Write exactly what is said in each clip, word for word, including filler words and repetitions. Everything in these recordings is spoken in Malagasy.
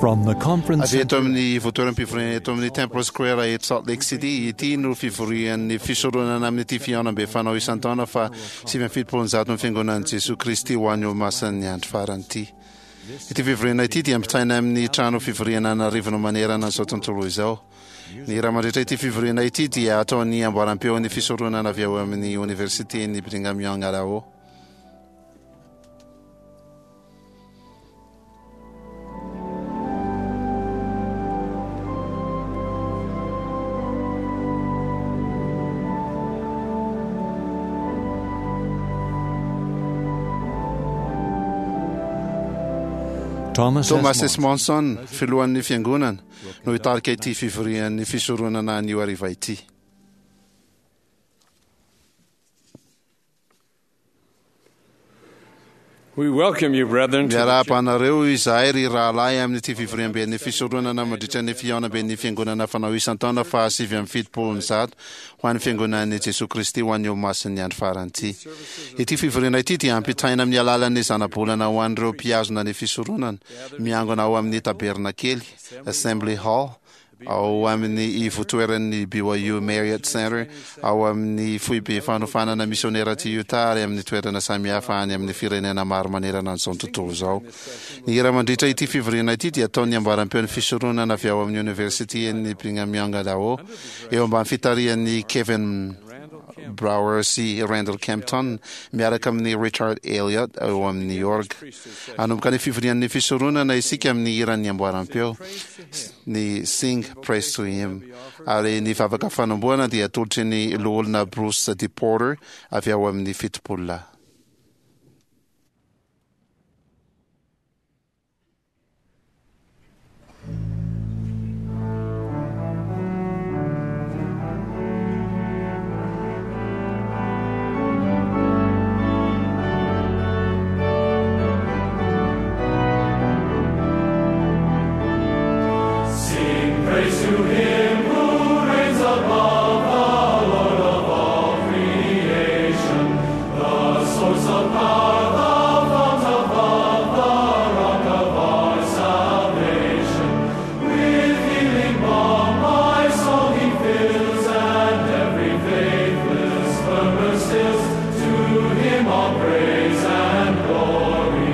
From the conference Avy eto amin'ny ivontoeram-pivoriana eto amin'ny Temple Square eto Salt Lake City, ity no fivorian'ny fisoronana amin'ity fihaonambe fanao isan-taona fa sivy amby fitopolo ny zato ny fiangonan'i Jesoa Kristy ho an'ny Olomasin'ny andro farany ity. Ity fivoriana ity dia ampitaina amin'ny trano fivoriana an'arivony manerana an'izao tontolo izao. Ny raha mandritra ity fivoriana ity dia ataon'ny amboaram-peon'ny fisoronana avy ao amin'ny Oniversiten'i Brigham Young Idaho. Thomas, Thomas S. S. Monson, filohan'ny fiangonana, no hitarika ity fivorian'ny fisoronana anio hariva ity. We welcome you, brethren, to the Miarahaba anareo izahay ry rahalahy amin'ity fivoriamben'ny fisoronana mandritra ny fihaonamben'ny fiangonana fanao isan-taona faha sivy amby fitopolo ny zato ho an'ny fiangonan'i Jesoa Kristy ho an'ny Olomasin'ny andro farany ity. Ity fivoriana ity dia ampitaina amin'ny alalan'ny zanabolana ho an'ireo mpihazona ny fisoronana miangona ao amin'ny tabernakely Assembly Hall ao amin'ny ivotoeran'ny B Y U Marriott Center, ao amin'ny foibe fanofanana misionera aty Utah ary amin'ny toerana samihafa any amin'ny firenena maro manerana an'izao tontolo izao. Ny hira mandritra ity fivoriana ity dia ataon'ny amboaram-peon'ny fisoronana avy ao amin'ny Oniversiten'ny Brigham Young Idaho, eo ambany fitarihan'ny Kevin Brower sy Randall Kempton miaraka amin'ny Richard Elliott ao amin'ny New York. Hanomboka ny fivorian'ny fisoronana isika amin'ny hiran'ny amboaram-peo, ny Sing Praise to Him, ary ny vavaka fanombohana dia atolotry ny loholona Bruce D. Porter avy ao amin'ny fitopolo lahy. Sing praise to him who reigns above, the Lord of all creation, the source of power, the fount of love, the rock of our salvation. With healing balm my soul he fills, and every faithless murmur stills. To him all praise and glory.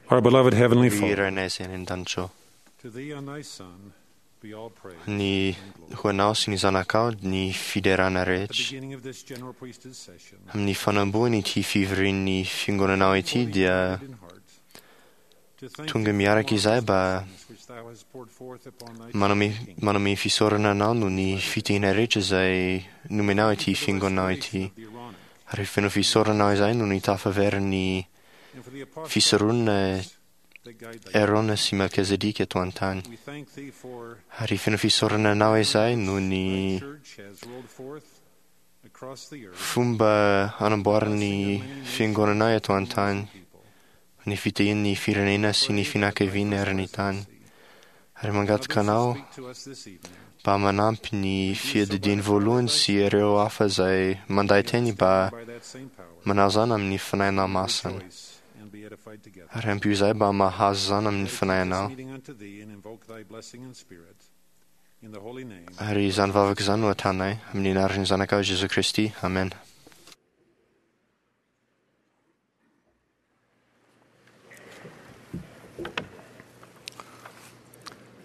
Our beloved Heavenly Ry Father, Rainay izay any an-danitra ao. to thee and thy Son be all praise. Ny and glory. ho anao sy ny zanakao ny fiderana At the rehetra. beginning of this general priesthood session, Amin'ny fanamboany ity fivorian'ny fiangonanao ity fully dia united in heart, to thank tonga thee for miaraka the izahay mba blessings which thou hast poured forth upon thy manome kingdom. manome fisaorana anao noho ny fitahiana rehetra izay nomenao ity For the fiangonanao restoration ity. of the Aaronic Ary feno fisaorana izahay noho ny tafaverin'ny and for the apostolic fisoronana priests that guide thy Aarona sy Melchizedek eto an-tany. We thank thee for Ary feno fisaorana anao izahay noho ny thy church has rolled forth across the earth fomba anamboaran'ny fiangonanao eto an-tany, people. ny fitahian'ny firenena sy ny fianakaviana ary ny tany. Ary mangataka anao Others who speak to us this evening, mba manampy ny fiadidiany voalohany sy ireo hafa izay manday teny mba by that same power, manao izany amin'ny fanahinao masina. rejoice and be edified together. Ary ampio izahay mba mahazo izany amin'ny Dedicate this fanahinao. meeting unto thee and invoke thy blessing and spirit in the holy name Ary izany vavaka izany no ataonay amin'ny anaran'ny zanakao Jesoa Kristy. Amen.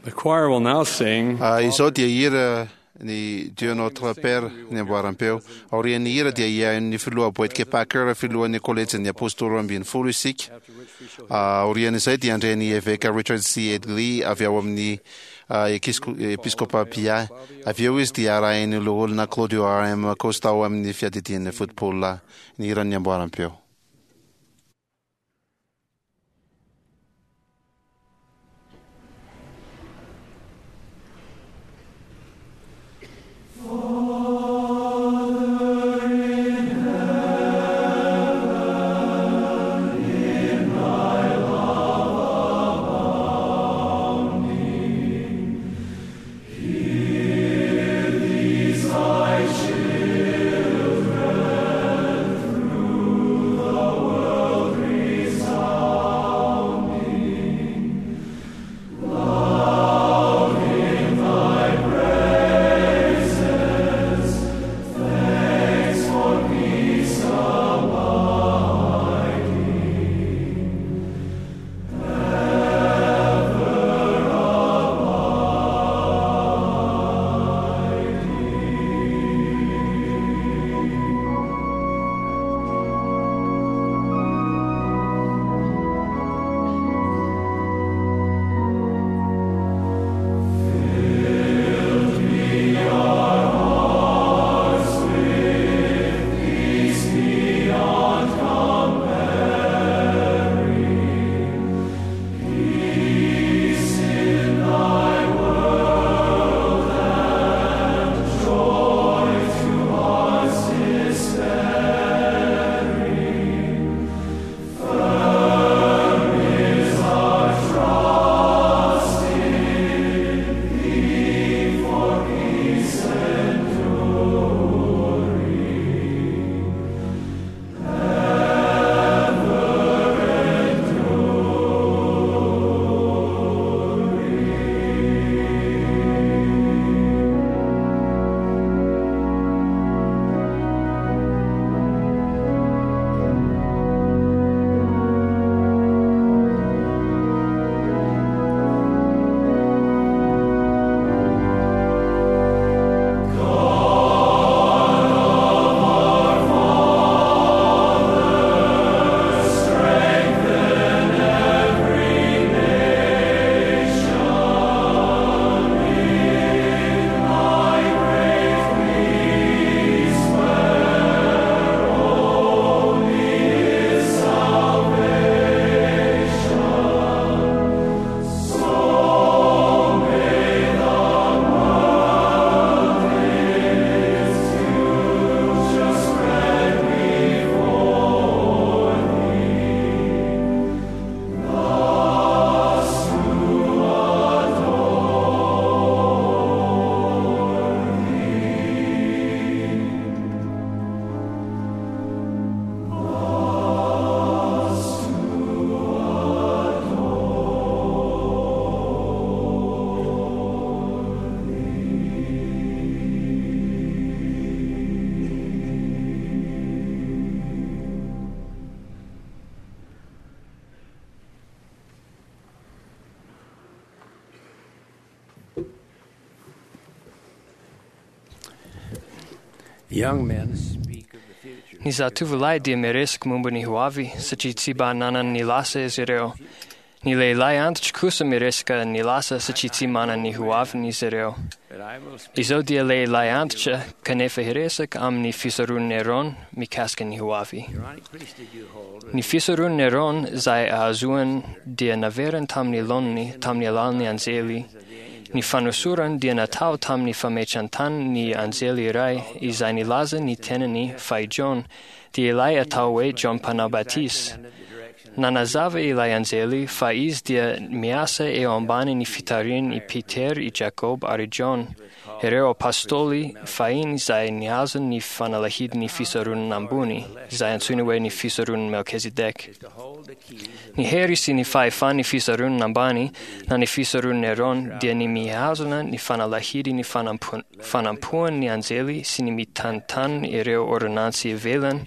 The choir will now sing Ah, izao dia hira ny Dieu notre Père ny amboaram-peo. Aorian'ny hira dia hihaino ny filoha Boyd Packer, filohan'ny kolejin'ny apôstôly roa ambin'ny folo isika. after which we shall Ah, Aorian'izay dia handray ny eveka Richard C. Edley avy ao amin'ny ah, Ekisko- Episkopa Pia. Avy eo izy dia arahin'ny loholona Claudio R. M. Costa ao amin'ny fiadidian'ny football ny hiran'ny amboaram-peo. These thy children through Ny zatovolahy dia miresaka momba ny hoavy satria tsy mba nanana ny lasa izy ireo. Ny lehilahy antitra kosa miresaka ny lasa satria tsy manana ny hoaviny izy ireo. Izao dia lehilahy antitra kanefa hiresaka amin'ny fisoronan'i Aaron mikasika ny hoavy. Ny fisoronan'i Aaron izay ahazoany dia naveriny tamin'ny laoniny tamin'ny alalan'ny anjely. Ny fanosorany dia natao tamin'ny fametran-tany ny anjely iray izay nilaza ny tenany fa i John dia ilay atao hoe John Mpanao Batisa. Nanazava ilay anjely fa izy dia miasa eo ambany ny fitarihan' i Peter, i Jacob ary John, ireo apostoly fahiny izay nihazo ny fanalahidin'ny fisoronana ambony, izay antsoina hoe ny fisoronan'i Melchizedek. Ny hery sy ny fahefan'ny fisoronana ambany na ny fisoronan'i Aaron dia ny mihazona ny fanalahidy ny fanampo- fanampoan'ny anjely sy ny mitantana ireo ordonnantsy ivelany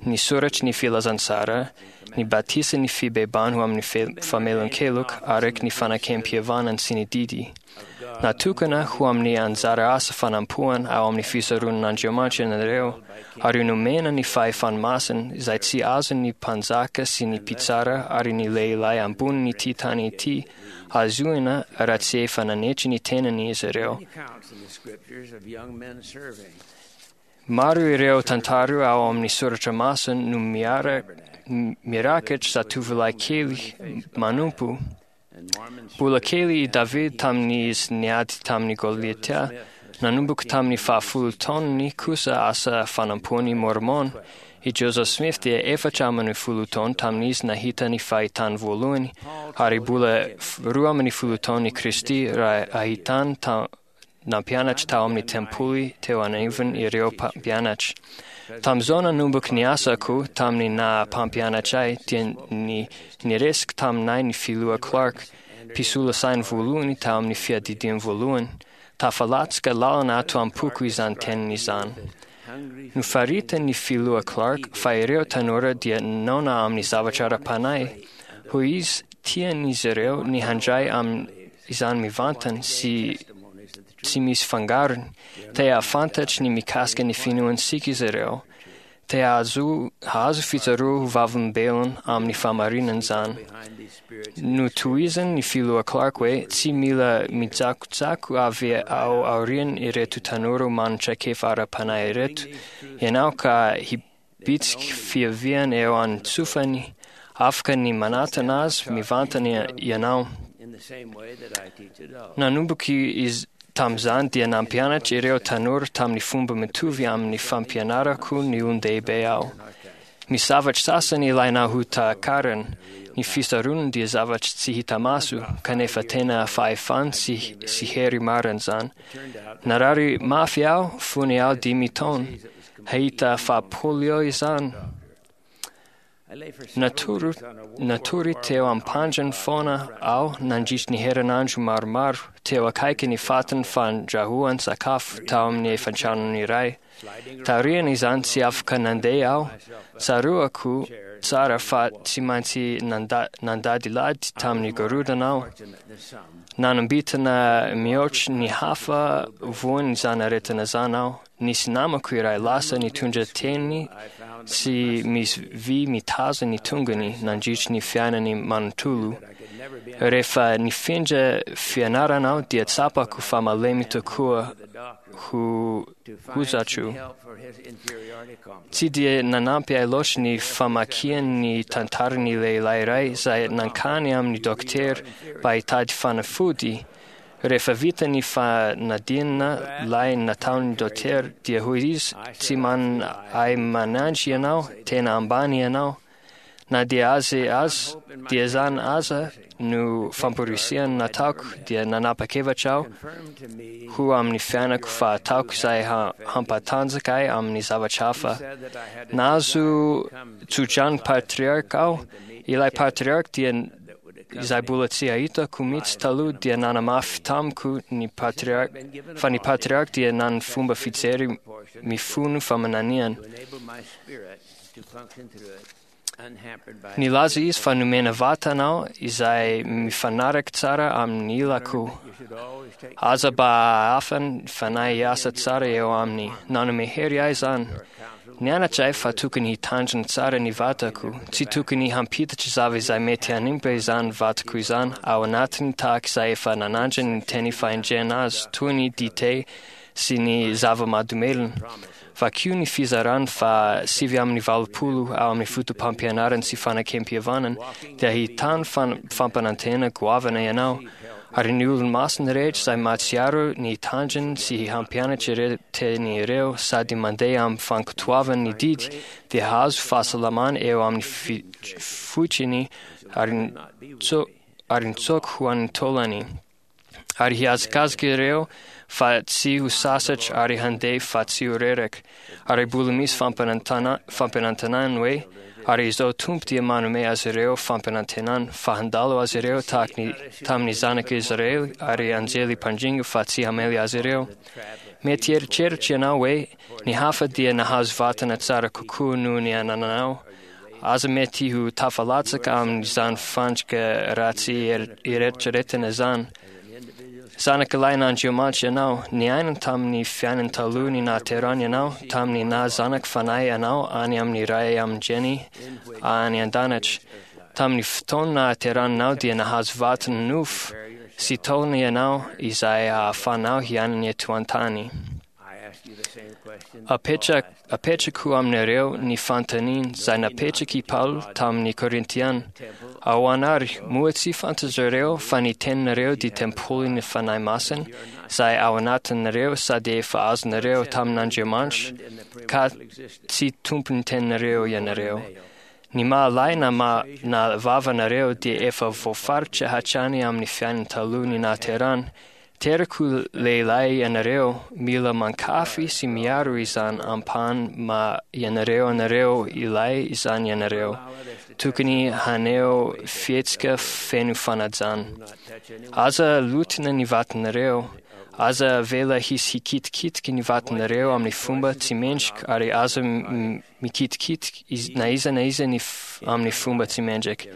ny soratry ny filazantsara, ny batisa ny fibebahana ho amin'ny fe- famelan-keloka araka ny fanekempihavanana sy ny didy. Natokana ho amin'ny anjara asa fanampoana ao amin'ny fisoronan'Andriamanitra ianareo, ary nomena ny fahefany masina izay tsy azon'ny mpanjaka sy ny mpitsara ary ny lehilahy ambonin'ity tany ity azoina raha tsy efa nanetry ny tenany izy ireo. Maro ireo tantara ao amin'ny soratra masina no miara mirakitra zatovolahy kely manompo. Mbola kely i David tamin'izy niady tamin'i Goliata, nanomboka tamin'ny fahafolo taonany kosa asa fanompoan'i Mormon. I Joseph Smith dia efatra amin'ny folo taona tamin'izy nahita ny fahitany voalohany, ary mbola roa amin'ny folo taona i Kristy raha ahitany ta nampianatra tao amin'ny tempoly teo anivon' ireo mpampianatra. Tamin'izao nanomboka ny asako tamin'ny naha mpampianatra ahy dia ny niresaka taminay ny filoha Clark, mpisolo saina voalohany tao amin'ny fiadidiany voalohany. Tafalatsaka lalina ato am-poko izany teniny izany. Nofaritany ny filoha Clark fa ireo tanora dia noana amin'ny zavatra ara-panahy. Hoy izy, tian'izy ireo ny handray amin'izany mivantana sy tsy misy fangarony. Te hahafantatry ny mikasika ny finoantsika izy ireo. Te hahazo hahazo fitsaroa ho vavolombelona amin'ny fahamarinana izany. Notohizany ny filoha Clark hoe tsy mila mitsakotsako avy ao aorian' ireto tanora manana traikefa ara-panahy ireto ianao ka hibitsiky fiaviana eo an-tsofany. Afaka ny manatona azy mivantana ianao. Nanomboka izy tamin'izany dia nampianatra ireo tanora tamin'ny fomba mitovy amin'ny fampianarako ny olon-dehibe aho. Misy zavatra sasany ilaina ho takarina. Ny fisoronana dia zavatra tsy hita maso, kanefa tena fahefana sy, sy hery marina izany. Narary mafy aho fony aho dimy taona. Hahita fa polio izany. Natory, natory teo am-pandriny foana aho nandritry ny herinandro maromaro teo akaiky ny fatiny fandrahoan sakafo tao amin'ny efantranony iray. Taorian' izany tsy afaka nandeha aho. Tsaroako tsara fa tsy maintsy nanda, nandadilady tamin'ny gorodona aho. Nanambitana mihoatra ny hafa voan' izany aretina izany aho. Nisy namako iray lasa nitondra teny sy misy vy mitazona ny tongony nandritry ny fiainany manontolo. Rehefa nifindra fianarana aho dia tsapako fa malemy tokoa ho hozatro. Tsy dia nanampy ahy loatra ny famakiany ny tantaran'ny lehilahy iray izay nankany amin'ny dokotera mba hitady fanafody. Rehefa vita ny fanadinana lay nataon'ny dokotera dia hoy izy, tsy manana ahy manandry ianao, tena ambany ianao. Na dia azy azy dia izany aza no famporisihana nataoko dia nanapa-kevitra aho ho amin'ny fiainako fa ataoko izay hampatanjaka ahy amin'ny zavatra hafa. Nahazo tsodrano patriarka aho. Ilay patriarka dia izay mbola tsy ahitako mihitsy taloha dia nanamafy tamiko ny patriarka fa ny patriarka dia nanana fomba fijery mifono faminaniana. Nilaza izy fa nomena vatana aho izay mifanaraka tsara amin'ny ilako. Aza mba hahafa ny fanahy hiasa tsara eo aminy. Nanome hery ahy izany. Nianatra ahy fa tokony hitandrina tsara ny vatako. Tsy tokony hampiditra zava izay mety hanimba izany vatako izany ao anatiny tahaka izay efa nanandrany ny teny fahendrena azy toy ny dite sy ny zava-mahadomelina. Vakio ny fizarany fa sivy amin'ny valopolo ao amin'ny fotopampianarana sy fanekempihavanana dia ahitany fampanantena goavana ianao. Ary ny olo-masina rehetra izay mahatsiaro ny hitandrina sy hampianatra ireo teny ireo sady mandeha amin'ny fankatoavana ny didy dia hahazo fahasalamana eo amin'ny foitriny ary ny tsoko ho an'ny taolany. Ary hihazakazaka ireo fa tsy ho sasatra ary handeha fa tsy ho reraka. Ary mbola misy fampanantenana hoe ary izao Tompo dia manome azy ireo fampanantenana fa handalo azy ireo tahaka ny tamin'ny zanaka Israely ary anjely mpandringa fa tsy hamely azy ireo. Mety hieritreritra ianao hoe ny hafa dia nahazo vatana tsara kokoa noho ny anananao. Aza mety ho tafalatsaka amin'izany fandrika ratsy eritreretina izany. Zanaka lahin'Andriamanitra ianao, niaina tamin'ny fiainana taloha ny nahaterahana ianao, tamin'ny naha zanaka fanahy anao any amin'ny ray aman-dreny any an-danitra. Tamin'ny fotoana nahaterahanao dia nahazo vatana nofo sy taolana ianao izay ahafahanao hiaina eto an-tany. Apetrako aminareo ny fanontaniana izay napetraky i Paoly tamin'ny Korintiana. Ahoana ary, moa tsy fantatrareo fa ny teninareo dia tempolin'ny Fanahy Masina izay ao anatinareo sady efa azonareo tamin'Andriamanitra, ka tsy tompon'ny teninareo ianareo. Ny mahalahy na ma na vavanareo dia efa voafaritra hatrany amin'ny fiainana taloha ny nahaterahana. Terako lehilahy ianareo, mila mankafy sy miaro izany ampahany ma ianareo anareo ilay izany ianareo. Tokony haneho fihetsika feno fanajana. Aza lotina ny vatanareo, aza avela hisy hikitikitiky ny vatanareo amin'ny fomba tsy mendrika ary aza mikitikitiky na iza na iza ny amin'ny fomba tsy mendrika.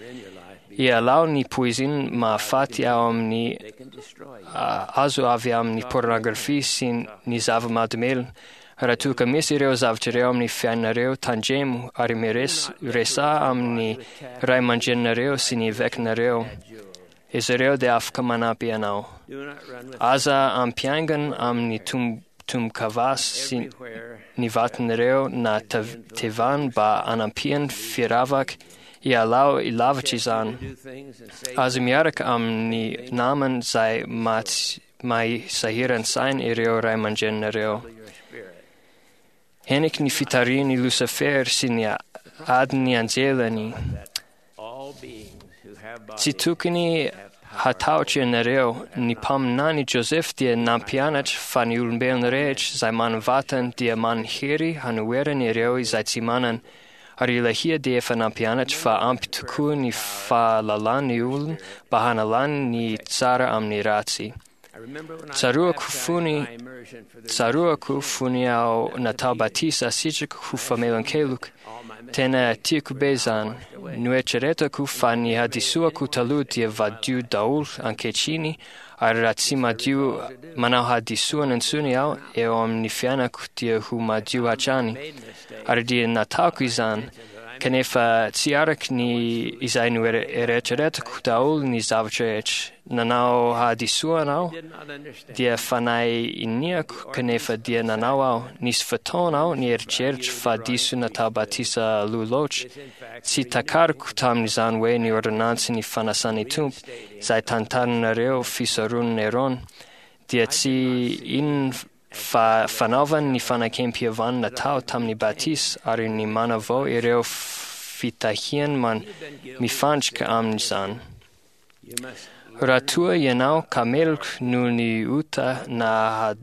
Ialao ny poizina mahafaty ao amin'ny azo avy amin'ny pornografia sy ny zava-mahadomelina. Raha toa ka misy ireo zavatra ireo amin'ny fiainanareo, tandremo ary miresaha amin'ny ray aman-dreninareo sy ny evekinareo. Izy ireo dia afaka manampy anao. Aza ampiaingana amin'ny tombo-kavasy sy ny vatanareo na tevana mba hanampiany firavaka ialao ilavitra izany. Aza miaraka amin'ny namana izay mahay sahiran-tsaina ireo ray aman-dreninareo. Heniky ny fitarihan'i Lucifer sy ny adin'ny anjelany. Tsy tokony hatahotra ianareo. Ny mpaminany Joseph dia nampianatra fa ny olombelona rehetra izay manana dia manan-hery hanoherana ireo izay tsy manana. Ary Ilahia dia efa nampianatra fa ampy tokoa ny fahalalany olona mba hanalany ny tsara amin'ny ratsy. Tsaroako fony tsaroako fony aho natao batisa sitrako ho famelan-keloka. Tena tiako be izany. Noeritreretako fa ny hadisoako taloha dia vadio daholo ankehitriny ary raha tsy madio manao hadisoana intsony aho eo amin'ny fiainako dia ho madio hatrany. Ary dia nataoko izany, kanefa tsy araka ny izay noeritreretako daholo ny zavatra rehetra. Nanao hadisoana aho dia fanahy iniako kanefa dia nanao aho. Nisy fotoana aho nieritreritra fa diso natao batisa aloha loatra. Tsy takariko tamin'izany hoe ny ordonnance ny fanasan'ny Tompo izay tantaranareo fisoronana Aarona dia tsy inona fa fanaovany ny fanekempihavanana natao tamin'ny batisa ary ny manavao ireo fitahiany man mifandrika amin'izany. Raha toa ianao ka meloka noho ny ota na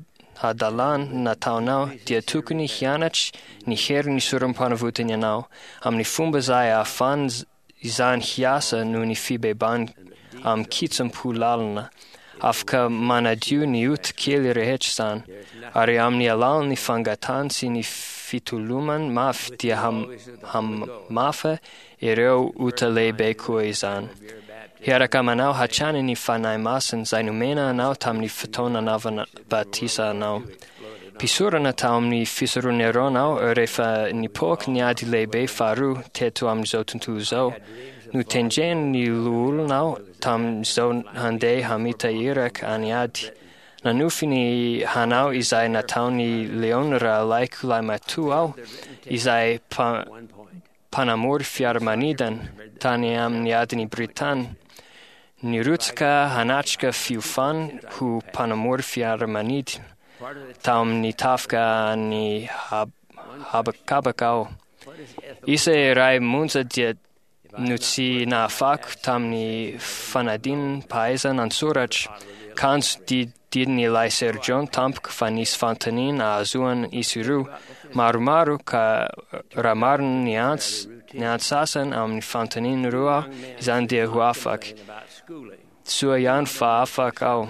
hadalana nataonao dia tokony hianatra ny herin'ny sorom-panavotana ianao amin'ny fomba izay ahafahana izany hiasa noho ny fibebahana amin'ny kitsim-po lalina. Afaka manadio ny ota kely rehetra izany ary amin'ny alalan'ny fangatahana sy ny fitolomana mafy dia hamafa ireo ota lehibe koa izany. Hiaraka aminao hatrany ny Fanahy Masina izay nomena anao tamin'ny fotoana nanaovana batisa anao. Mpisorona tao amin'ny fisoron'i Arona aho rehefa nipoaka ny ady lehibe faharoa teto amin'izao tontolo izao. Notendren'ny loholona aho tamin'izao handeha hamita iraka any ady. Nanofy ny hanao izay nataon'i Leon rahalahiko lahimatoa aho, izay mpanamory fiaramanidina tany amin'ny adin'i Britany. Nirotsaka hanatrika fiofana ho mpanamory fiaramanidina tao amin'ny tafika any habakabaka aho. Isa iray monja dia no tsy nahafako tamin'ny fanadinam-pahaizana an-tsoratra, kanjo didin'ilay sergent tampoka fa nisy fanontaniana ahazoana isa roa maromaro ka raha marina ny ants ny antsasany amin'ny fanontaniana roa aho, izany dia ho afaka. Soa ihany fa afaka aho.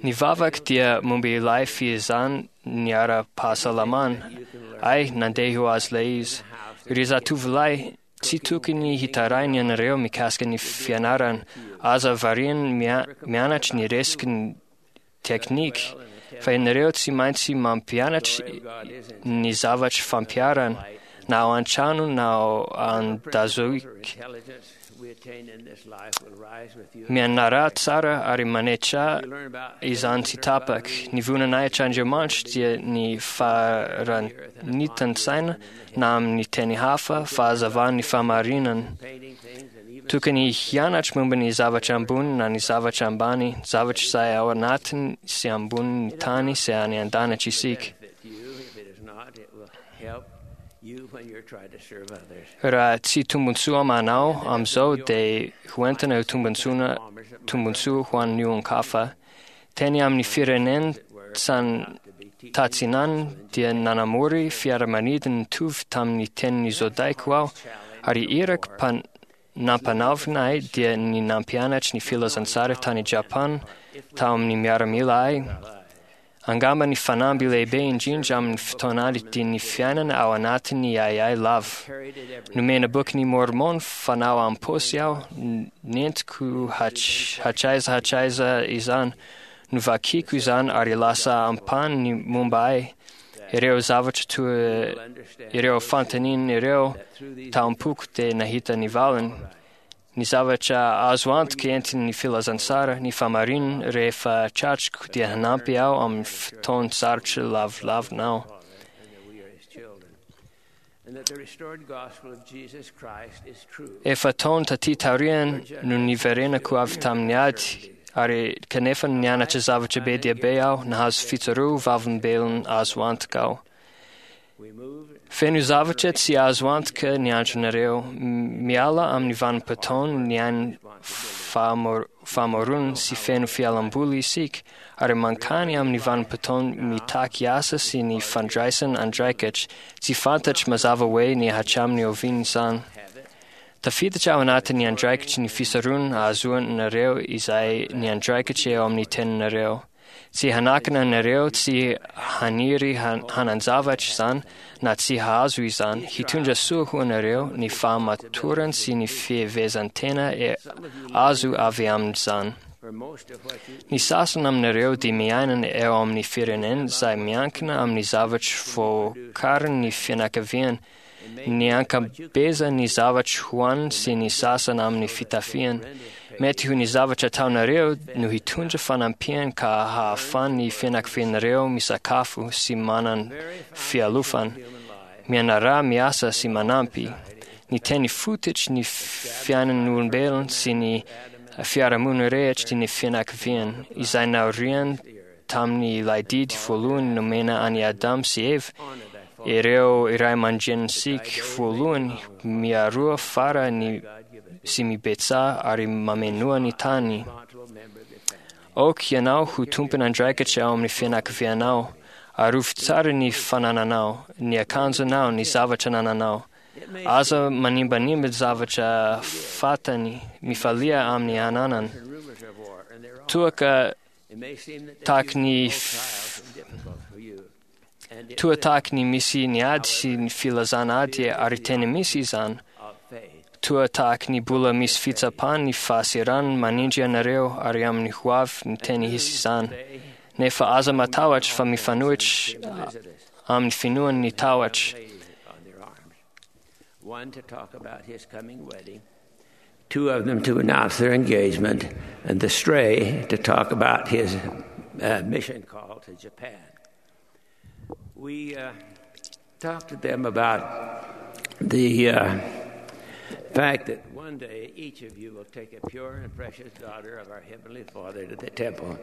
Ny vavaka dia momba ilay fiezahana ny ara-pahasalamana. Ay, nandeha ho azy ilay izy. Ry zatovolahy, tsy tokony hitaraina ianareo mikasika ny fianarana. Aza variana mianatra ny resaky ny teknika, fa ianareo tsy maintsy mampianatra ny zavatra fampiharana, na ao an-trano na ao an-dazoika. Mianara tsara ary manetra izany tsy tapaka. Ny voninahitr'Andriamanitra dia ny faharanitan-tsaina na amin'ny teny hafa fahazavan'ny fahamarinana. Tokony hianatra momba ny zavatra ambony na ny zavatra ambany, zavatra izay ao anatiny sy ambonin'ny tany sy any an-danitra isika. Raha tsy tombontsoa amanao amin'izao dia hoentina ho tombontsoa tombontsoa ho an'ny olon-kafa. Teny amin'ny firenena tatsinanana dia nanamory fiaramanidina nitovy tamin'ny tenin'ny zodaiko aho, ary iraka nampanaovina ahy dia ny nampianatra ny filazantsara tany Japana tao amin'ny miaramila ahy. Angamba ny fanamby lehibe indrindra amin'ny fotoan'ady dia ny fiainana ao anatin'ny ahiahy lava. Nomena bokin'i Mormon fanao am-paosy aho, nentiko hatraiza hatraiza izany. Novakiko izany ary lasa ampahany ny momba ahy. Ireo zavatra toa ireo fanontaniana ireo tao am-poko dia nahita ny valiny. Ny zavatra azo antoka entin'ny filazantsara, ny fahamarinana rehefa tratriko dia hanampy aho amin'ny fotoan-tsarotra lavilavina aho. Efa taona taty taoriana no niverenako avy tamin'ny ady, ary kanefa nianatra zavatra be dia be aho, nahazo fitsaroa vavolombelona azo antoka aho. Feno zavatra tsy azo antoka ny andronareo. Miala amin'ny vanim-potoana ny ain'ny famoronana sy feno fialamboly isika, ary mankany amin'ny vanim-potoana mitaky asa sy ny fandraisana andraikitra. Tsy fantatro mazava hoe ny hatramin'ny oviana izany. Tafiditra ao anatin'ny andraikitry ny fisaronana ahazoanareo izay ny andraikitra eo amin'ny teninareo. Tsy hanakana anareo tsy haniry hanan-javatra izany na tsy hahazo izany. Hitondra soa ho anareo ny fahamatorana sy ny fihevezan-tena azo avy amin'izany. Ny sasany aminareo dia miaina eo amin'ny firenena izay miankina amin'ny zavatra voakarin'ny fianakaviana, ny ankabezan'ny zavatra hohaniny sy ny sasany amin'ny fitafiana. Mety ho ny zavatra ataonareo no hitondra fanampiana ka hahafahan'ny fianakavianareo misakafo sy manana fialofana. Mianara miasa sy manampy. Ny teny fototry ny fiainan'olombelona sy ny fiarahamonina rehetra dia ny fianakaviana, izay naoriany tamin'ny ilay didy voalohany nomena an'i Adam sy Eva, ireo iray aman-drenintsika voalohany miaroa fara ny sy mibetsaha ary mamenoa ny tany. Aoka ianao ho tompon'andraikitra ao amin'ny fianakavianao, arovy tsara ny fanananao, ny akanjonao, ny zavatra anananao. Aza manimbanimba zavatra fantany, mifalia amin'ny ananana. Toa ka tahaky ny Toa tahaky ny misy ny ady sy ny filazana ady ary tena misy izany. Toa tahaky ny mbola misy fitsapana ny fahasahiranana manindry anareo ary amin'ny ho avy ny tena hisy izany. Nefa aza matahotra fa mifanohitra amin'ny finoana ny tahotra. One to talk about his coming wedding, two of them to announce their engagement, and the stray to talk about his uh, mission call to Japan. We uh, talked to them about the uh, fact that one day each of you will take a pure and precious daughter of our Heavenly Father to the temple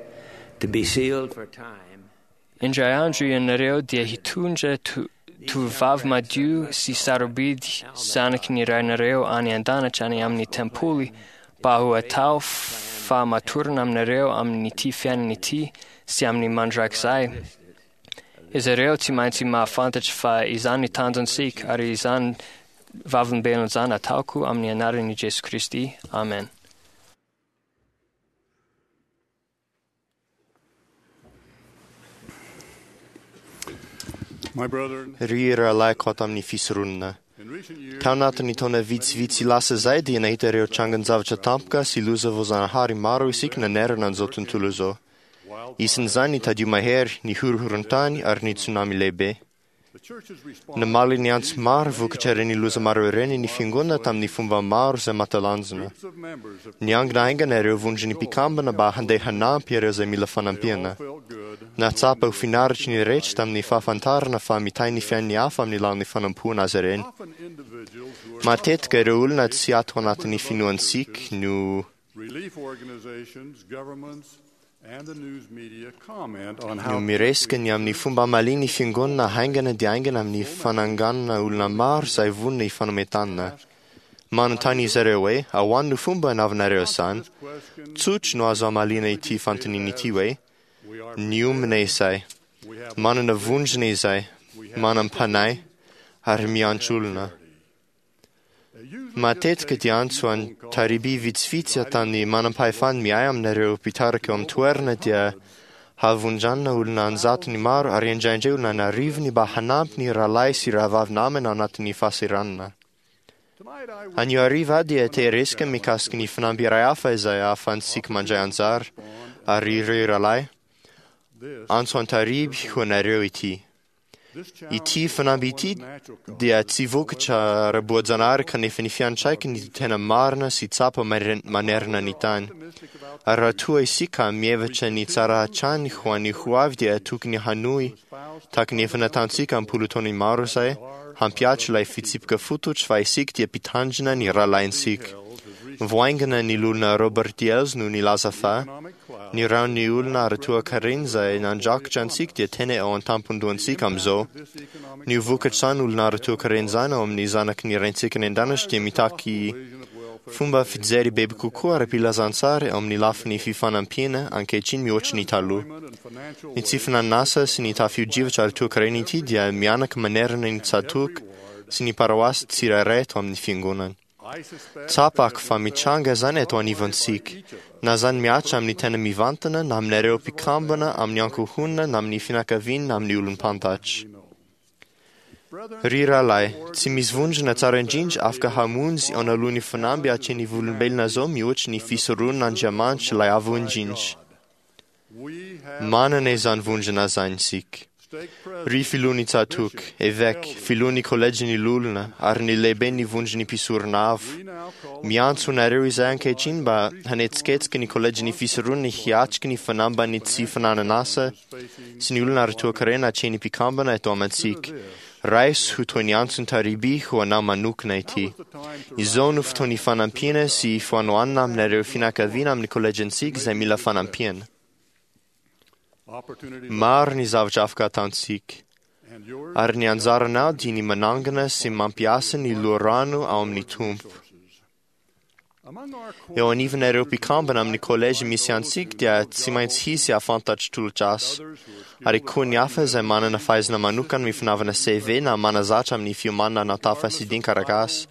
to be sealed for time. Indray andro ianareo dia hitondra to- tovovavy madio sy sarobidy zanaky ny rainareo any an-danitra any amin'ny tempoly mba ho atao fahamatorana aminareo amin'ity fiainana ity sy amin'ny mandrakizay. Izy ireo tsy maintsy mahafantatra fa izany ny tanjontsika ary izany vavolombelona izany ataoko amin'ny anaran'i Jesoa Kristy. Amen. My brethren, Ry rahalahy ato amin'ny fisoronana. in recent years, Tao anatin'ny taona vitsivitsy lasa izay dia nahita ireo trangan-javatra tampoka sy loza voajanahary maro isika nanerana an'izao tontolo izao. Isan'izany ny tadio mahery, ny horohoron-tany ary ny tsunami lehibe. the church has responded Namaly ny antso maro vokatra ireny loza maro ireny ny fiangonana tamin'ny fomba maro izay mahatalanjona. groups of members have Niangona haingana ireo vondron'ny mpikambana mba handeha hanampy ireo izay mila fanampiana. felt good Nahatsapa ho finaritry ny rehetra tamin'ny fahafantarana fa mitahy ny fiain'ny hafa amin'ny lalan'ny fanampoana azy ireny. Often individuals who are Matetika ireo olona tsy ato anatin'ny finoantsika no relief organizations, governments, and the news media comment on no how miresaka ny amin'ny fomba hamalian'ny fiangonana haingana dia haingana amin'ny fananganana olona maro izay vonona hifanometanana. Manontany izy ireo hoe ahoana no fomba anaovanareo izany? this question Tsotro no azo hamaliana ity fanontaniana ity hoe we are niomana izay, we have manana vondrona izay, manam-panahy ary miantso olona. Matetika dia antso an-tariby vitsivitsy ataon'ny manam-pahefana miahy aminareo mpitarika eo amin'ny toerana dia havondranana olona an-jatony maro ary indraindray olona an'arivony mba hanampy ny rahalahy sy rahavavy namana ao anatin'ny fahasahiranana. tonight I will Anio hariva aho dia te hiresaka mikasika ny fanamby iray hafa izay ahafahantsika mandray anjara ary ireo rahalahy this antso an-tariby ho anareo ity. this challenge Ity fanamby ity dia tsy vokatra ara-boajanahary kanefa ny fiantraikany ny tena marina sy tsapa maner- manerana ny tany. optimistic about Ary raha toa isika mihevitra ny tsara hatrany ho an'ny ho avy dia tokony hanohy tahaka ny efa nataontsika am-polo taona maro izay hampihatro ilay fitsipika fototra fa isika dia mpitandrina ny rahalahintsika. Voaingana ny olona Robert Diels no nilaza fa economic cloud ny rahon'ny olona ara-toekarena izay nandrakotra antsika dia tena eo an-tampon-dohantsika amin'izao. this economic Ny vokatr'izany olona ara-toekarena izany ao amin'ny zanaky ny raintsika any an-danitra dia mitaky vision of welfare fomba fijery bebe kokoa ara-pilazantsara eo amin'ny lafiny fifanampiana ankehitriny mihoatra ny taloha. and financial Ny tsy finanasa sy ny tafio-drivotra ara-toekarena ity dia mianaka manerana ny tsatoka sy ny paroasy tsirairay eto amin'ny fiangonana. I suspect Tsapako fa mitranga izany eto anivontsika, na izany mihatra amin'ny tena mivantana, na aminareo mpikambana, amin'ny ankohonana, na amin'ny fianakaviana, na amin'ny olom-pantatra. Ry rahalahy, tsy misy vondrona tsara indrindra afaka hamonjy eo analohan'ny fanamby atrehin'ny volombelona izao mihoatra ny fisoronan'Andriamanitra ilay avo indrindra. we have Manana izany vondrona izany isika. stake president Ry filohan'ny tsatoka, eveka, filohan'ny kolejin'ny lolona ary ny lehiben'ny vondron'ny mpisorona avo. we now call Miantso anareo izay ankehitriny mba hanetsiketsika ny kolejin'ny fisoronana hiatrika ny fanamban'ny tsy fananan'asa sy ny olona ara-toekarena atrehin'ny mpikambana eto amintsika. Raiso ho toy ny antson'ny tariby ho anao manokana ity. the time to Izao no fotoan'ny fanampiana sy fanohanana aminareo fianakaviana amin'ny kolejintsika izay mila fanampiana. opportunity Maro ny zavatra afaka ataontsika. and yours Ary ny anjaranao dia ny manangana sy mampiasa ny loharano ao amin'ny Tompo. among our core Eo anivon'ireo mpikambana amin'ny kolejy misy antsika dia tsy maintsy hisy hahafantatry tolotr'asa. others who are skilled Ary koa ny hafa izay manana fahaizana manokana amin'ny fanaovana C V na manazatra amin'ny fiomanana natafa sy dinkarakasa.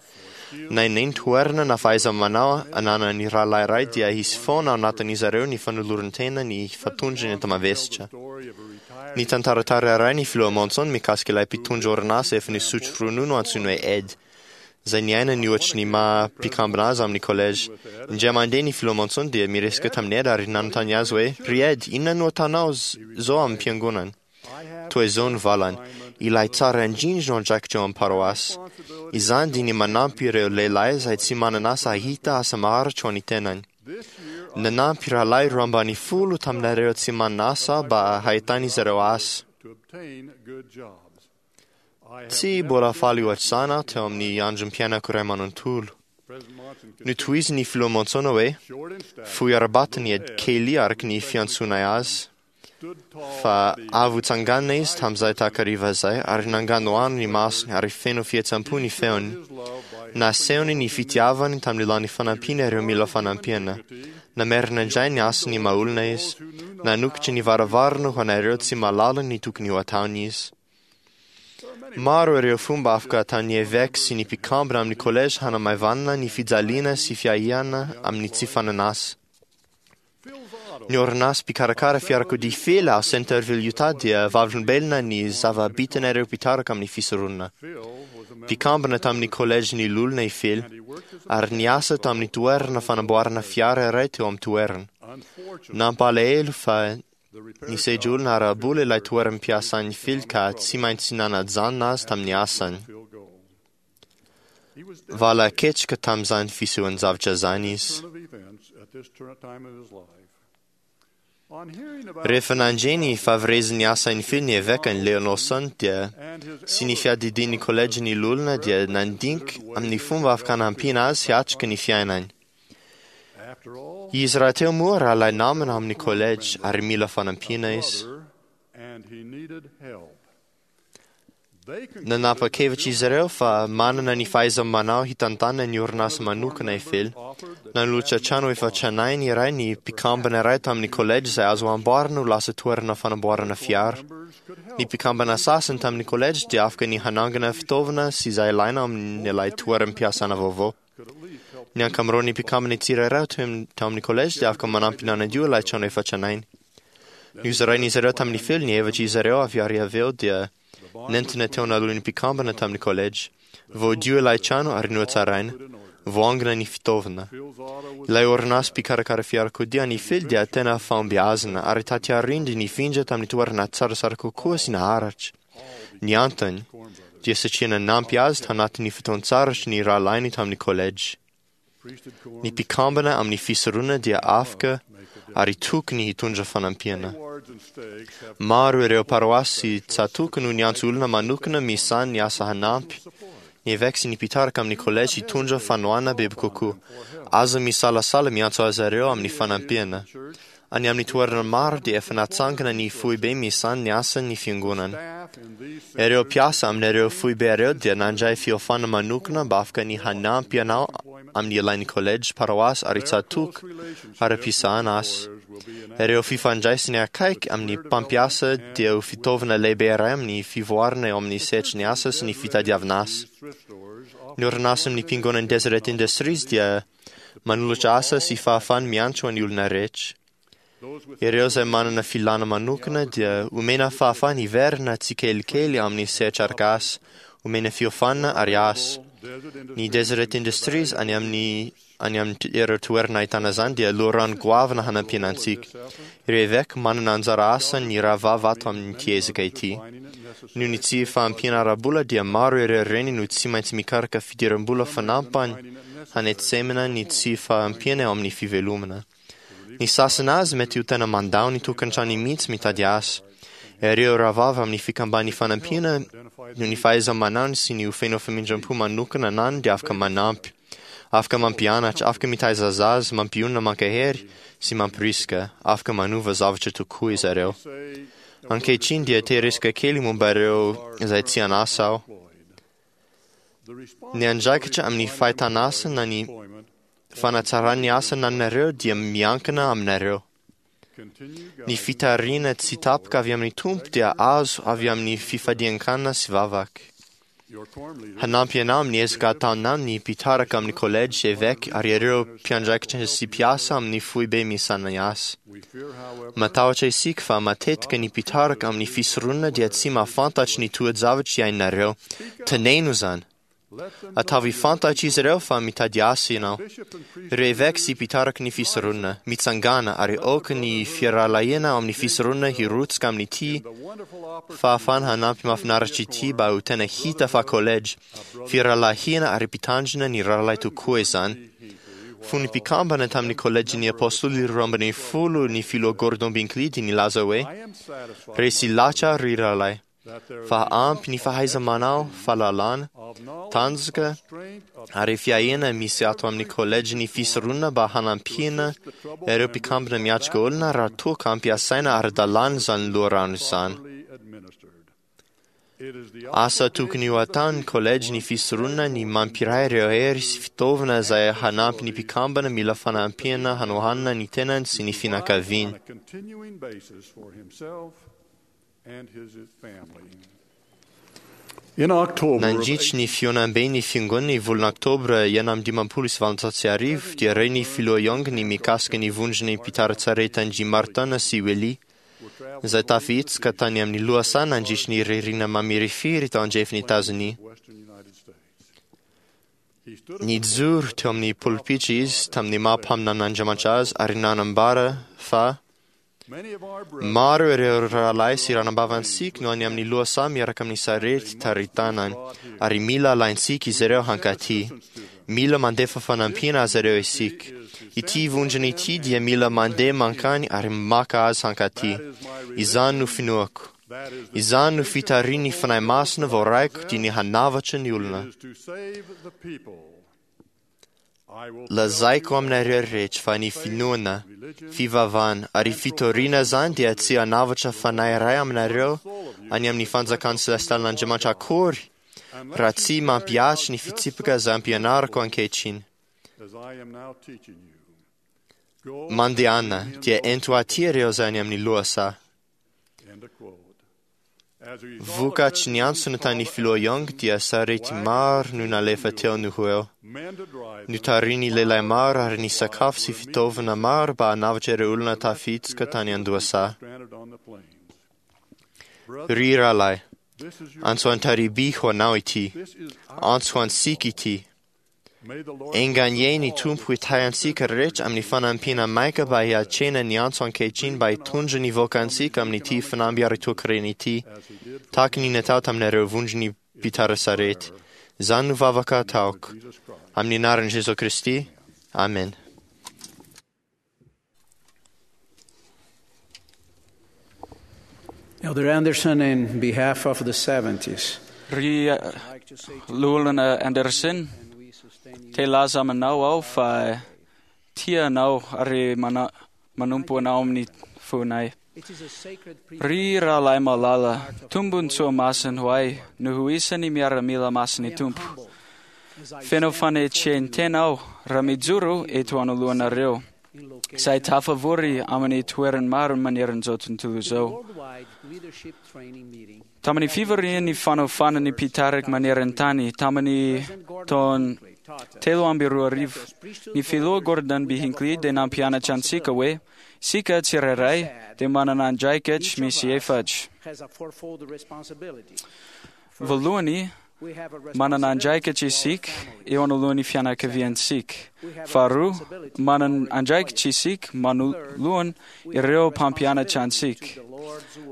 Na inona toerana na fahaiza-manao ananan'ny rahalahy iray dia hisy foana ao anatin'izy ireo ny fanoloran-tena ny fatondrony enta-mavesatra. story of a retired Ny tantaratara iray ny filoha Monson mikasika ilay mpitondra orinasa efa nisotro ronono antsoina hoe Ed, izay niaina ny ohatry ny maha mpikambana azy amin'ny collège. Indray mandeha ny filoha Monson dia miresaka tamin'i Ed ary nanontany azy hoe, "Ry Ed, inona no ataonao zao amin'ny fiangonana?" Toy izao ny valany, "Ilay tsara indrindra no andraikitra eo amin'ny paroasy. Izany dia ny manampy ireo lehilahy izay tsy manana asa hahita asa maharitra ho an'ny tenany. Nanampy rahalahy roa ambany folo taminareo tsy manana asa mba hahitan'izy ireo asa. Tsy mbola faly ohatr'izany aho teo amin'ny androm-piainako iray manontolo." Notohiziny ny filoha Monson hoe, "Fohy ara-batana i Ed Kelly araka ny fiantsoanay azy, fa avo tsanganina izy tamin'izay takariva izay ary nanganohano ny masony ary feno fihetseham-po ny feony. Nasehony ny fitiavany tamin'ny alalan'ny fanampiana ireo mila fanampiana. Namerina indray ny asany maha-olona izy. Nanokatra ny varavarana ho an'ireo tsy mahalala ny tokony ho ataony izy." Maro ireo fomba afaka ataon'ny eveka sy ny mpikambana amin'ny collège hanamaivanana ny fijaliana sy fiahiana amin'ny tsy fananasa. Ny orinasa mpikarakara fiarakodia Fela ao Centerville, Utah dia vavolombelona ny zava-bitan'ireo mpitarika amin'ny fisoronana. Mpikambana tamin'ny collège ny lolona i Fela ary niasa tamin'ny toerana fanamboarana fiara iray teo amin'ny toerana. Nampalahelo fa nisedra olona ara-bola ilay toeram-piasan'ny Fela ka tsy maintsy nanajanona azy tamin'ny asany. Vala ketrika tamin'izany fisehoan-javatra izany izy. Rehefa nandre ny fahaverezin'ny asan'ny Fela ny eveka ny Leon Lawson dia sy ny fiadidian'ny collège ny lolona dia nandinika amin'ny fomba afaka hanampiana azy hiatrika ny fiainany. Izy rahateo moa rahalahy namana amin'ny collège ary mila fanampiana izy. Nanapa-kevitra izy ireo fa manana ny fahaiza-manao hitantanana ny orinasa manokana i Fela. Nanolotra trano efa tranainy iray ny mpikambana iray tamin'ny collège izay azo amboarina ho lasa toerana fanamboarana fiara. Ny mpikambana sasany tamin'ny collège dia afaka ny hanangana fitaovana sy izay ilaina amin'ilay toeram-piasana vaovao. Ny ankamaroan'ny mpikambana tsirairay tao amin'ny collège dia afaka manampy nanadio ilay trano efa tranainy. Nozarain'izy ireo tamin'ny Fela ny hevitr'izy ireo avy ary avy eo dia nentina teo analohan'ny mpikambana tamin'ny collège. Voadio ilay trano ary nohatsaraina. Voangona ny fitaovana. Ilay orinasa mpikarakara fiarakodia an'i Fela dia tena fahombiazana ary taty aoriana dia nifindra tamin'ny toerana tsaratsara kokoa sy naharitra. Ny antony dia satria nanampy azy tanatin'ny fotoan-tsarotra ny rahalahiny tamin'ny collège. Ny mpikambana amin'ny fisoronana dia afaka ary tokony hitondra fanampiana. Maro ireo paroasy tsatoko no niantso olona manokana misahana ny asa hanampy. Ny eveka sy ny mpitarika amin'ny collège hitondra fanohanana bebe kokoa. Aza misalasala miantso azy ireo amin'ny fanampiana. Any amin'ny toerana maro dia efa natsangana ny foibe misahana ny asan'ny fiangonana. Ireo mpiasa amin'ireo foibe ireo dia nandray fiofanana manokana mba afaka ny hanampy anao amin'ny ilain'ny collège, paroasy ary tsatoko ara-pisahana asa. Ireo fifandraisana akaiky amin'ny mpampiasa dia ho fitaovana lehibe iray amin'ny fivoarana eo amin'ny sehatry ny asa sy ny fitadiavana asa. Ny orinasa amin'ny Fiangonan'ny Deseret Industries dia manolotra asa sy fahafahana miantso ny olona rehetra. Ireo izay manana filàna manokana dia omena fahafahana hiverina tsikelikely amin'ny sehatra araka asa, omena fiofanana ary asa. Ny Deseret Industries any amin'ny any amin'ireo toerana ahitana izany dia loharano goavana hanampiana antsika. Ireo eveka manana anjara asa ny rahavavy ato amin'ity ezaka ity. Noho ny tsy fahampiana ara-bola dia maro ireo reny no tsy maintsy mikaroka fidiram-bola fanampiny hanetsemana ny tsy fahampiana eo amin'ny fivelomana. Ny sasany azy mety ho tena mandao ny tokantrano mihitsy mitady asa. Ireo rahavavy amin'ny fikamban'ny fanampiana noho ny fahaiza-manao sy ny ho feno famindram-po manokana anany dia afaka manampy, afaka mampianatra, afaka mitaiza zaza, mampionona mankahery sy mampirisika, afaka manova zavatra tokoa izy ireo. Ankehitriny dia te hiresaka kely momba ireo izay tsy an'asa aho. Ny andraikitra amin'ny fahitana asa na ny fanatsarana ny asa anananareo dia miankina aminareo. Ny fitariana tsy tapaka avy amin'ny Tompo dia azo avy amin'ny fifadian-kanina sy vavaka. Hanampy anao amin'ny ezaka ataonao ny mpitarika amin'ny kolejy, eveka ary ireo mpiandraikitra sy mpiasa amin'ny foibe misy asa. Matahotra isika fa matetika ny mpitarika amin'ny fisoronana dia tsy mahafantatry ny toe-javatra iainanareo. Teneno izany. Ataovy fantatry izy ireo fa mitady asa ianao. Ireo eveka sy mpitarika ny fisoronana, mitsangàna ary aoka ny firahalahiana ao amin'ny fisoronana hirotsaka amin'ity fahafahana hanampy mahafinaritra ity mba ho tena hita fa kolejy, firahalahiana ary mpitandrina ny rahalahy tokoa izany. Fony mpikambana tamin'ny kolejin'ny apôstôly roa ambin'ny folo ny filoha Gordon Binkley dia nilaza hoe: "Resy lahatra ry rahalahy fa ampy ny fahaiza-manao, fahalalana, tanjaka ary fiahiana misy ato amin'ny kolejin'ny fisoronana mba hanampiana ireo mpikambana miatrika olona raha toa ka ampiasaina ara-dalàna izany loharano izany. Asa tokony ho ataon'ny kolejin'ny fisoronana ny mampiray ireo hery sy fitaovana izay hanampy ny mpikambana mila fanampiana hanohanana ny tenany sy ny fianakaviany. Nandritry ny fihaonamben'ny fiangonana ny volana Oktobra enina amby dimampolo sy valonjato sy arivo dia ren'ny filoha Young ny mikasika ny vondron'ny mpitari-tsaretin'i Martin sy Willie izay tafihetsika tany amin'ny lohasaha nandritry ny ririnina mamirifiry tao andrefan'i Etazonia. Nijoro teo amin'ny polipitra izy tamin'ny maha mpaminan'Andriamanitra azy ary nanambara fa maro ireo rahalahy sy ranambavantsika no any amin'ny lohasaha miaraka amin'ny sarety taritanany ary mila alaintsika izy ireo hankaty. Mila mandefa fanampiana azy ireo isika. Ity vondrona ity dia mila mandeha mankany ary maka azy hankaty. Izany no finoako. Izany no fitarihan'ny Fanahy Masina voaraiko dia ny hanavatra ny olona. Lazaiko aminareo rehetra fa ny finoana, fivavahana ary fitoriana izany dia tsy hanavatra fanahy iray aminareo any amin'ny fanjakan'ny selestialin'Andriamanitra akory raha tsy mampihatra ny fitsipika izay ampianariko ankehitriny. Mandehana dia ento aty ireo izay any amin'ny lohasaha. Vokatry ny antsona tany filoha Young dia sarety maro no nalefa teo no ho eo. Notarihin'ny lehilahy maro ary ny sakafo sy fitaovana maro mba hanavotra ireo olona tafihitsoka tany an-dohasaha. Ry rahalahy, antso an-tariby ho anao ity, antso ho antsika ity. Enga anie ny Tompo hitahy antsika rehetra amin'ny fanampiana maika mba hiatrehana ny antso ankehitriny mba hitondra ny vahoakantsika amin'ity fanamby ara-toekarena ity, tahaka ny natao taminareo vondron'ny mpitari-sarety. Izany no vavaka ataoko. Amin'ny anaran'i Jesoa Kristy. Amen. Elder Anderson, in behalf of the seventies, Ry Loholona Anderson, te hilaza aminao aho fa tia anao ary mana- manompo anao amin'ny fonay. Ry rahalahy malala, tombon-tsoa masina ho ahy no ho isan'ny miaramila masin'ny Tompo. Feno fanetren-tena aho raha mijoro eto anoloanareo, izay tafavory amin'ny toerany maro maneran'izao tontolo izao. Tamin'ny fivorian'ny fanofanan'ny mpitarika maneran-tany tamin'ny taona telo amby roa arivo, ny filoha Gordon B. Hinckley dia nampianatra antsika hoe isika tsirairay dia manana andraikitra misy efatra. Voalohany, manana andraikitra isika eo anoloan'ny fianakaviantsika. Faharoa, manana andraikitra isika manoloana ireo mpampianatra antsika.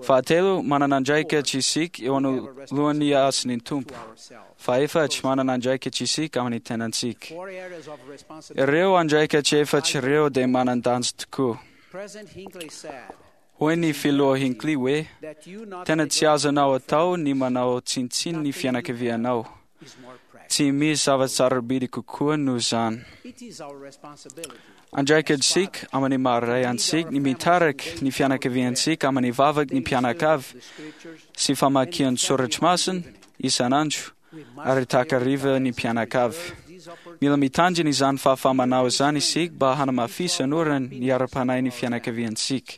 Fahatelo, manana andraikitra isika eo anoloan'ny asan'ny Tompo. Fahefatra, manana andraikitra isika amin'ny tenantsika. Ireo andraikitra efatra ireo dia manan-danja tokoa. Hoy ny filoha Hinckley hoe, tena tsy azonao atao ny manao tsinontsinona ny fianakavianao. Tsy misy zava-tsarobidy kokoa noho izany. Andraikitr'isika amin'ny maha ray antsika ny mitarika ny fianakaviantsika amin'ny vavaky ny mpianakavy sy famakian soratra masina isan'andro ary takariva ny mpianakavy. Mila mitandrina izany fahafahamanao izany isika mba hanamafisana ny ara-panahy ny fianakaviantsika.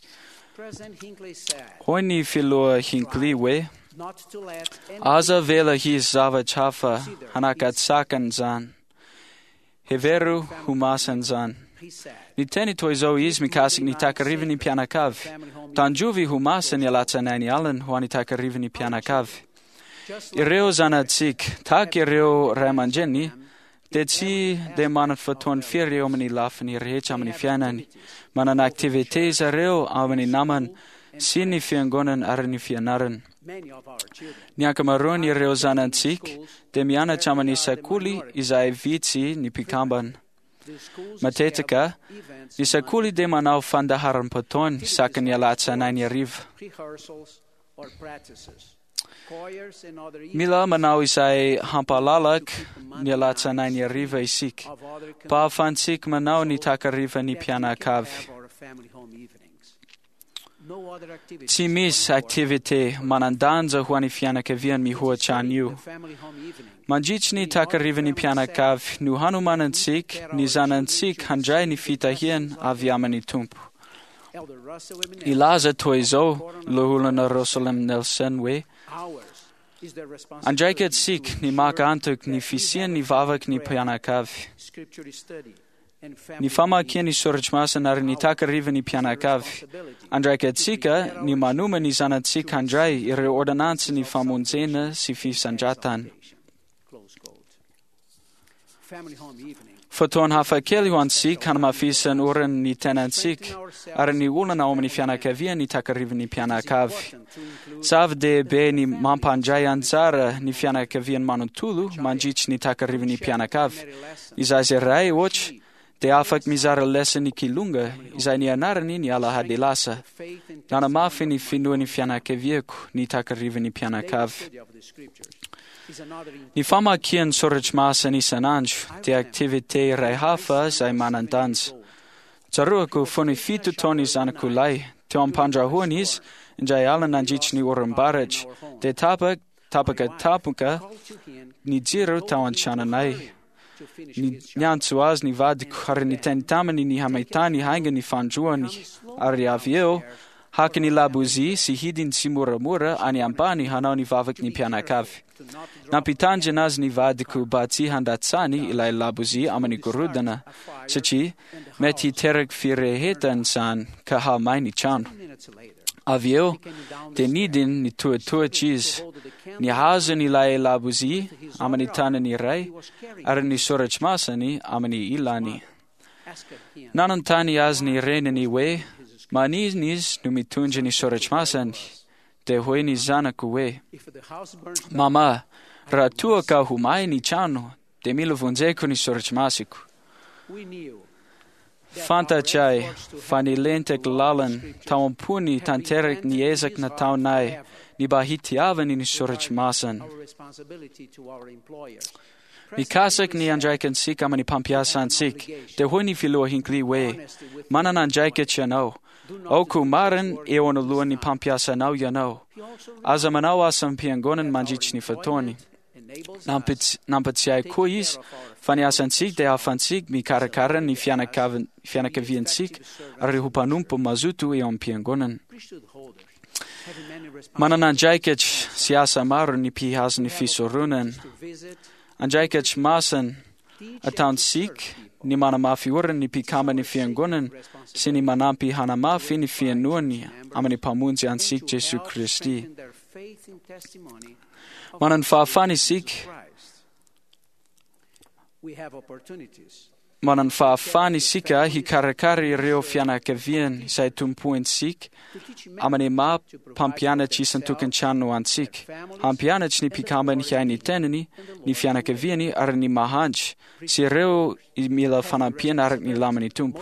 Hoy ny filoha Hinckley hoe, Aza avela hisy zavatra hafa hanakatsakana izany. Hevero ho masina izany. Niteny toy izao izy mikasika ny takarivan'ny mpianakavy. Tandrovy ho masina ny alatsinainy alina ho an'ny takarivan'ny mpianakavy. Ireo zanatsika, tahaka ireo ray aman-dreny, dia tsy dia manana fotoana firy eo amin'ny lafiny rehetra amin'ny fiainany. Manana activité zareo amin'ny namana sy ny fiangonana ary ny fianarana. Ny ankamaroan'ireo zanatsika dia mianatra amin'ny sekoly izay vitsy ny mpikambana. Matetika, ny sekoly dia manao fandaharam-potoana isaky ny alatsinainy hariva. Mila manao izay hampalalaka ny alatsinainy hariva isika, mba hahafahantsika manao ny takarivan'ny mpianakavy. Tsy misy activité manan-danja ho an'ny fianakaviany mihoatra an'io. Mandritry ny takarivan'ny mpianakavy no hanomanantsika ny zanantsika handray ny fitahiana avy amin'ny Tompo. Nilaza toy izao loholona Russell M. Nelson hoe: Andraikantsika ny maka antoka ny fisian'ny vavaky ny mpianakavy. Ny famakian'ny soratra masina ary ny takarivan'ny mpianakavy. Andraikantsika ny manoma ny zanatsika handray ireo ordonansin'ny famonjena sy fisandratana. Fotoana hafakely ho antsika hanamafisan'ny orana ny tenantsika ary ny olana ao amin'ny fianakaviana ny takarivan'ny mpianakavy. Zava-dehibe ny mampandray anjara ny fianakaviany manontolo mandritry ny takarivan'ny mpianakavy. Ny zaza iray ohatra dia afaka mizara lesan'ny kilonga izay nianarany ny alahady lasa. Nanamafy ny finoan'ny fianakaviako ny takarivan'ny mpianakavy. Ny famakian'ny soratra masina isan'andro dia activité iray hafa izay manan-danja. Tsaroako fony fito taona zanako lahy, teo am-pandrahoana izy, indray alina nandritry ny oram-baratra, dia tapaka tapaka tapoka ny jiro tao an-tranonay. Niantso azy ny vadiko ary niteny taminy ny hamitany haingana ny fandroany, ary avy eo haka ny labozia sy hidiny tsimoramora any ambany hanao ny vavaky ny mpianakavy. Nampitandrina azy ny vadiko mba tsy handatsany ilay labozia amin'ny gorodona, satria mety hiteraky firehetana izany ka hahamay ny trano. Avy eo dia nidiny nitohatohatra izy, nihazony ilay labozia amin'ny tanany iray ary ny soratra masiny amin'ny ilany. Nanontany azy ny reniny hoe maninona izy no mitondra ny soratra masiny, dia hoy ny zanako hoe: Mama, raha toa ka ho may ny trano, dia mila vonjeko ny soratra masiko. Fantatray fa nilentika lalina tao am-pony tanteraky ny ezaka nataonay ny mba hitiavany ny soratra masina. Mikasiky ny andraikantsika amin'ny mpampiasa antsika, dia hoy ny filoha Hinckley hoe: Manana andraikitra ianao. Aoka ho marina eo anoloan'ny mpampiasa anao ianao. Aza manao asa am-piangonana mandritry ny fotoany. Nampatsiahy koa izy fa ny asantsika dia ahafahantsika mikarakara ny fianakaviantsika ary ho mpanompo mazoto eo am-piangonana. Manana andraikitra sy asa maro ny mpihazo ny fisoronana. Andraikitra masina ataontsika ny manamafy orina ny mpikambana fiangonana sy ny manampy hanamafy ny fihainoany amin'ny Mpamonjy antsika Jesoa Kristy. Manana fahafahana isika manana fahafahana isika hikarakara ireo fianakaviany izay tompointsika amin'ny maha mpampianatra isan-tokantrano antsika, hampianatra ny mpikambany hiahy ny tenany, ny fianakaviany ary ny mahantra sy ireo mila fanampiana araka ny lamin'ny Tompo.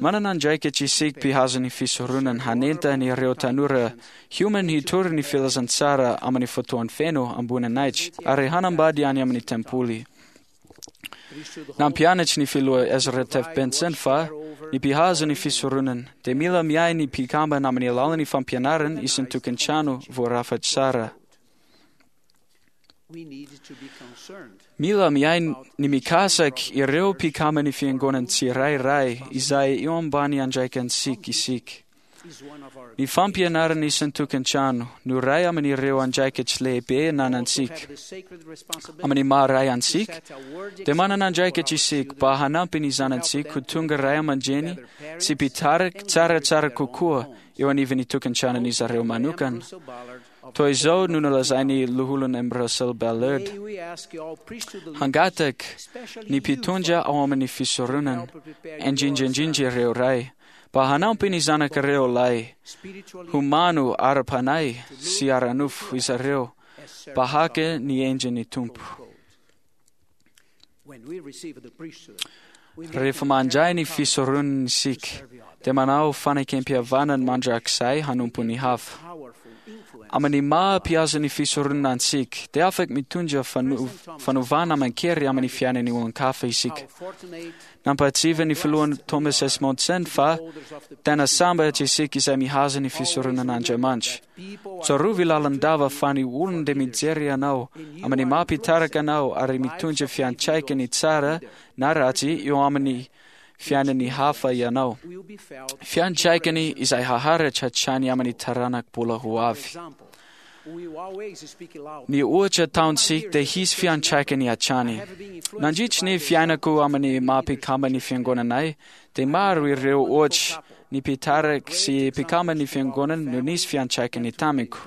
Manana andraikitra isika mpihazo ny fisoronana hanentana ireo tanora hiomana hitory ny filazantsara amin'ny fotoany feno amboninahitra ary hanambady any amin'ny tempoly. Nampianatra ny filoha Ezra Taft Benson fa ny mpihazo ny fisoronana dia mila miahy ny mpikambana amin'ny alalan'ny fampianarana isan-tokantrano voarafitra tsara. Mila miahy ny mikasiky ireo mpikamban'ny fiangonana tsirairay izay eo ambany andraikantsika isika. Ny fampianarana isan-tokantrano no iray amin'ireo andraikitra lehibe ananantsika. Amin'ny maha ray antsika, dia manana andraikitra isika mba hanampy ny zanatsika ho tonga ray aman-dreny sy mpitarika tsaratsara kokoa eo anivon'ny tokantranon'izy ireo manokana. Toy izao no nolazain'ny loholona M. Russell Ballard: "Hangataka ny mpitondra ao amin'ny fisoronana, indrindra indrindra ireo ray, mba hanampy ny zanakareo lahy ho mano ara-panahy sy ara-nofo izy ireo mba haka ny endrin'ny Tompo." Rehefa mandray ny fisoronana isika, dia manao fanekempihavanana mandrakizay hanompo ny hafa. Amin'ny maha mpihaza ny fisoronana antsika, dia afaka mitondra fano- fanovana aman-kery amin'ny fiainan'ny olon-kafa isika. Nampahatsiahy ny filohany Thomas S. Monson fa tena sambatra isika izay mihaza ny fisoronan'Andriamanitra. Tsarovy lalandava fa ny olona dia mijery anao amin'ny maha mpitarika anao ary mitondra fiantraikany tsara na ratsy eo amin'ny fiainan'ny hafa ianao. Fiantraikany izay haharitra hatrany amin'ny taranaka mbola ho avy. Ny ohatra ataontsika dia hisy fiantraikany hatrany. Nandritry ny fiainako amin'ny maha mpikamban'ny fiangonanay, dia maro ireo ohatra ny mpitarika sy mpikamban'ny fiangonana no nisy fiantraikany tamiko.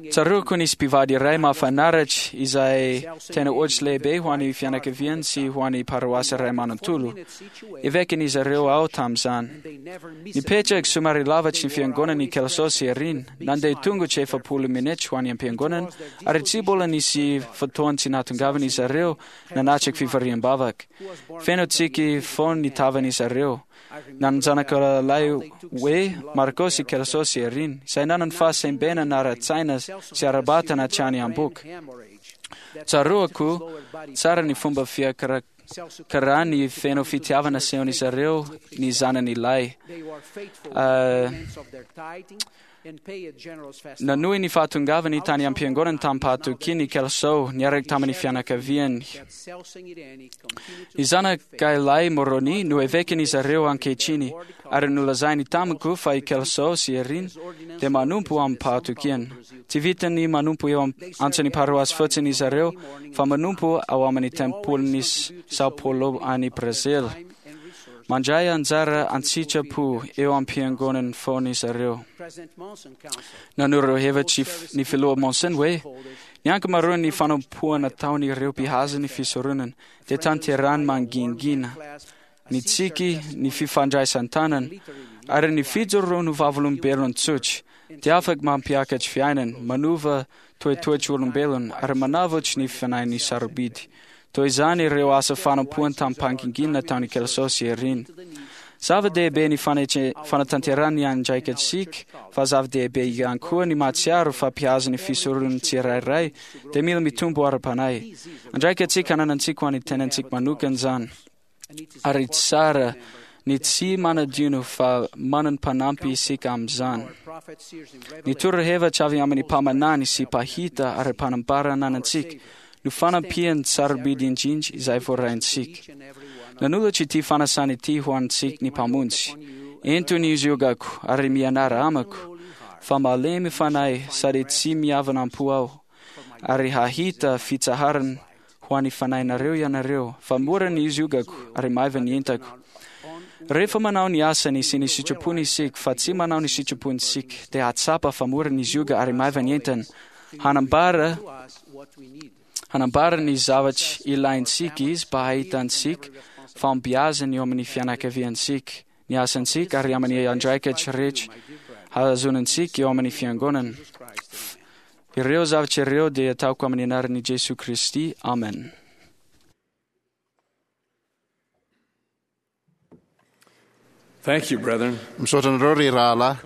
Tsaroako nisy mpivady iray mahafinaritra izay tena ohatra lehibe ho an'ny fianakaviany sy ho an'ny paroasy iray manontolo. Evekin'izy ireo aho tamin'izany. Nipetraka somary lavitry ny fiangonana i Kelso sy Irene, nandeha tongotra efapolo minitra ho any am-piangonana, ary tsy mbola nisy fotoana tsy nahatongavan'izy ireo nanatrika fivoriam-bavaka. Feno tsiky foana ny tavan'izy ireo. Nanan-janaka lahy hoe Marco sy Kelso sy Irene, izay nanana fahasembenana ara-tsaina sy ara-batana hatrany am-bohoka. Tsaroako tsara ny fomba fiakarakarany feno fitiavana asehon'izy ireo ny zanany lahy. Ah, nanohy ny fahatongavany tany am-piangonana tamim-pahatokiana i Kelso niaraka tamin'ny fianakaviany. Ny zanaka lahy Moroni no evekin'izy ireo ankehitriny, ary nolazainy tamiko fa i Kelso sy Irene dia manompo amim-pahatokiana. Tsy vitany manompo eo am- antsan'ny paroasy fotsiny izy ireo, fa manompo ao amin'ny tempolin'i São Paulo any Brazil. Mandray anjara an-tsitrapo eo am-piangonana foana izy ireo. Nanoro hevitra ny filoha Monson hoe ny ankamaroan'ny fanompoana ataon'ireo mpihaza ny fisoronana dia tanterahany mangingina, ny tsiky, ny fifandraisan-tanana ary ny fijoroana ho vavolombelona tsotra dia afaka mampiakatra fiainana, manova toetoetry olombelona ary manavotry ny fanahin'ny sarobidy. Toy izany ireo asa fanompoana tamim-pangingina nataon'i Kelso sy Irene. Zava-dehibe ny fanetre- fanatanterahana ny andraikitsika, fa zava-dehibe ihany koa ny mahatsiaro fa mpihaza ny fisoronana tsirairay dia mila mitombo ara-panahy. Andraikitsika ananantsika ho an'ny tenantsika manokana izany. Ary tsara ny tsy manadino fa manana mpanampy isika amin'izany. Ny torohevitra avy amin'ny mpaminany sy mpahita ary mpanambara ananantsika no fanampiany sarobidy indrindra izay voaraintsika. Nanolotra ity fanasana ity ho antsika ny Mpamonjy. Ento ny ziogako ary mianara amako, fa malemy fanahy sady tsy miavona am-po aho, ary hahita fitsaharana ho an'ny fanahinareo ianareo, fa mora ny ziogako ary maiva ny entako. Rehefa manao ny asany sy ny sitrapony isika, fa tsy manao ny sitrapontsika, dia hahatsapa fa mora ny zioga ary maiva ny entana. Hanambara hanambara ny zavatra ilaintsika izy mba hahitantsika fahombiazana eo amin'ny fianakaviantsika, ny asantsika ary amin'ny andraikitra rehetra hahazoantsika eo amin'ny fiangonana. Ireo zavatra ireo dia ataoko amin'ny anaran'i Jesoa Kristy. Amen. Thank you, brethren. Misaotra anareo ry rahalahy.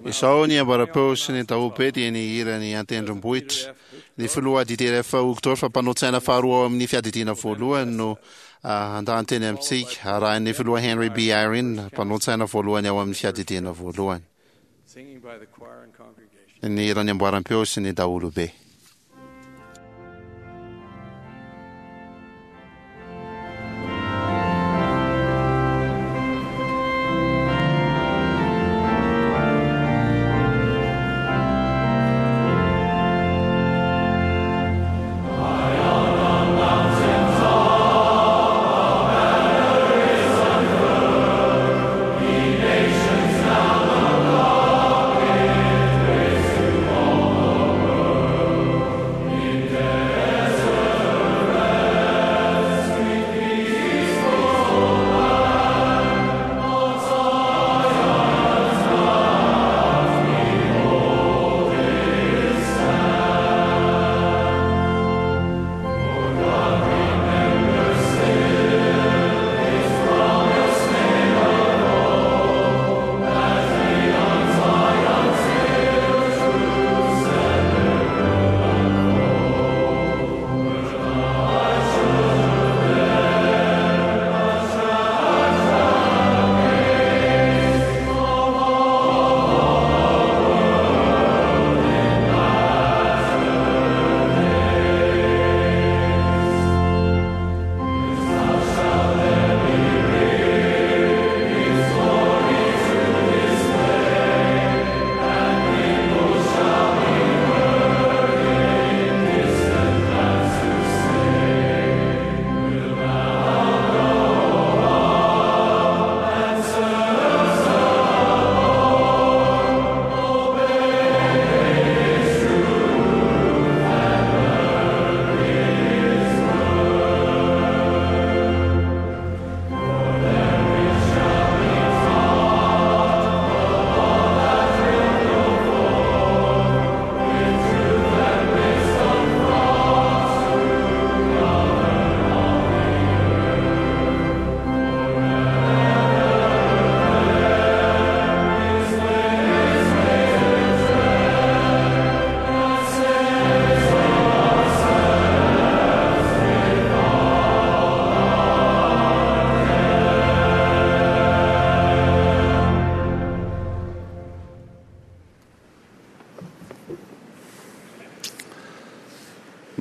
Izao ny ambarapeo sy ny daholobe dia ny hirany an-tendrombohitra. Ny filoha D T R F Uchtdorf mpanao-tsaina faharoa ao amin'ny fiadidiana voalohany no handahan-teny amintsika, arahin'ny filoha Henry B. Eyring mpanao-tsaina voalohany ao amin'ny fiadidiana voalohany. Singing by the choir and congregation. Ny hirany amboaram-peo sy ny daholobe. Thank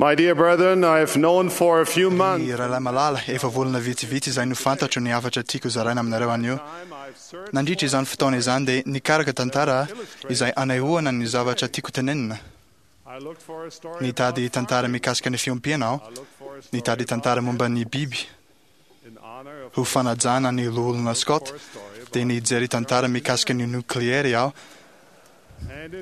My dear brethren, I have known for a few months. Ny rahalahy malala, efa volana vitsivitsy izay no fantatro ny hafatra tiako zaraina aminareo anio. Nandritra izany fotoana izany dia nikaraka tantara izay anehoana ny zavatra tiako tenenina. Nitady tantara mikasika ny fiompiana aho, nitady tantara momba ny biby. Ho fanajana ny loholona Scott, dia nijery tantara mikasika ny nokleary aho,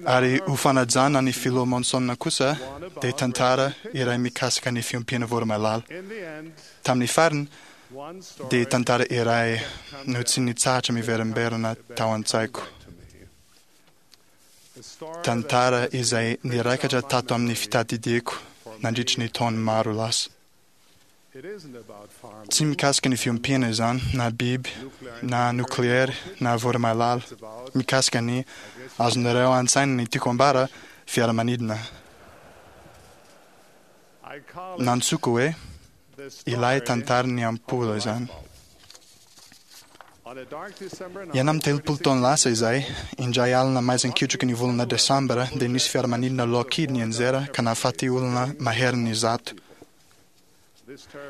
ary ho fanajana ny filoha Monson kosa dia tantara iray mikasika ny fiompiana voromailala. Tamin'ny farany dia tantara iray no tsy nitsahatra miverimberina tao an-tsaiko. Tantara izay niraikatra tato amin'ny fitadidiako nandritry ny taona maro lasa. Tsy mikasika ny fiompiana izany, na biby, na nokleary, na voromailala. Mikasika ny azonareo an-tsaina ny tiako ambara, fiaramanidina. Nantsoiko hoe ilay tantaran'ny ampola izany. Enina amby telopolo taona lasa izay, indray alina maizin-kitroky ny volana Desambra, dia nisy fiaramanidina Lockheed nianjera ka nahafaty olona maherin'ny zato.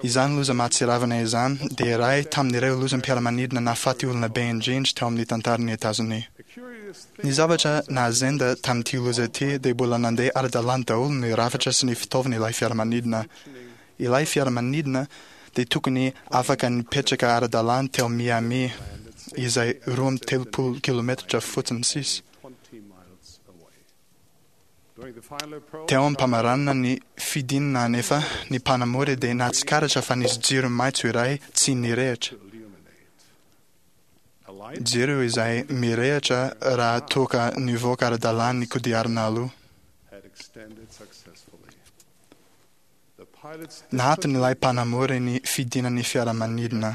Izany loza mahatsiravina izany dia iray tamin'ireo lozam-piaramanidina nahafaty olona be indrindra teo amin'ny tantaran'i Etazonia. Ny zavatra nahazenda tamin'ity loza ity dia mbola nandeha ara-dalàna daholo ny rafitra sy ny fitaovana ilay fiaramanidina. Ilay fiaramanidina dia tokony afaka nipetraka ara-dalàna teo Miami, izay roa amby telopolo kilometatra fotsiny sisa. Teo am-pamaranana ny fidinana anefa, ny mpanamory dia nahatsikaritra fa nisy jiro maitso iray tsy nirehitra. Jiro izay mirehitra raha toa ka nivoaka ara-dalàna ny kodiarana aloha. Nahaton'ilay mpanamory ny fidinan'ny fiaramanidina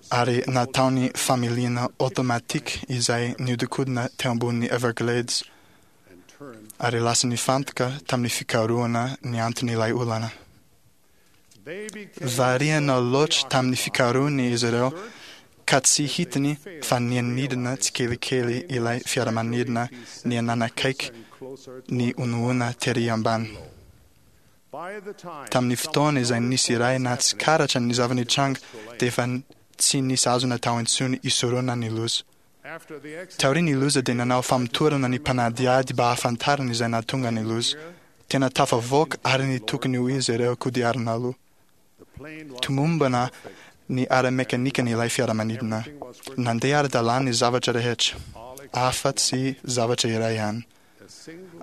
ary nataony familiana automatique izay nihodinkodina teo ambonin'ny Everglades, ary lasa nifantoka tamin'ny fikarohana ny anton'ilay olana. Variana loatra tamin'ny fikarohany izy ireo ka tsy hitany fa nianidina tsikelikely ilay fiaramanidina niananakaiky ny onoona tery ambany. Tamin'ny fotoana izay nisy iray nahatsikaritra ny zava-nitranga dia efa tsy nisy azo natao intsony hisorohana ny loza. Taorian'ny loza dia nanao famotorana ny mpanadihady mba hahafantarana izay nahatonga ny loza. Tena tafavoaka ary ny tokony ho izy ireo kodiarana aloha. Tomombana ny ara-mekanikan'ilay fiaramanidina. Nandeha ara-dalàna ny zavatra rehetra, afa-tsy zavatra iray ihany.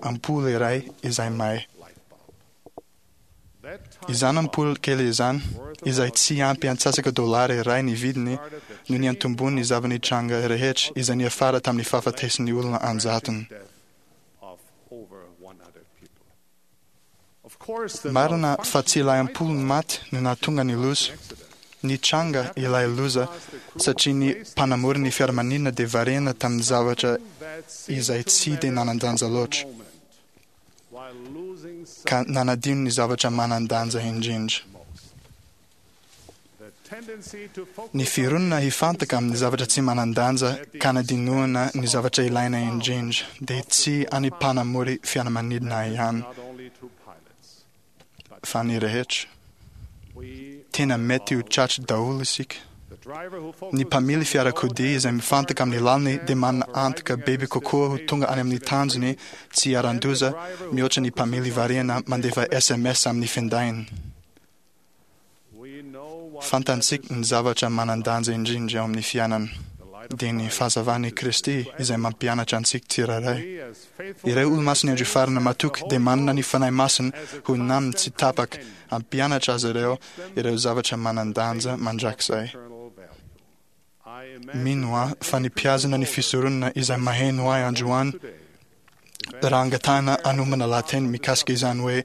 Ampola iray izay may. Izany ampola kely izany, izay tsy ampy antsasaka dolara iray ny vidiny, no niantombony ny zava-nitranga rehetra izay niafara tamin'ny fahafatesan'ny olona an-jatony. Marina fa tsy ilay ampola maty no nahatonga ny loza. Nitranga ilay loza satria ny mpanamory ny fiaramanidina dia variana tamin'ny zavatra izay tsy dia nanan-danja loatra, ka nanadino ny zavatra manan-danja indrindra. Ny fironana hifantoka amin'ny zavatra tsy manan-danja ka hanadinoana ny zavatra ilaina indrindra dia tsy any mpanamory fiaramanidina ihany, fa ny rehetra. Tena mety ho tratry daholo isika. Ny mpamily fiarakodia izay mifantoka amin'ny lalany dia manana antoka bebe kokoa ho tonga any amin'ny tanjony tsy iharan-doza mihoatra ny mpamily variana mandefa S M S amin'ny findainy. Fantatsika ny zavatra manan-danja indrindra eo amin'ny fiainana, dia ny fahazavan'i Kristy izay mampianatra antsika tsirairay. Ireo olomasin'ny andro farany matoky dia manana ny Fanahy Masina ho namany tsy tapaka hampianatra azy ireo ireo zavatra manan-danja mandrakizay. Mino aho fa ny mpihazona ny fisoronana izay maheno ahy androany raha angatahana hanomana lahateny mikasika izany hoe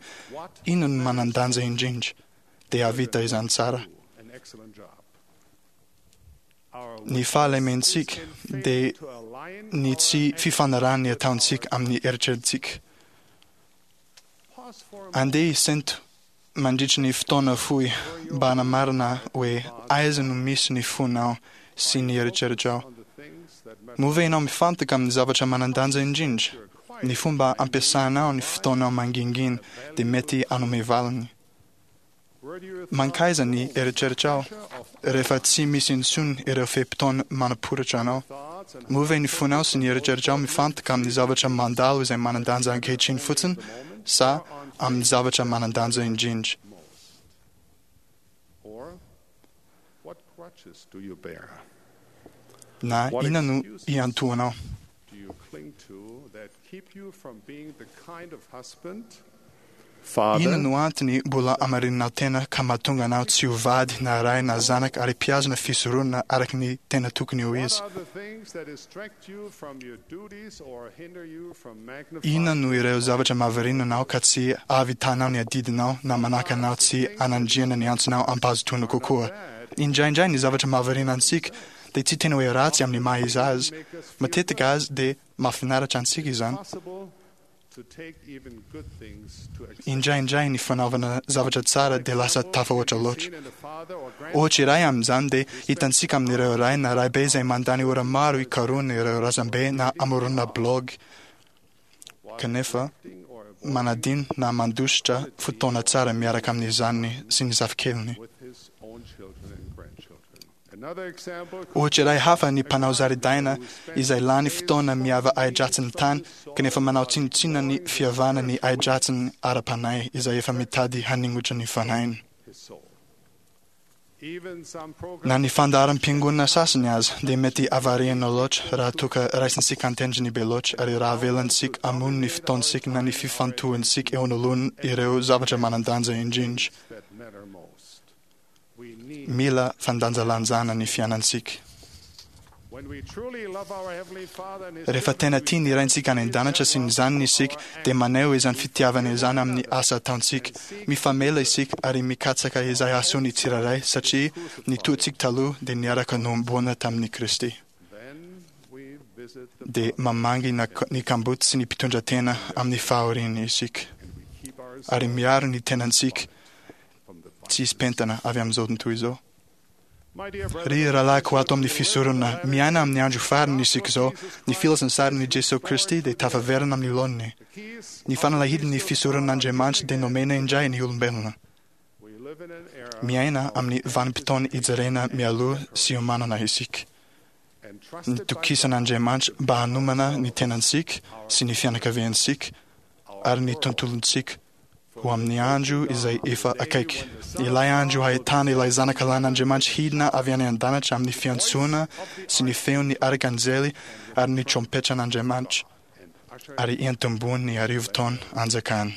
inona no manan-danja indrindra, dia hahavita izany tsara. Ny fahalementsika dia ny tsy fifanarahan'ny ataontsika amin'ny eritreritsika. Andeha hisento mandritry ny fotoana fohy mba hanamarina hoe aiza no misy ny fonao sy ny eritreritrao. Moa ve ianao mifantoka amin'ny zavatra manan-danja indrindra? Ny fomba ampiasanao ny fotoanao mangingina dia mety hanome valiny. Mankaiza ny eritreritrao rehefa tsy misy intsony ireo fe-potoana manaporitra anao? Moa ve ny fonao sy ny eritreritrao mifantoka amin'ny zavatra mandalo izay manan-danja ankehitriny fotsiny sa amin'ny zavatra manan-danja indrindra? Or what crutches do you bear? Na inona no iantohanao? Do you cling to that keep you from being the kind of husband, Inona father, no antony mbola amarinanao tena ka mahatonga anao tsy ho vady na ray na zanaka ary mpihazona fisoronana araka ny tena tokony ho What izy? are the things that distract you from your duties or hinder you from magnifying Inona no ireo zavatra mahavariana anao ka tsy ahavitanao ny adidinao na manaka anao tsy anandriana ny antsonao ampahazotoana kokoa? Indraindray ny zavatra mahavariana antsika dia tsy tena hoe ratsy amin'ny maha izy azy. Matetika azy dia mahafinaritra antsika izany. possible to take even good things to excess? Indraindray ny fanaovana zavatra tsara dia lasa tafahoatra loatra. Seen in a father or Ohatra iray amin'izany dia hitantsika amin'ireo ray na raibe izay mandany ora maro hikarohana ireo razambe na hamoronana blog kanefa manadino na mandositra fotoana tsara miaraka amin'izany sy ny zafikeliny. with his own children and grandchildren. Another example Ohatra iray hafa ny mpanao zaridaina izay lany fotoana miava ahi-dratsiny tany kanefa manao tsinontsinona ny fiavana ny ahi-dratsiny ara-panahy izay efa mitady haningotra ny fanahiny. his soul. Even some Na ny programs fandaharam-piangonana sasany aza dia mety avariana loatra raha toa ka raisintsika an-tendrony be loatra ary raha avelantsika hamono ny fotoantsika na ny fifantohantsika eo anoloana ireo zavatra manan-danja indrindra. that matter most. We need Mila fandanjalanjana ny fiainantsika. when we truly love our heavenly Father and his Rehefa tena tia ny raintsika any an-danitra sy ny zanany isika dia maneho izany fitiavana izany amin'ny asa ataontsika. Mifamela isika ary mikatsaka izay hahasoa ny tsirairay satria ny toantsika taloha dia niaraka nohomboana tamin'i Kristy. then we visit the Dia mamangy na- ny kamboty sy ny mpitondra tena amin'ny fahoriana isika keep our ary miaro ny tenantsika from the tsy hisy pentana avy amin'izao tontolo izao. My dear brethren, Ry rahalahiko ato amin'ny fisoronana, miaina amin'ny andro farany isika izao, ny filazantsarin'i Jesoa Kristy dia tafaverina amin'ny laoniny. keys Ny fanalahidin'ny fisoronan'Andriamanitra dia nomena indray ny olombelona. we live in an era Miaina amin'ny vanim-potoana ijerena mialoha sy iomanana isika. entrusted by Nitokisan'Andriamanitra mba hanomana ny tenantsika sy ny fianakaviantsika ary ny tontolontsika ho amin'ny andro izay efa akaiky. Ilay andro hahitana ilay zanaka lahin'Andriamanitra hidina avy any an-danitra amin'ny fiantsoana sy ny feon'ny arkanjely ary ny trompetran'Andriamanitra ary entombony ny arivo taona anjakany.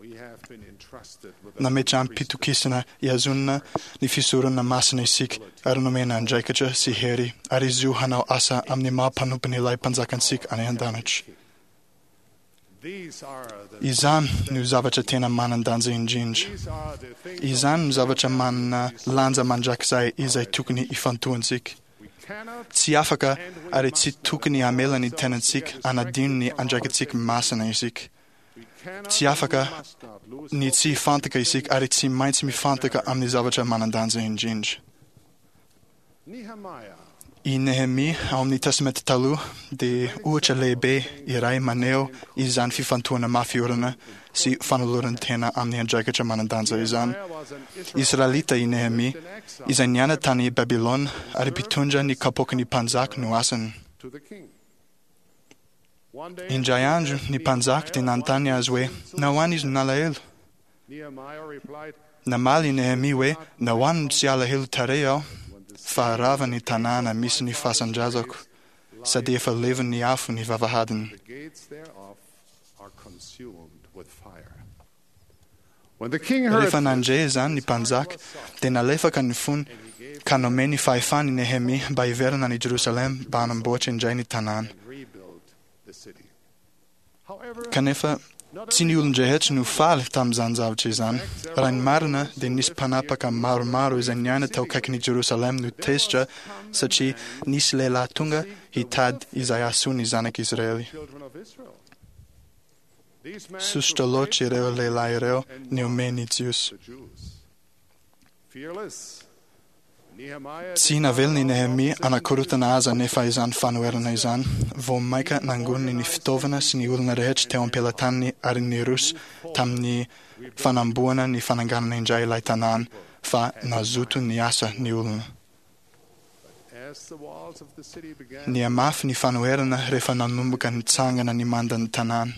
we have been entrusted with the Nametraham-pitokisana ihazonana ny fisoronana masina isika ary nomena andraikitra sy hery ary zo hanao asa amin'ny maha mpanompon'ilay mpanjakantsika any an-danitra. These are the Izany no zavatra tena manan-danja indrindra. these are the things Izany no zavatra manana lanja mandrakizay izay tokony ifantohantsika. we cannot Tsy afaka ary tsy tokony hamela ny tenantsika hanadino ny andraikitsika masina isika. we cannot Tsy afaka and must not lose ny tsy hifantaka isika ary tsy maintsy mifantaka amin'ny zavatra manan-danja indrindra. Nehemiah I Nehemia ao amin'ny Testamenta Taloha dia ohatra lehibe iray maneho izany fifantohana mafy orina sy fanoloran-tena amin'ny andraikitra manan-danja izany. was an Israelite Israelita i Nehemia izay niaina tany Babylona ary mpitondra ny kapoakin'ny mpanjaka no asany. to the king. One day Indray andro ny mpanjaka dia nanontany azy hoe nahoana izy no nalahelo. Nehemiah replied, Namaly i Nehemia hoe nahoana no tsy alahelo tarehy aho fa rava ny tanàna misy ny fasan-drazako sady efa levon'ny afo ny vavahadiny. The gates thereof are consumed with fire. When the king heard Rehefa nandre izany ny mpanjaka dia nalefaka ny fony ka nomeny fahefany i Nehemia mba hiverina any Jerosalema mba hanamboatra indray ny tanàna. and rebuild the city. However, Kanefa tsy ny olon-drehetra no faly tamin'izany zavatra izany. Raha ny marina dia nisy mpanapaka maromaro izay niaina tao akaikin'i Jerosalema no tezitra satria nisy lehilahy tonga hitady izay hahasoa ny zanak'Israely. children of Israel. These men Sosotra took loatra great ireo lehilahy ireo and nihomehy ny Jiosy. the Jews. Fearless, Tsy navelany Nehemia anakorotana azy anefa izany fanoherana izany. Vao mainka nangoniny ny fitaovana sy ny olona rehetra teo am-pelatanany ary niroso tamin'ny fanamboana ny fananganana indray ilay tanàna, fa nazoto niasa ny olona. Nihamafy ny fanoherana rehefa nanomboka nitsangana ny mandan'ny tanàna.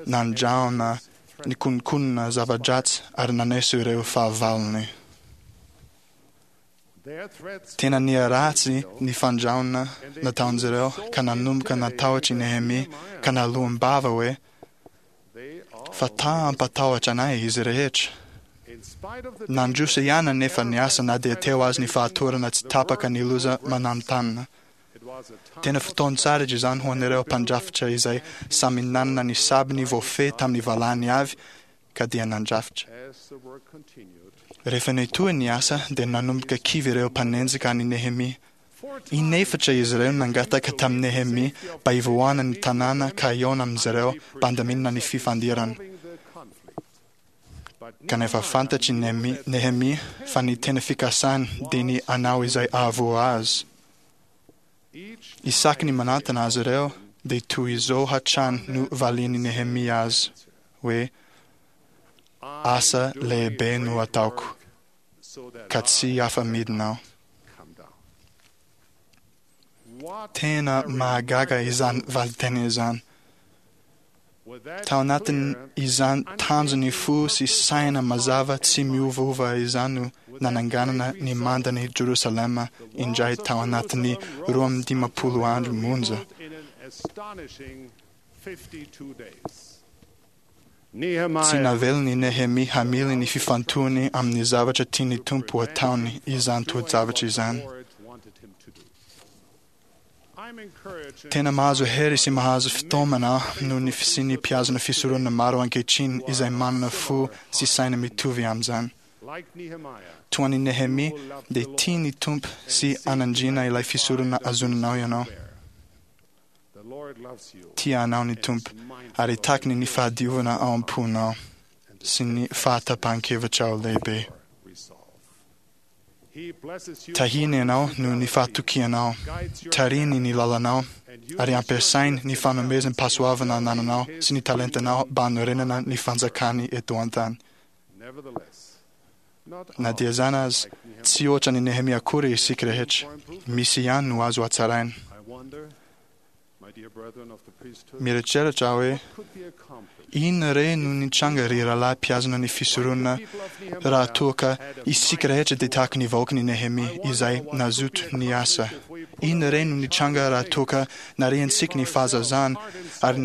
Nandrahona nikononkonona zava-dratsy ary naneso ireo fahavalony. Tena niharatsy ny fandrahona nataon'izy ireo ka nanomboka natahotra i Nehemia ka naloam-bava hoe fa ta hampatahotra anay izy rehetra. Nandroso ihany anefa ny asa na dia teo aza ny fahatorana tsy tapaka ny loza mananontanona. Tena fotoan-tsaratra izany ho an'ireo mpandrafitra izay samy nanana ny sabiny voafehy tamin'ny valany avy ka dia nandrafitra. Rehefa nitohy ny asa dia nanomboka kivy ireo mpanenjika an'i Nehemia. Inefatra izy ireo nangataka tamin'i Nehemia mba hivoahana ny tanàna ka hihaona amin'izy ireo mba handaminana ny fifandirana. Kanefa fantatr'i Nehemia fa ny tena fikasany dia ny hanao izay hahavoa azy. Isaky ny manantona azy ireo dia toy izao hatrany no valian'i Nehemia azy hoe asa lehibe no ataoko ka tsy afa-midina aho. Tena mahagaga izany valinteny izany. Tao anatin'izany tanjon'ny fo sy saina mazava tsy miovaova izany no nananganana ny mandan'i Jerosalema indray tao anatin'ny roa amby dimampolo andro monja. Tsy navelany Nehemia hamily ny fifantohany amin'ny zavatra tian'ny Tompo ataony izany toe-javatra izany. Tena mahazo hery sy mahazo fitaomana aho noho ny fisian'ny mpihazona fisoronana maro ankehitriny izay manana fo sy saina mitovy amin'izany. Toa an'i Nehemia dia tia ny Tompo sy hanandriana ilay fisoronana azonanao ianao. Tia anao ny Tompo ary takiny ny fahadiovana ao am-ponao sy ny fahatapahan-kevitrao lehibe. Tahiny ianao noho ny fahatokianao, tarihiny ny lalanao, ary ampiasainy ny fanomezam-pahasoavana anananao sy ny talentanao mba hanorenana ny fanjakany eto an-tany. Na dia izany aza, tsy ohatra ny Nehemia akory isika rehetra. Misy ihany no azo hatsaraina. Mieritreritra aho hoe inona re no nitranga ry rahalahy mpihazona ny fisoronana raha toa ka isika rehetra dia tahaka ny vahoakan'i Nehemia izay nazoto niasa. Inona re no nitranga raha toa ka nariantsika ny fahazazana ary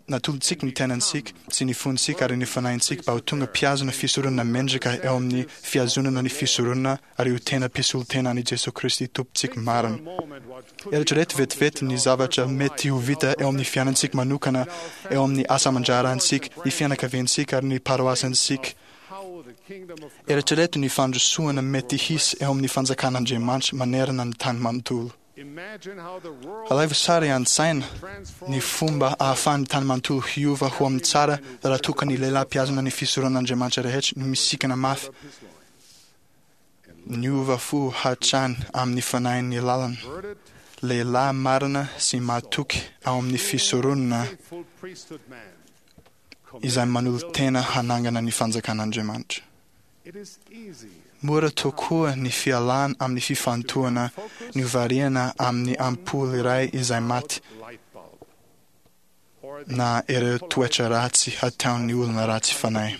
natolotsika ny tenantsika sy ny fontsika ary ny fanahintsika mba ho tonga mpihazona fisoronana mendrika eo amin'ny fihazonana ny fisoronana ary ho tena mpisolo-tena an'i Jesoa Kristy Tompontsika marina. Eritrereto vetivety ny zavatra mety ho vita eo amin'ny fiainantsika manokana, eo amin'ny asa aman-draharahantsika, ny fianakaviantsika ary ny paroasantsika. Eritrereto ny fandrosoana mety hisy eo amin'ny fanjakan'Andriamanitra manerana ny tany manontolo. Alaivo sary an-tsaina ny fomba ahafahan'ny tany manontolo hiova ho amin'ny tsara raha toa ka ny lehilahy mpihazona ny fisoronan'Andriamanitra rehetra no misikana mafy niova fo hatrany amin'ny fanahin'ny lalana, lehilahy marina sy mahatoky ao amin'ny fisoronana izay manolo-tena hanangana ny fanjakan'Andriamanitra. Mora tokoa ny fialana amin'ny fifantohana novariana amin'ny ampoly iray izay maty na ireo toetra ratsy hataon'ny olona ratsy fanahy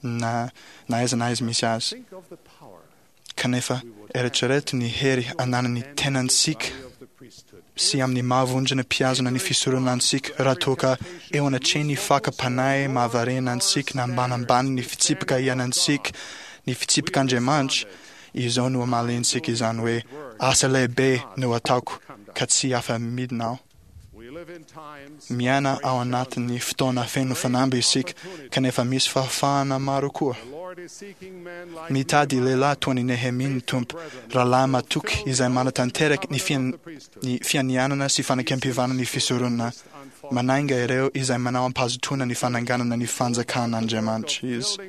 na na aiza na aiza misy azy. Kanefa eritrereto ny hery ananan'ny tenantsika sy amin'ny mahavonjona mpihazona ny fisoronana antsika raha toa ka eo anatrehan'ny fakam-panahy mahavariana antsika na ambanambany ny fitsipika iainantsika ny fitsipik'Andriamanitra, izao no amaliantsika izany hoe asa lehibe no ataoko ka tsy afa-midina aho. Miaina ao anatin'ny fotoana feno fanamby isika, kanefa misy fahafahana maro koa. Mitady lehilahy toa an'i Nehemia ny Tompo, rahalahy matoky izay manatanteraka ny ny fianianana sy fanekempihavanana ny fisoronana. Manainga ireo izay manao am-pahazotoana ny fananganana ny fanjakan'Andriamanitra izy.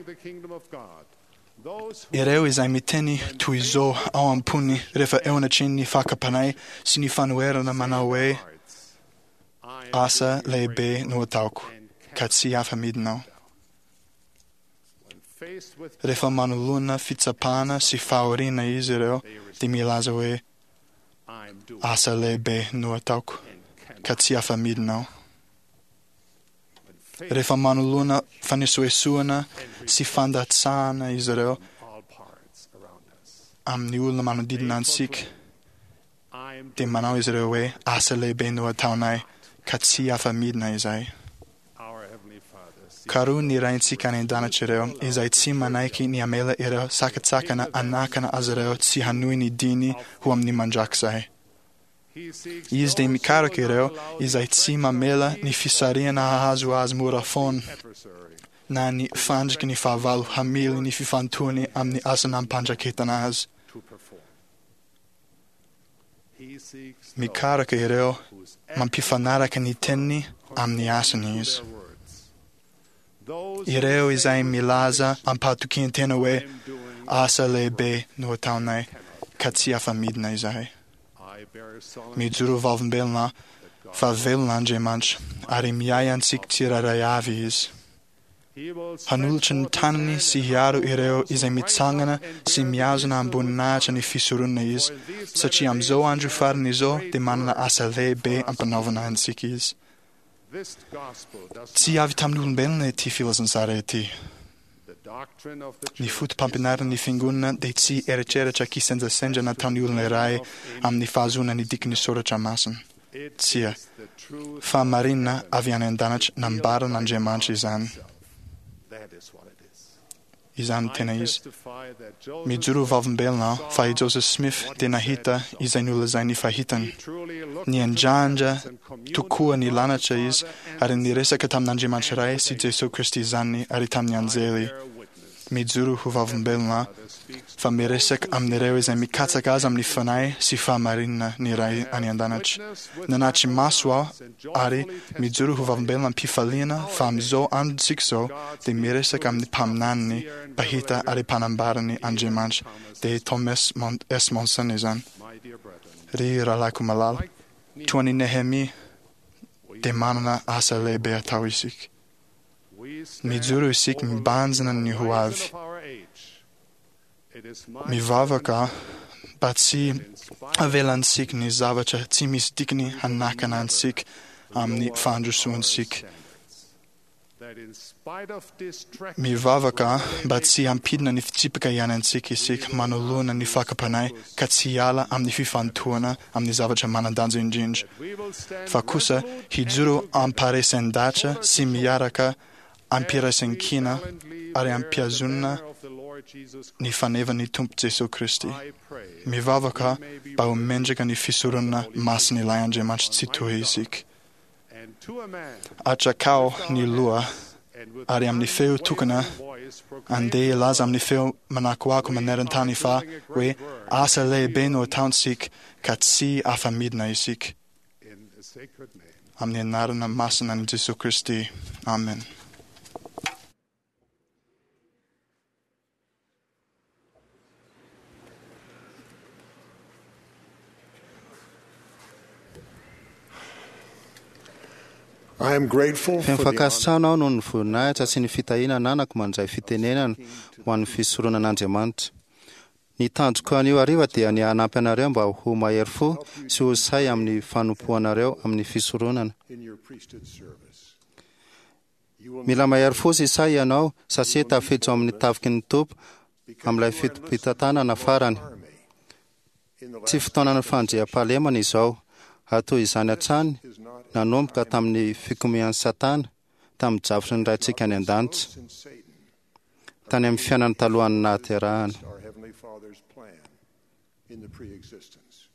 Ireo izay miteny toy izao ao am-pony rehefa eo anatrehan'ny fakam-panahy sy ny fanoherana manao hoe asa lehibe no ataoko ka tsy afa-midina aho. Rehefa manoloana fitsapana sy fahoriana izy ireo dia milaza hoe asa lehibe no ataoko ka tsy afa-midina aho. Rehefa manoloana fanesoesoana sy fandatsahana izy ireo amin'ny olona manodidina antsika dia manao izy ireo hoe asa lehibe no ataonay ka tsy afa-midina izay. Karoho ny Raintsika any an-danitra ireo izay tsy manaiky ny hamela ireo sakantsakana hanakana azy ireo tsy hanohy ny diany ho amin'ny mandrakizay. Izy dia mikaroka ireo izay tsy mamela ny fisarihana hahazo azy mora foana na ny fandriky ny fahavalo hamily ny fifantohany amin'ny asa nampandraketana azy. Mikaroka ireo mampifanaraka ny teniny amin'ny asany izy. Ireo izay milaza am-pahatokian-tena hoe asa lehibe no ataonay ka tsy afa-midina izahay. Mijoro vavolombelona fa velona Andriamanitra ary miahy antsika tsirairay avy Izy. Hanolotra ny tanany sy hiaro ireo izay mitsangana sy mihazona am-boninahitra ny fisoronana Izy, satria amin'izao andro farany izao dia manana asa lehibe ampanaovana antsika Izy. Tsy avy tamin'ny olombelona ity filazantsara ity. Ny foto-pampianaran'ny fiangonana dia tsy eritreritra kisendrasendra nataon'ny olona iray amin'ny fahazoana ny dikan'ny soratra masina. Tsia, fahamarinana avy any an-danitra nambaran'Andriamanitra izany. Izany no tena izy. Mijoro ho vavolombelona aho fa i Joseph Smith dia nahita izay nolazainy fa hitany. Niandrandra tokoa ny lanitra izy ary niresaka tamin'Andriamanitra Ray sy Jesoa Kristy zanany ary tamin'ny anjely. Mijoro ho vavolombelona aho fa miresaka amin'ireo izay mikatsaka azy amin'ny fanahy sy fahamarinana ny Ray any an-danitra. Nanatri maso aho ary mijoro ho vavolombelona am-pifaliana fa amin'izao androntsika izao dia miresaka amin'ny mpaminaniny, mpahita ary mpanambarany Andriamanitra, dia Thomas S. Monson izany. Ry rahalahiko malala, toa an'i Nehemia dia manana asa lehibe atao isika. Mijoro isika mibanjina ny ho avy. Mivavaka mba tsy havelantsika ny zavatra tsy misy dikany hanakana antsika amin'ny fandrosoantsika. Mivavaka mba tsy hampidina ny fitsipika iainantsika isika manoloana ny fakam-panahy ka tsy hiala amin'ny fifantohana amin'ny zavatra manan-danja indrindra, fa kosa hijoro am-paharesen-dahatra sy miaraka am-piraisankina ary am-pihazonana ny fanevan'ny Tompo Jesoa Kristy. Mivavaka mba ho mendrika ny fisoronana masin'ilay Andriamanitra Tsitoha isika. Atrakao ny loha ary amin'ny feo tokana andeha hilaza amin'ny feo manakoako maneran-tany fa hoe asa lehibe no ataontsika ka tsy afa-midina isika. Amin'ny anarana masina an'i Jesoa Kristy. Amen. I am grateful Feno for the honor fankasitrahana aho noho ny voninahitra sy ny fitahiana ananako mandray fitenenana ho an'ny fisoronan'Andriamanitra. Ny tanjoko anio hariva dia ny hanampy anareo mba ho mahery fo sy ho sahy amin'ny fanompoanareo amin'ny fisoronana. in your priesthood service. You will Mila mahery fo sy sahy ianao satria tafiditra ao amin'ny tafiky ny Tompo amin'ilay fitopitantanana farany. Tsy fotoanan'ny fandriampahalemana izao, ary toy izany hatrany nanomboka tamin'ny fikomian'i Satana tamin'ny drafitry ny Raintsika any an-danitra, in Satan, tany amin'ny fiainana talohan'ny nahaterahana. our Heavenly Father's plan in the pre-existence.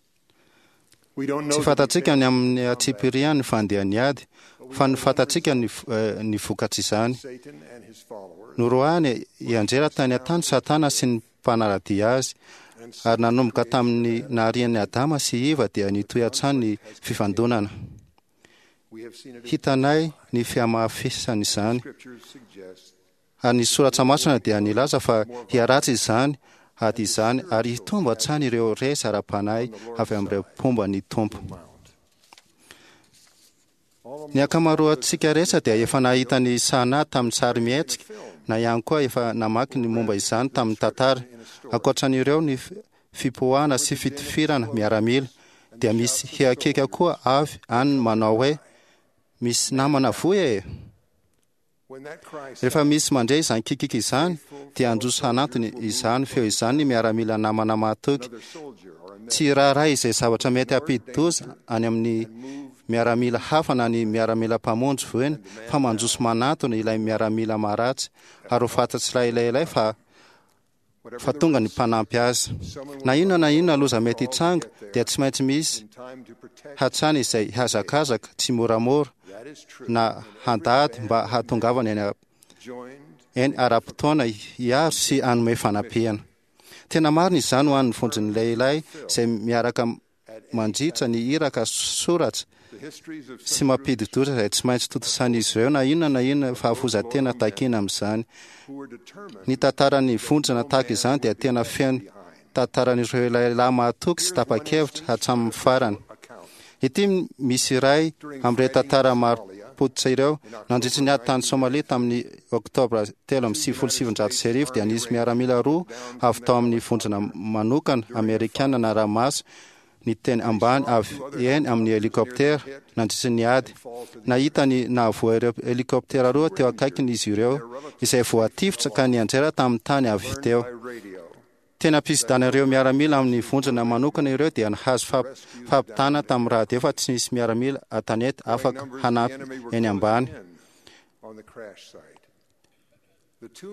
We don't know Tsy the fantatsika ny details amin'ny antsipirian'ny fandehan'ny ady, fa ny fantatsika ny, eh, ny vokatr'izany. Satan and his followers Noroahany hianjera tany an-tany Satana sy ny mpanara-dia azy, ary nanomboka tamin'ny naharian'i Adama sy Eva dia nitohy hatrany ny fifandonana. We have seen it in Hitanay ny fihamafisan'izany, scriptures suggest Ary ny soratra masina dia nilaza fa hiharatsy izany ady izany ary hitombo hatrany ireo resy ara-panahy avy amin'ireo mpomba ny Tompo. Ny ankamaroantsika rehetra dia efa nahita ny Sana tamin'ny sary mihetsika na ihany koa efa namaky ny momba izany tamin'ny tantara. Ankoatran'ireo ny fipoahana sy fitifirana miaramila dia misy hiakiaka koa avy any manao hoe misy namana voa e! Rehefa misy mandre izany kikiky izany dia handroso hanantony izany feo izany ny miaramila namana mahatoky. Tsy raharaha izay zavatra mety hampidi-doza any amin'ny miaramila hafa na ny miaramila mpamonjy voina fa mandroso manantona ilay miaramila maharatsy ary ho fantatr'ilay lehilahy fa fa tonga ny mpanampy azy. Na inona na inona loza mety hitranga dia tsy maintsy misy hatrany izay hihazakazaka tsy moramora na handady mba hahatongavany eny eny ara-potoana hiaro sy hanome fanampiana. Tena marina izany ho an'ny vondron'ny lehilahy izay miaraka mandritra ny iraka soratra sy mampidi-doza izay tsy maintsy tontosain'izy ireo na inona na inona fahafoizan-tena takiana amin'izany. Ny tantaran'ny vondrona tahaka izany dia tena feno tantaran'ireo lehilahy mahatoky sy tapa-kevitra hatramin'ny farany. Ity misy iray amin'ireo tantara marim-pototra ireo. Nandritra ny ady tany Somalia tamin'ny oktobra telo amby sivifolo sy sivinjato sy arivo dia nisy miaramila roa avy tao amin'ny vondrona manokana amerikana nara-maso ny teny ambany avy eny amin'ny helikoptera nandritra ny ady. Nahita ny nahavoa ireo helikoptera roa teo akaikiny izy ireo izay voatifitra ka nianjera tamin'ny tany avy teo. Tena mpisidana ireo miaramila amin'ny vondrona manokana ireo dia nahazo fampitana tamin'ny radio fa tsy nisy miaramila an-tanety afaka hanampy eny ambany.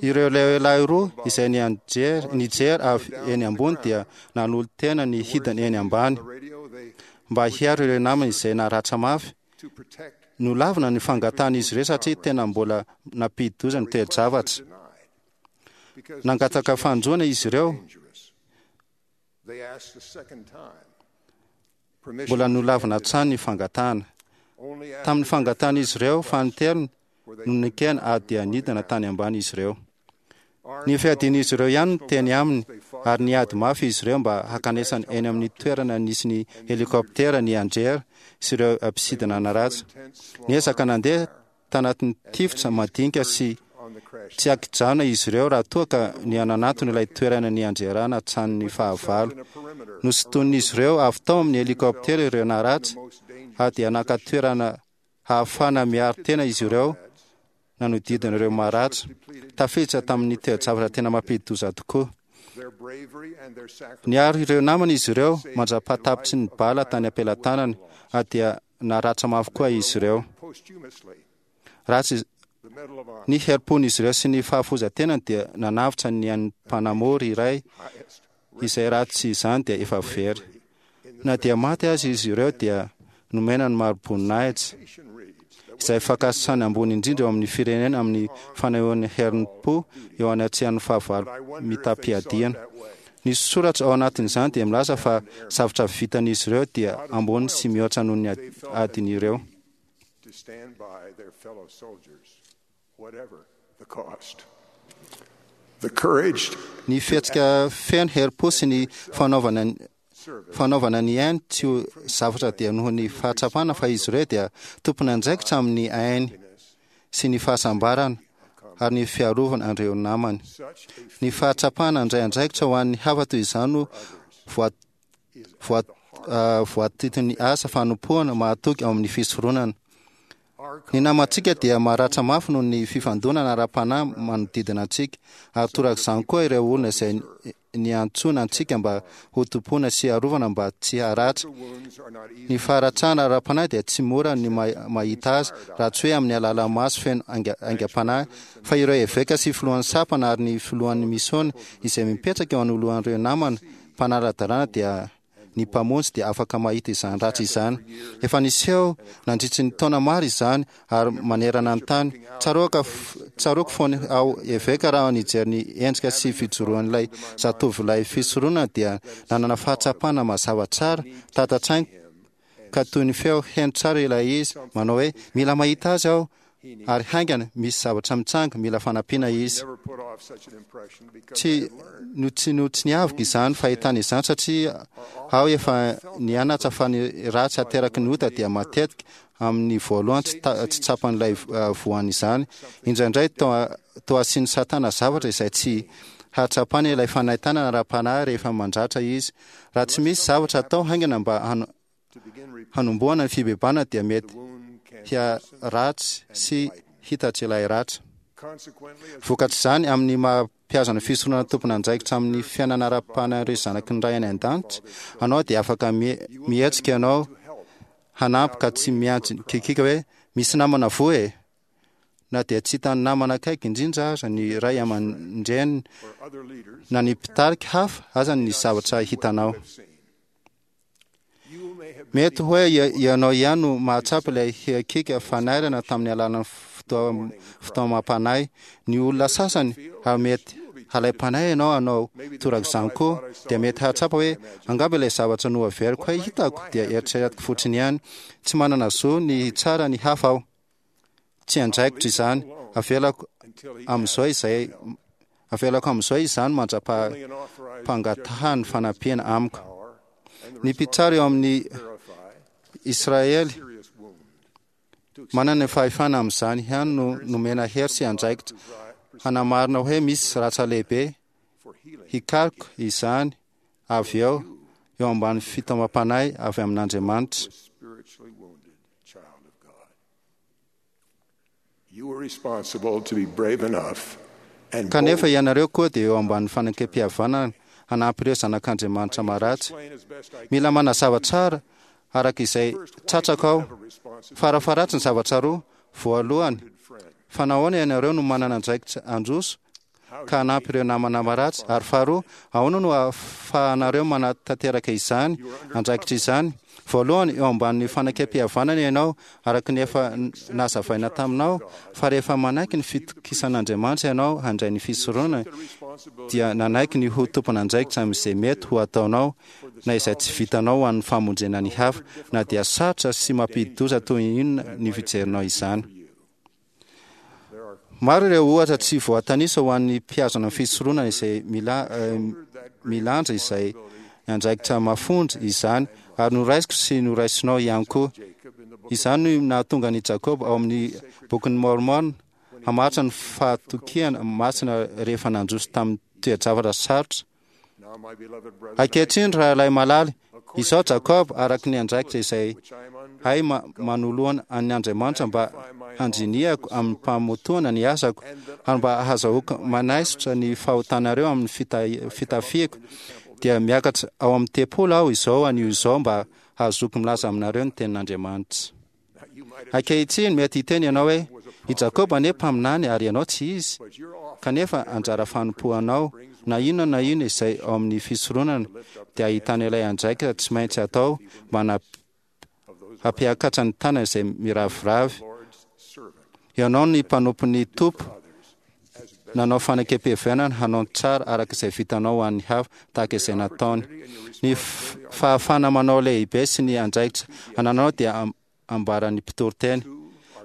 Ireo lehilahy roa izay nijery avy eny ambony dia nanolo-tena ny hidiny eny ambany mba hiaro ireo namany izay naratra mafy. Nolavina ny fangatan'izy ireo satria tena mbola nampidi-doza ny toe-javatra. Nangataka fanjoana izy ireo. Mbola nolavina hatrany ny fangatahana. Tamin'ny fangatan'izy ireo fanintelony no nekena ary dia nidina tany ambany izy ireo. Ny fiadian'izy ireo ihany no teny aminy ary niady mafy izy ireo mba hankanesany eny amin'ny toerana nisy ny helikoptera nianjera sy ireo mpisidina naratra. Niezaka nandeha tanatin'ny tifitra madinika sy tsy ankijanona izy ireo raha toa ka nihananatona ilay toerana nianjerana hatramin'ny fahavalo. Nosintonin'izy ireo avy tao amin'ny helikoptera ireo naratra ary dia naka toerana hahafahana miaro tena izy ireo nanodidina ireo maratra. Tafiditra tamin'ny toe-javatra tena mampidi-doza tokoa. Niaro ireo namany izy ireo mandra-pahatapitry ny bala tany am-pelatanany ary dia naratra mafy koa izy ireo. Ratsy ny herim-pon'izy ireo sy ny fahafoizan-tenany dia nanavotra ny ain'ny mpanamory iray izay raha tsy izany dia efa very. Na dia maty aza izy ireo dia nomena ny mari-boninahitra izay fankasitrahana ambony indrindra eo amin'ny firenena amin'ny fanehoan'ny herim-po eo anatrehan'ny fahavalo mitam-piadiana. Ny soratra ao anatin'izany dia milaza fa zavatra vitan'izy ireo dia ambony sy mihoatra noho ny adin'ireo. to stand by their fellow soldiers, whatever the cost. The courage Ny fihetsika feno herim-po sy ny fanaovana fanaovana ny ainy tsy ho zavatra dia noho ny fahatsapana fa izy ireo dia tompon'andraikitra amin'ny ainy sy ny fahasambarana ary ny fiarovana an'ireo namany. Ny fahatsapana handray andraikitra ho an'ny hafa toy izany no voa voa voatitin'ny asa fanompoana mahatoky ao amin'ny fisoronana. Ny namantsika dia maratra mafy noho ny fifandonana ara-panahy manodidina antsika, ary torak'izany koa ireo olona izay niantsoana antsika mba ho tompoina sy arovana mba tsy haratra. Ny faharatrana ara-panahy dia tsy mora ny mahita azy raha tsy hoe amin'ny alalan'ny maso feno aingam-panahy, fa ireo eveka sy filohan'ny sampana ary ny filohan'ny misiôna izay mipetraka eo anoloan'ireo namana mpanara-dalàna dia ny Mpamonjy dia afaka mahita izany ratsy izany. Efa niseho nandritry ny taona maro izany ary manerana ny tany. Tsaroako tsaroako fony aho eveka raha nijery ny endrika sy fijoroan'ilay zatovolahy fisoronana dia nanana fahatsapana mazava tsara tata-tsaina ka toy ny feo heno tsara ilay izy manao hoe mila mahita azy aho ary haingana misy zavatra mitsanga, mila fanampiana izy. Tsy no tsy no tsy niaviko izany fahitana izany satria aho efa nianatra fa ny ratsy ateraky ny ota dia matetika amin'ny voalohany tsy ta- tsy tsapan'ilay eh, voany izany. Indraindray toa toa asian'ny Satana zavatra izay tsy hahatsapany ilay fanaintainana ara-panahy rehefa mandratra izy. Raha tsy misy zavatra atao haingana mba hano- hanombohana ny fibebahana dia mety hiharatsy sy hitatra ilay ratra. Vokatr'izany, amin'ny maha mpihazona fisoronana tompon'andraikitra amin'ny fiainana ara-panahin'ireo zanaky ny Ray any an-danitra anao dia afaka mie- mihetsika ianao hanampy ka tsy miantso kikiaka hoe misy namana voa e! Na dia tsy hitan'ny namana akaiky indrindra aza ny ray aman-dreny na ny mpitarika hafa aza ny zavatra hitanao. Mety hoe ianao ihany no mahatsapa ilay hiakiaka fanairana tamin'ny alalan'ny fotoa- fitaomam-panahy. Ny olona sasany, ary mety halaim-panahy ianao hanao torak'izany koa, dia mety hahatsapa hoe angamba ilay zavatra noheveriko hoe hitako dia eritreretiko fotsiny ihany. Tsy manana zo ny hitsara ny hafa aho. Tsy andraikitro izany. Avelako amin'izao izay avelako amin'izao izany mandra-pangatahany fanampiana amiko. Ny mpitsara eo amin'ny Israely manana ny fahefana amin'izany ihany no nomena hery sy andraikitra hanamarina hoe misy ratra lehibe, hikaroka izany avy eo eo ambany fitaomam-panahy avy amin'Andriamanitra. Spiritually wounded child of God. You were responsible to be brave enough and Kanefa bold ianareo koa dia eo ambany fanekempihavanana hanampy ireo zanak'Andriamanitra maratsy. Mila manazava tsara araka izay tratrako aho. Farafaharatsy ny zavatra roa. Voalohany, fa nahoana ianareo no manana andraikitra handroso ka hanampy ireo namana maratsy? Ary faharoa, ahoana no ahafahanareo manatanteraka izany andraikitra izany? Voalohany, eo ambanin'ny fanekempihavanana ianao, araka ny efa nazavaina taminao, fa rehefa manaiky ny fitokisan'Andriamanitra ianao handray ny fisoronana, dia nanaiky ny ho tompon'andraikitra amin'izay mety ho ataonao na izay tsy vitanao ho an'ny famonjena ny hafa, na dia sarotra sy mampidi-doza toy inona ny fijerinao izany. Maro ireo ohatra tsy voatanisa ho an'ny mpihazona ny fisoronana izay mila, eh, milanja izay andraikitra mafonja izany, ary noraisiko sy noraisinao ihany koa. Izany no nahatonga an'i Jakoba ao amin'ny bokin'ny Mormon hamaritra ny fahatokiana masina rehefa nandroso tamin'ny toe-javatra sarotra. Ankehitriny, rahalahy malala, izao Jakoba, araka ny andraikitra izay hay ma- manoloana an'ny Andriamanitra mba handrinihako amin'ny mpamotoana ny asako, ary mba hahazahoako manaisotra ny fahotanareo amin'ny fita- fitafiako, dia miakatra ao amin'ny tempoly aho izao anio izao mba hahazoako milaza aminareo ny tenin'Andriamanitra. Ankehitriny, mety hiteny ianao hoe, i Jakoba anie mpaminany ary ianao tsy izy, kanefa anjara fanompoanao, na inona na inona izay ao amin'ny fisoronana, dia ahitana ilay andraikitra tsy maintsy atao mba hana- hampiakatra ny tanana izay miraviravy. Ianao ny mpanompon'ny Tompo, nanao fanekempihavanana hanao ny tsara araka izay vitanao ho an'ny hafa, tahaka izay nataony. Ny f- fahafahana manao lehibe sy ny andraikitra anananao dia am- ambaran'ny mpitoriteny.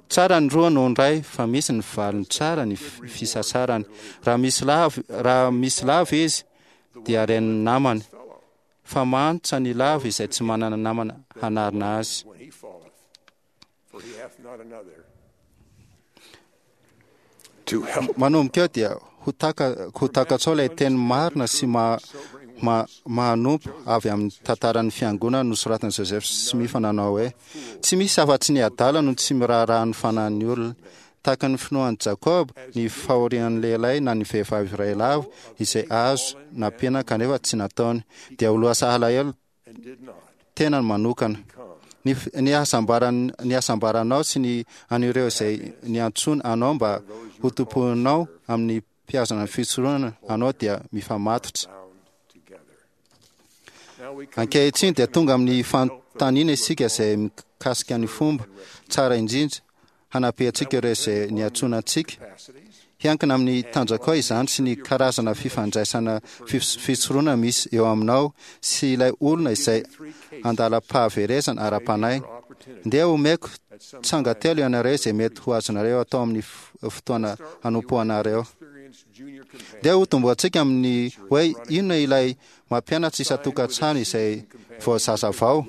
Tsara ny roa noho ny iray, fa misy ny valiny tsara ny f- fisasarany. Raha misy lavo, raha misy lavo izy, dia ren'ny namany, fa manitra ny lavo izay tsy manana namana hanarina azy. when he falleth, for he hath not another to help. Manomboka eo dia ho taka ho takatrao ilay teny marina sy ma, ma, mahanompo avy amin'ny tantaran'ny fiangonana nosoratan'i Joseph Smith nanao hoe tsy misy afa-tsy ny adala no tsy miraharaha ny fanahin'ny olona. Tahaka ny finoan'i Jakoba, ny fahorian'ny lehilahy na ny vehivavy iray lavo izay azo nampiana kanefa tsy nataony, dia ho lasa alahelo tenany manokana. Ny, f- ny hasambaran- ny hasambaranao sy ny an'ireo izay niantsoana anao mba ho tompoinao amin'ny mpihazona ny fisoronana anao dia mifamatotra. Ankehitriny dia tonga amin'ny fanontaniana isika izay mikasika ny fomba tsara indrindra hanampiantsika ireo izay niantsoana antsika. Hiankina amin'ny tanjakao izany sy ny karazana fifandraisana fis- fisoronana misy eo aminao sy ilay olona izay andalam-pahaverezana ara-panahy. Ndeha omeko tsanga telo ianareo izay mety ho azonareo atao amin'ny fotoana hanompoanareo. Ndeha hotombohantsika amin'ny hoe inona ilay mampianatra isan-tokantrano izay vao zazavao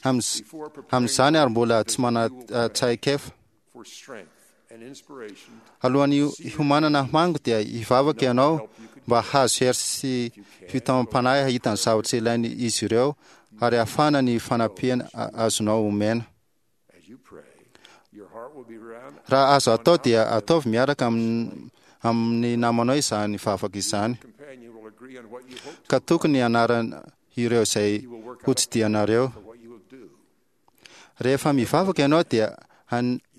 amin'izany ary mbola tsy manan-tsaikefa. Alohan'ny hiomanana hamango dia hivavaka ianao mba hahazo hery sy fitaomam-panahy hahita ny zavatra ilain'izy ireo ary hahafahana ny fanampiana azonao omena. Raha azo atao dia ataovy miaraka amin'ny namanao izany vavaka izany, ka tokony hanarana ireo izay hotsidihanareo. Rehefa mivavaka ianao dia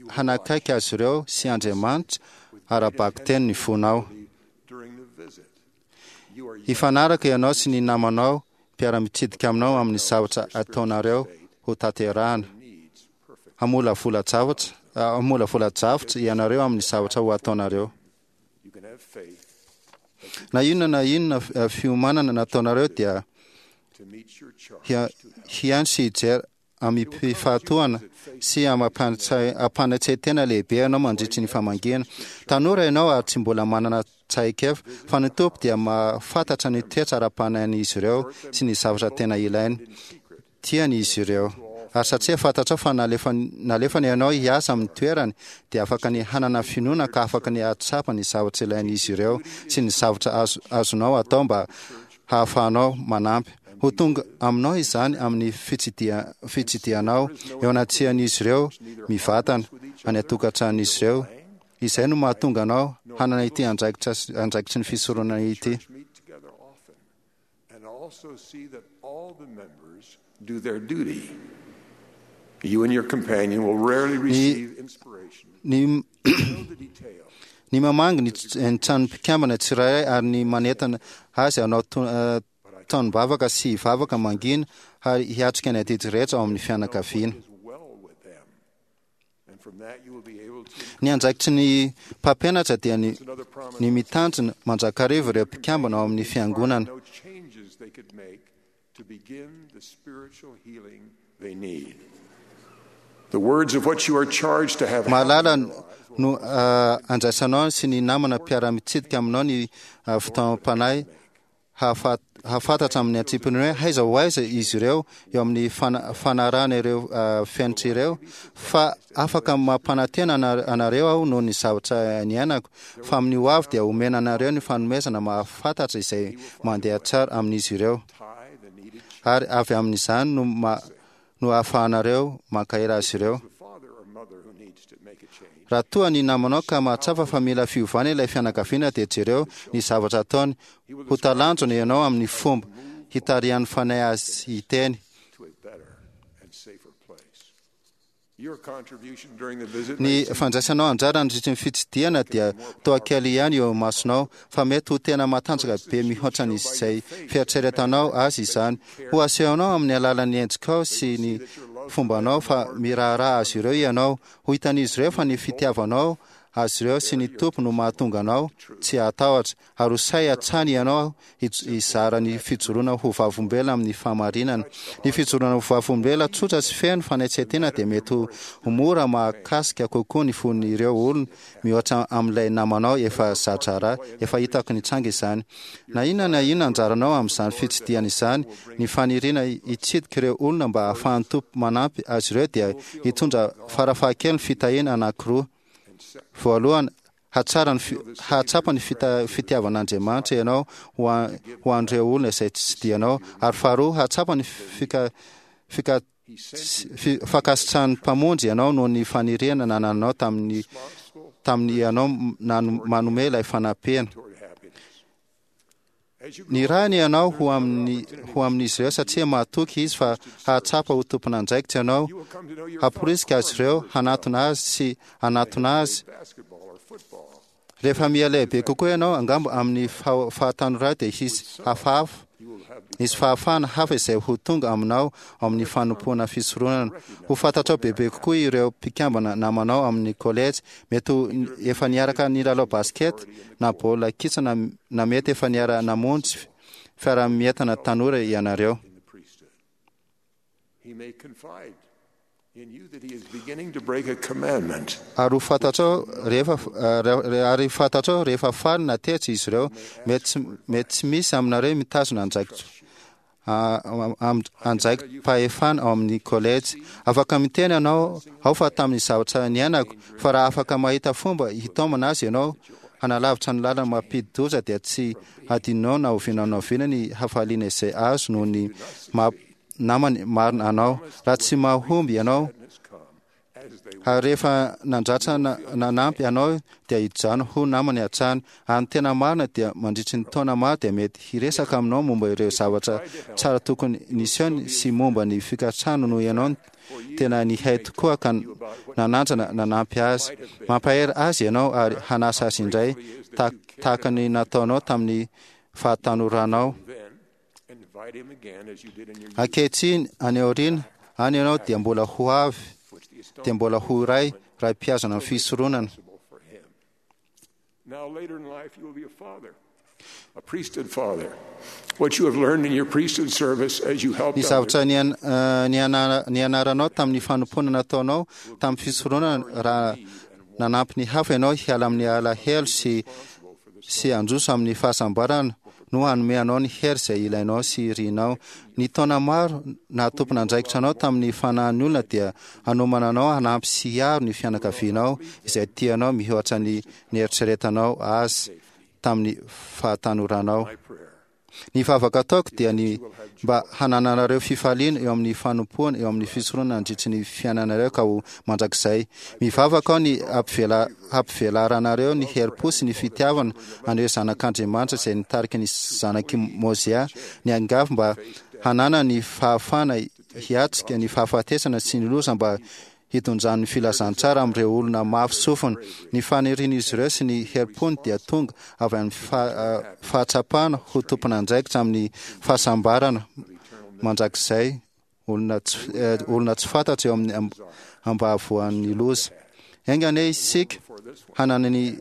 hanakaiky azy ireo sy Andriamanitra ara-bakiteny ny fonao. Hifanaraka ianao sy ny namanao mpiara-mitsidika aminao amin'ny zavatra ataonareo ho tanterahana. Hamolavola-javatra hamolavola-javatra ianareo amin'ny zavatra ho ataonareo. Na inona na inona fiomanana nataonareo dia hihaino sy hijery amim-pifahatohana sy ampanatsain-tena lehibe ianao mandritry ny famangiana. Tanora ianao ary tsy mbola manana tsaikefa, fa ny Tompo dia mahafantatra ny toetra ara-panahin'izy ireo sy ny zavatra tena ilainy. Tiany izy ireo. Ary satria fantatrao fa nalefany ianao hiasa amin'ny toerany, dia afaka ny hanana finoana ka afaka ny hahatsapa ny zavatra ilain'izy ireo sy ny zavatra azonao atao mba hahafahanao manampy. Ho tonga aminao izany amin'ny fitsidihanao eo anatrehan'izy ireo mivantana any an-tokantranon'izy ireo. Izay no mahatonga anao hanana ity andraikitra andraikitry ny fisoronana ity. Ny ny mamangy ny tranon'ny mpikambana tsirairay ary ny manentana azy hanao tonom-bavaka sy hivavaka mangina ary hiatrika ny adidy rehetra ao amin'ny fianakaviana. Ny andraikitry ny mpampianatra dia ny ny mitandrina mandrakariva ireo mpikambana ao amin'ny fiangonana. Mahalala no andraisanao sy ny namana mpiara-mitsidika aminao ny fitaomam-panahy hahafantatra amin'ny antsipiriany hoe aiza ho aiza izy ireo eo amin'ny fanarahana ireo fenitra ireo, fa afaka mampanantena anareo aho noho ny zavatra niainako fa amin'ny ho avy dia omena anareo ny fanomezana mahafantatra izay mandeha tsara amin'izy ireo, ary avy amin'izany no no ahafahanareo mankahery azy ireo. Raha toa ny namanao ka mahatsapa fa mila fiovana ilay fianakaviana dia jereo ny zavatra ataony. Ho talanjona ianao amin'ny fomba hitarihan'ny Fanahy azy hiteny. Ny fandraisanao anjara nandritry ny fitsidihana dia toa kely ihany eo imasonao, fa mety ho tena matanjaka be mihoatra an'izay fieritreretanao azy izany. Ho asehonao amin'ny alalan'ny endrikao sy ny fombanao fa miraharaha azy ireo ianao. Ho hitan'izy ireo fa ny fitiavanao azy ireo sy ny Tompo no mahatonga anao tsy hatahotra, ary ho sahy hatrany ianao hizara ny fijoroana ho vavolombelona amin'ny fahamarinana. Ny fijoroana ho vavolombelona tsotra sy feno fanetren-tena dia mety ho mora mahakasika kokoa ny fon'ireo olona mihoatra amin'ilay namanao efa za-draharaha. Efa hitako nitranga izany. Na inona na inona anjaranao amin'izany fitsidihana izany, ny faniriana hitsidika ireo olona mba hahafahan'ny Tompo manampy azy ireo dia hitondra farafahakeliny fitahiana anankiroa. Voalohany, hatsara ny hahatsapa ny fitiavan'Andriamanitra ianao ho ho an'ireo olona izay tsidihanao, ary faharoa, hahatsapa ny fika fika fankasitrahan'ny Mpamonjy ianao noho ny faniriana nanananao tamin'ny tamin'ny ianao manome ilay fanampiana. Nirahiny ianao ho amin'ny ho amin'izy ireo satria mahatoky izy fa hahatsapa ho tompon'andraikitra ianao, hamporisika azy ireo hanatona azy sy hanatona azy. Rehefa miha-lehibe kokoa ianao, angamba amin'ny fahatanorana dia hisy hafahafa, hisy fahafahana hafa izay ho tonga aminao ao amin'ny fanompoana fisoronana. Ho fantatrao bebe kokoa ireo mpikambana namanao amin'ny kolejy, mety ho efa niaraka nilalao basket na baolina kitra na, na mety efa niara-namonjy fiaraha-mientana tanora ianareo. Ary ho fantatrao rehefa ary fantatrao rehefa faly na tezitra izy ireo. Mety mety tsy misy aminareo mitazona andraikitra andraiki-pahefana ao amin'ny kolejy. Afaka miteny ianao ao fa tamin'ny zavatra niainako, fa raha afaka mahita fomba hitaomana azy ianao hanalavitra ny lalana mampidi-doza, dia tsy hadinonao na oviana na oviana ny hafaliana izay azo noho ny namany marina anao. Raha tsy mahomby ianao ary rehefa nandratra nanampy anao, dia hijano ho namany hatrany. Ary ny tena marina dia mandritry ny taona maro dia mety hiresaka aminao momba ireo zavatra tsara tokony nisehony sy momba ny fikatsahana noho ianao tena nihay tokoa ka nanandrana nanampy azy. Mampahery azy ianao ary hanasa azy indray tahaka ny nataonao tamin'ny fahatanoranao. Ankehitriny, any aoriana any ianao dia mbola ho avy, dia mbola ho iray raha mpihazona ny fisoronana. Ny zavatra nianaranao tamin'ny fanompoana nataonao tamin'ny fisoronana, raha nanampy ny hafa ianao hiala amin'ny alahelo sy sy handroso amin'ny fahasambarana, no hanome anao ny hery izay ilainao sy irinao. Ny taona maro nahatompona andraikitra anao tamin'ny fanahin'ny olona dia hanomana anao hanampy sy hiaro ny fianakavianao izay tianao mihoatra ny nieritreretanao azy tamin'ny fahatanoranao. Ny vavaka ataoko dia ny mba hanananareo fifaliana eo amin'ny fanompoana eo amin'ny fisoronana mandritry ny fiainanareo ka ho mandrakizay. Mivavaka aho ny hampivela hampivelaranareo ny herim-po sy ny fitiavana an'ireo zanak'Andriamanitra izay nitarika ny zanak'i Mozia niangavy mba hanana ny fahafahana hiatrika ny fahafatesana sy ny loza mba hitondrany filazantsara amin'ireo olona mafy sofina. Ny fanirian'izy ireo sy ny herim-pony dia tonga avy amin'ny fahatsapana ho tompon'andraikitra amin'ny fahasambarana mandrakizay olona tsy olona tsy fantatra eo amin'ny ambahavoan'ny loza. Enga anie isika hanana ny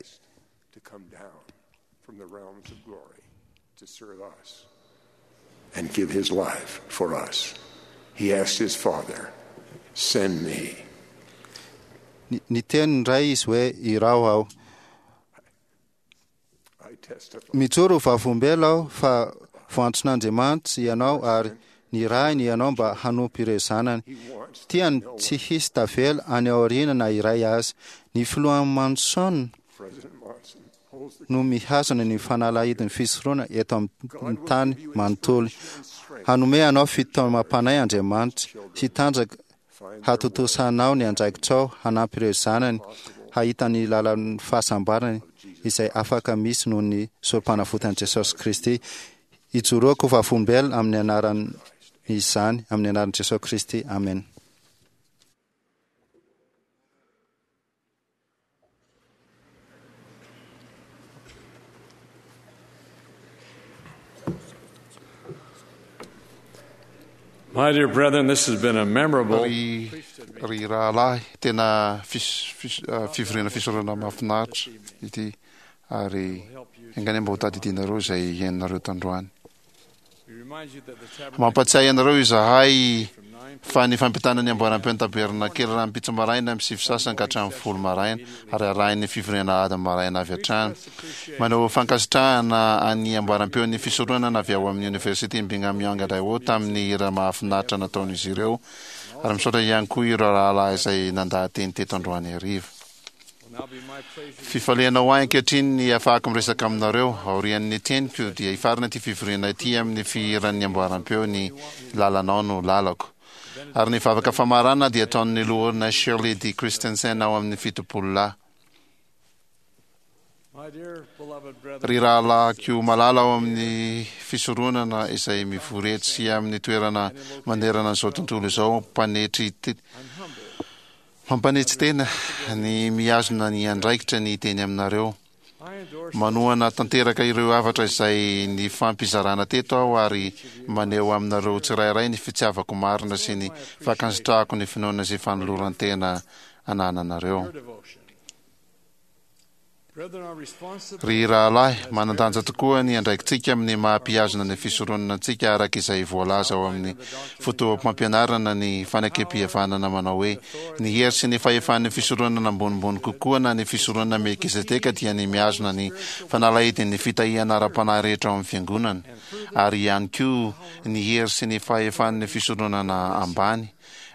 and give his life for us. He asked his father, "Send me." Ny teny indray izy hoe iraho aho. Mijoro ho vavolombelona aho fa voantson'Andriamanitra ianao ary nirahiny ianao mba hanompo ireo zanany. Tiany tsy hisy tavela any aoriana na iray azy. Ny filoha Monson no mihazona ny fanalahidin'ny fisoronana eto amin'ny tany manontolo. Hanome anao fitaomam-panahy Andriamanitra sy tanjaka hatontosanao ny andraikitrao hanampy ireo zanany hahita ny lalan'ny fahasambarany izay afaka misy noho ny sorom-panavotan'i Jesosy Kristy. Ijoroako ho vavolombelona amin'ny anaran'izany, amin'ny anaran'i Jesosy Kristy. Amen. My dear brethren, this has been a memorable Ry ry rahalahy, tena fis- fis- ah, fivoriana fisoronana mahafinaritra ity, ary enga anie mba ho tadidinareo izay henonareo tandroany. Mampatsiahy anareo izahay fa ny fampitana ny amboaram-peo ny tabernakely rahampitso maraina amin'ny sivy sasany ka hatramin'ny folo maraina, ary arahin'ny fivoriana ady maraina avy hatrany. Manao fankasitrahana an'ny amboaram-peon'ny fisoronana avy ao amin'ny Oniversite Brigham Young Idaho tamin'ny hira mahafinaritra nataon'izy ireo, ary misaotra ihany koa ireo rahalahy izay nandaha-teny teto androany hariva. Fifaliana ho ahy ankehitriny ny ahafahako miresaka aminareo. Aorian'ny teniko dia hifarana ity fivoriana ity amin'ny fihiran'ny amboaram-peo ny Lalanao no lalako. Ary ny vavaka famarana dia ataon'ny loholona Shirley D. Christensen ao amin'ny fitopolo lahy. Ry rahalahiko malala ao amin'ny fisoronana izay mivory etsy amin'ny toerana manerana an'izao tontolo izao, mpanetry mampanetry tena ny mihazona ny andraikitra ny teny aminareo. Manohana tanteraka ireo hafatra izay nifampizarana teto aho ary maneho aminareo tsirairay ny fitiavako marina sy ny fankasitrahako ny finoana sy fanoloran-tena anananareo. Ry rahalahy, manan-danja tokoa ny andraikitsika amin'ny maha-mpihazona ny fisoronana antsika araka izay voalaza ao amin'ny fotoam-pampianarana ny fanekempihavanana manao hoe ny hery sy ny fahefan'ny fisoronana ambonimbony kokoa na ny fisoronana Melkizedeka dia ny mihazona ny fanalahidin'ny fitahiana ara-panahy rehetra ao amin'ny fiangonana, ary ihany koa ny hery sy ny fahefan'ny fisoronana ambany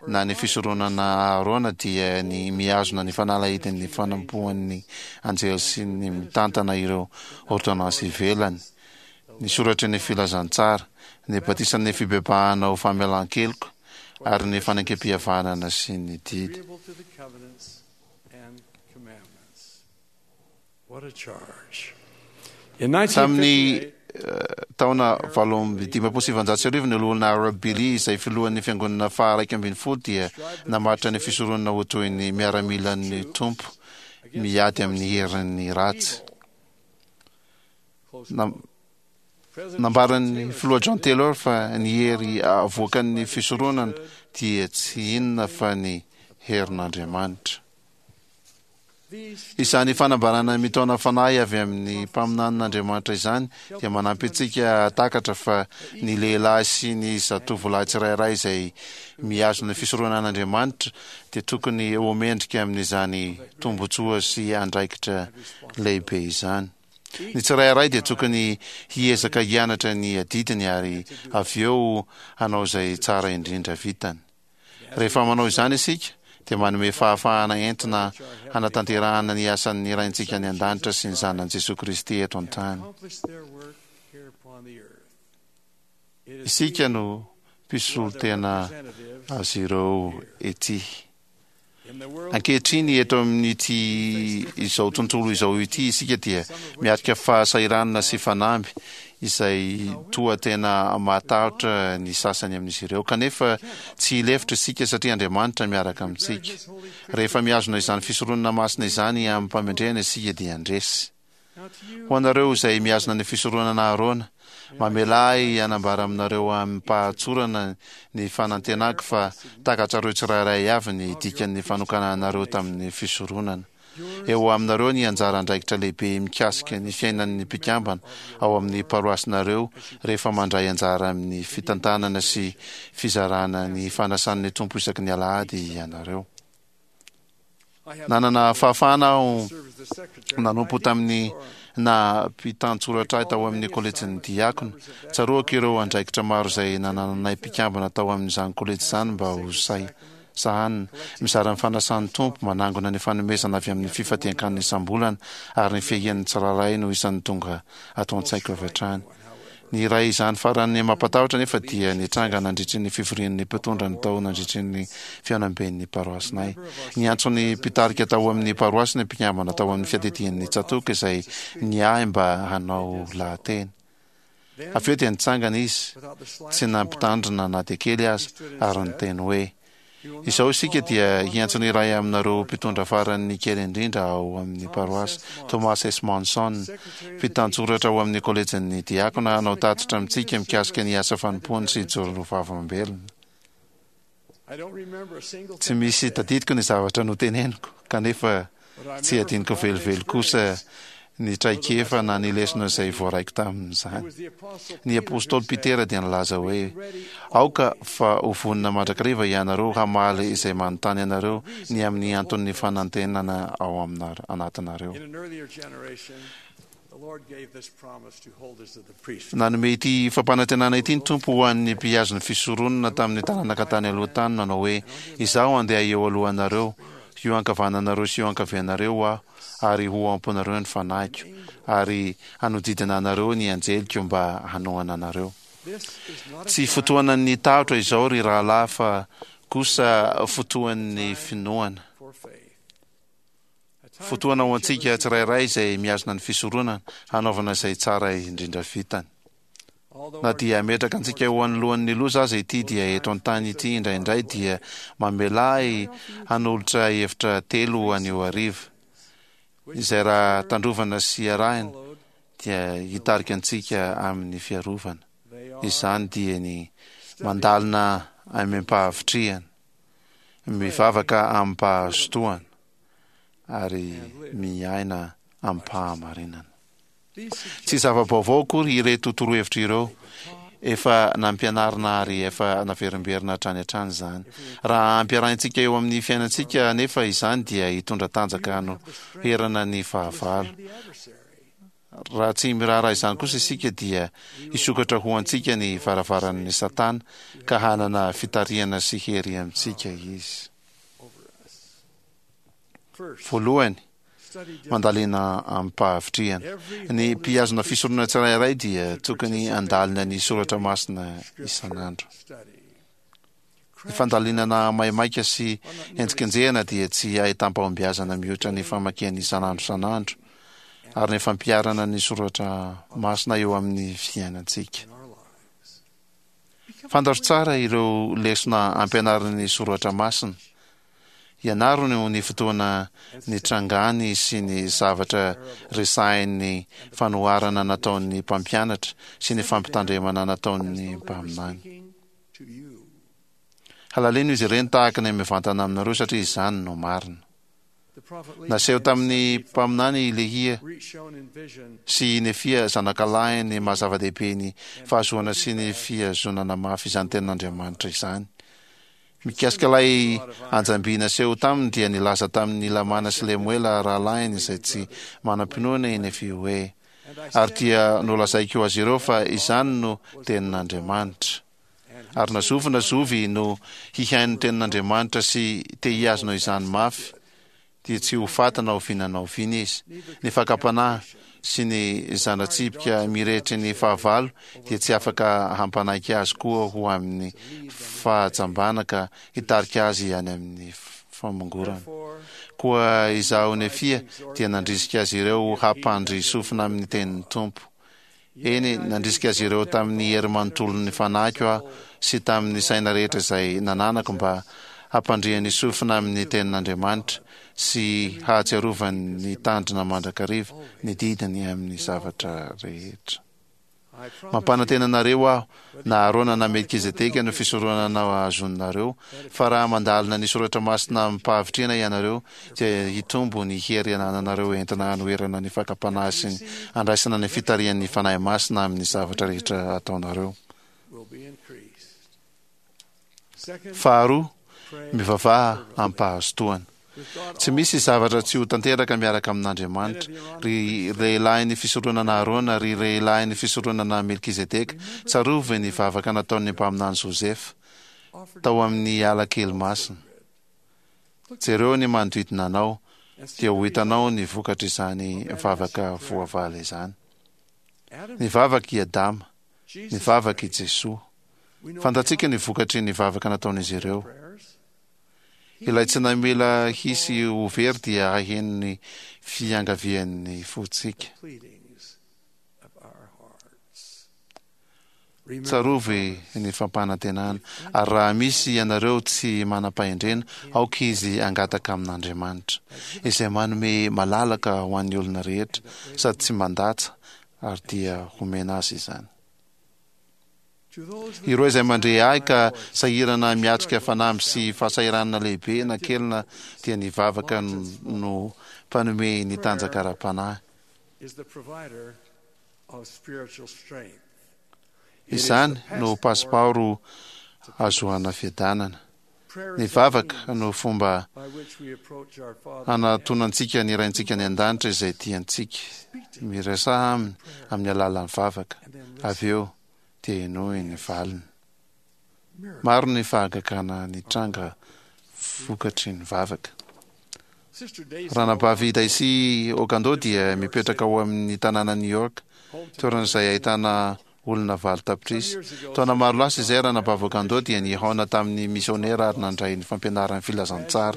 na ny fisoronana Aharôna dia ny mihazona ny fanalahidin'ny fanompoan'ny anjely sy ny mitantana ireo ôrdônansy ivelany, ny soratry ny filazantsara, ny batisan'ny fibebahana ho famelan-keloka, ary ny fanekempihavanana sy ny didy. Tamin'ny taona valo amby dimampolo sy sivinjato sy arivo, ny Loholona Harold Billy, izay filohan'ny Fiangonana faha-iraika ambin'ny folo, dia namaritra ny fisoronana ho toy ny miaramilan'ny Tompo miady amin'ny herin'ny ratsy. Nambaran'ny Filoha John Taylor fa ny hery avoakan'ny fisoronana dia tsy inona fa ny herin'Andriamanitra. Izany fanambarana mitaona fanahy avy amin'ny mpaminanin'Andriamanitra izany dia manampy antsika hahatakatra fa ny lehilahy sy ny zatovolahy tsirairay izay mihazona ny fisoronan'Andriamanitra dia tokony ho mendrika amin'izany tombontsoa sy andraikitra lehibe izany. Ny tsirairay dia tokony hiezaka hianatra ny adidiny ary avy eo hanao izay tsara indrindra vitany. Rehefa manao izany isika, dia manome fahafahana entina hanatanterahana ny asan'ny Raintsika any An-danitra sy ny Zanany Jesoa Kristy eto an-tany. Isika no mpisolo tena azy ireo ety. Ankehitriny eto amin'ity izao tontolo izao ity isika dia miatrika fahasahiranana sy fanamby izay toa tena mahatahotra ny sasany amin'izy ireo. Kanefa tsy hilefitra isika satria Andriamanitra miaraka amintsika. Rehefa mihazona izany fisoronana masina izany amim-pamendrehana isika dia handresy. Ho anareo izay mihazona ny fisoronana Aharôna, mamelà ahy hanambara aminareo amim-pahatsorana ny fanantenako fa takatrareo tsirairay avy ny dikan'ny fanokananareo tamin'ny fisoronana. Eo aminareo ny anjara andraikitra lehibe mikasika ny fiainan'ny mpikambana ao amin'ny paroasinareo rehefa mandray anjara amin'ny fitantanana sy fizarana ny fanasan'ny Tompo isaky ny alahady ianareo. Nanana fahafahana aho nanompo tamin'ny naha mpitan-tsoratra ahy tao amin'ny kolejin'ny diakona. Tsaroako ireo andraikitra maro izay nanananay mpikambana tao amin'izany kolejy izany mba ho sahy sahanina, mizara ny fanasan'ny Tompo, manangona ny fanomezana avy amin'ny fifadian-kanina isam-bolana, ary ny fiahian'ny tsirairay no isan'ny tonga ato an-tsaiko avy hatrany. Ny iray izany farany mampatahotra anefa dia nitranga nandritry ny fivorian'ny mpitondra ny tao nandritry ny fihaonamben'ny paroasinay. Niantso ny mpitarika tao amin'ny paroasy ny mpikambana tao amin'ny fiadidian'ny tsatòka izay niahy mba hanao lahateny. Avy eo dia nitsangana izy, tsy nampitandrina na dia kely aza, ary niteny hoe, Izao isika dia hiantso ny iray aminareo mpitondra farany kely indrindra ao amin'ny paroasy, Thomas S. Monson, mpitantsoratra ao amin'ny kolejin'ny diakona, hanao tatitra amintsika mikasika ny asa fanompoany sy hijoro ho vavolombelona. Tsy misy tadidiko ny zavatra noteneniko, kanefa Tsy adinoko velively kosa ny traikefa na ny lesona izay voaraiko tamin'izany. Ny apostoly Petera dia nilaza hoe, Aoka fa ho vonona mandrakariva ianareo hamaly izay manontany anareo ny amin'ny anton'ny fanantenana ao anatinareo. Nanome ity fampanantenana ity ny Tompo ho an'ny mpihazo ny fisoronana tamin'ny taranaka tany aloha tany, nanao hoe, Izaho handeha eo alohanareo, eo ankavananareo sy eo ankavianareo Aho, ary ho ao am-ponareo ny Fanahiko, ary hanodidina anareo ny anjeliko mba hanohana anareo. Tsy fotoanan'ny tahotra izao, ry rahalahy, fa kosa fotoan'ny finoana. Fotoana ho antsika tsirairay izay mihazona ny fisoronana hanaovana izay tsara indrindra vitany. Na dia hametraka antsika ho anoloan'ny loza aza ity dia eto an-tany ity indraindray dia mamelà ahy hanolotra hevitra telo anio hariva, izay raha tandrovana sy arahina dia hitarika antsika amin'ny fiarovana. Izany dia ny mandalina amim-pahavitrihana, mivavaka amim-pahazotoana, ary miaina amim-pahamarinana. Tsy zava-baovao akory ireto torohevitra ireo, efa nampianarina ary efa naverimberina hatrany hatrany izany. Raha ampiarahintsika eo amin'ny fiainantsika anefa izany dia hitondra tanjaka hanoherana ny fahavalo. Raha tsy miraharaha izany kosa isika dia hisokatra ho antsika ny varavaran'ny Satana ka hanana fitarihana sy hery amintsika izy. Voalohany, mandalina amim-pahavitrihana. Ny mpihazona fisoronana tsirairay dia tokony handalina ny soratra masina isan'andro. Ny fandalinana maimaika sy henjikenjehana dia tsy ahitam-pahombiazana mihoatra ny famakiana isan'andro isan'andro ary ny fampiharana ny soratra masina eo amin'ny fiainantsika. Fantaro tsara ireo lesona ampianarin'ny soratra masina. Ianaro ny fotoana nitrangany sy ny zavatra resahin'ny fanoharana nataon'ny mpampianatra sy ny fampitandremana nataon'ny mpaminany. Halalino izy ireny tahaka ny mivantana aminareo satria izany no marina. Naseho tamin'ny mpaminany i Lehia sy i Nefia zanakalahiny ny maha zava-dehibe ny fahazoana sy ny fihazonana mafy izany tenin'Andriamanitra izany. Mikasika ilay anjam-by naseho taminy dia nilaza tamin'i Lamana sy Lemoela rahalahiny izay tsy manam-pinoana i Nefia hoe, Ary dia nolazaiko azy ireo fa izany no tenin'Andriamanitra. Ary na zovy na zovy no hihaino ny tenin'Andriamanitra sy te hihazona izany mafy, dia tsy ho faty na oviana na oviana izy. Ny fakam-panahy sy ny zana-tsipika mirehitry ny fahavalo dia tsy afaka hampanaiky azy koa ho amin'ny fahajambana ka hitarika azy any amin'ny famongorana. Koa izaho Nefia dia nandrisika azy ireo hampandry sofina amin'ny tenin'ny Tompo. Eny, nandrisika azy ireo tamin'ny hery manontolon'ny fanahiko aho sy tamin'ny saina rehetra izay nananako mba hampandriany sofina amin'ny tenin'Andriamanitra sy hahatsiarovany ny tandrina mandrakariva ny didiny amin'ny zavatra rehetra. Mampanantena anareo aho, na Arona na Melkizedeka no fisoronana azonareo, fa raha mandalina ny soratra masina amim-pahavitrihana ianareo, dia hitombo ny hery anananareo entina hanoherana ny fakam-panahy sy ny handraisana ny fitarihan'ny Fanahy Masina amin'ny zavatra rehetra ataonareo. Faharoa, mivavaha amim-pahazotoana. Tsy misy zavatra tsy ho tanteraka miaraka amin'Andriamanitra. Ry lehilahin'ny fisoronana Arona, ry lehilahin'ny fisoronana Melkizedeka, tsarovy ny vavaka nataon'ny mpaminany Josefa tao amin'ny ala kely masina. Jereo ny manodidina anao, dia ho hitanao ny vokatr'izany vavaka voavaly izany. Nivavaka i Adama, nivavaka i Jesoa. Fantatsika ny vokatry ny vavaka nataon'izy ireo. Ilay tsy namela hisy ho very dia haheno ny fiangavian'ny fontsika. Tsarovy ny fampanantenana, ary raha misy ianareo tsy manam-pahendrena, aoka izy hangataka amin'Andriamanitra, izay manome malalaka ho an'ny olona rehetra, sady tsy mandatsa, ary dia homena azy izany. Ireo izay mandre ahy ka sahirana miatrika fanamby sy fahasahiranana lehibe na kely na dia ny vavaka no mpanome ny tanjaka ara-panahy. Izany no pasipaoro ahazoana fiadanana. Ny vavaka no fomba hanatonantsika ny Raintsika any an-danitra izay tia antsika. Miresaha aminy amin'ny alalan'ny vavaka. Avy eo dia henoy ny valiny. Maro ny fahagagana nitranga vokatry ny vavaka. Ranabavy Daisy Ogando dia mipetraka ao amin'ny tanànan'i New York, toerana izay ahitana olona valo tapitrisa. Taona maro lasa izay, Ranabavy Ogando dia nihaona tamin'ny misionera ary nandray ny fampianaran'ny filazantsara.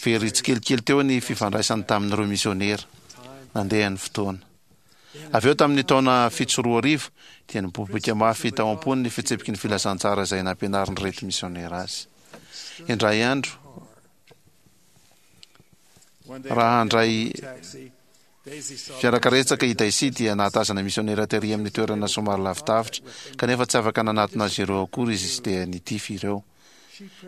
Very tsikelikely teo ny fifandraisany tamin'ireo misionera. Nandeha ny fotoana. Avy eo tamin'ny taona fito sy roa arivo, dia niboiboika mafy tao am-pony ny fitsipiky ny filazantsara izay nampianarin'ireto misionera azy. Indray andro, raha handray fiarakaretsaka i Daisy dia nahatazana misionera tery amin'ny toerana somary lavidavitra, kanefa tsy afaka nanatona azy ireo akory izy dia nitify ireo.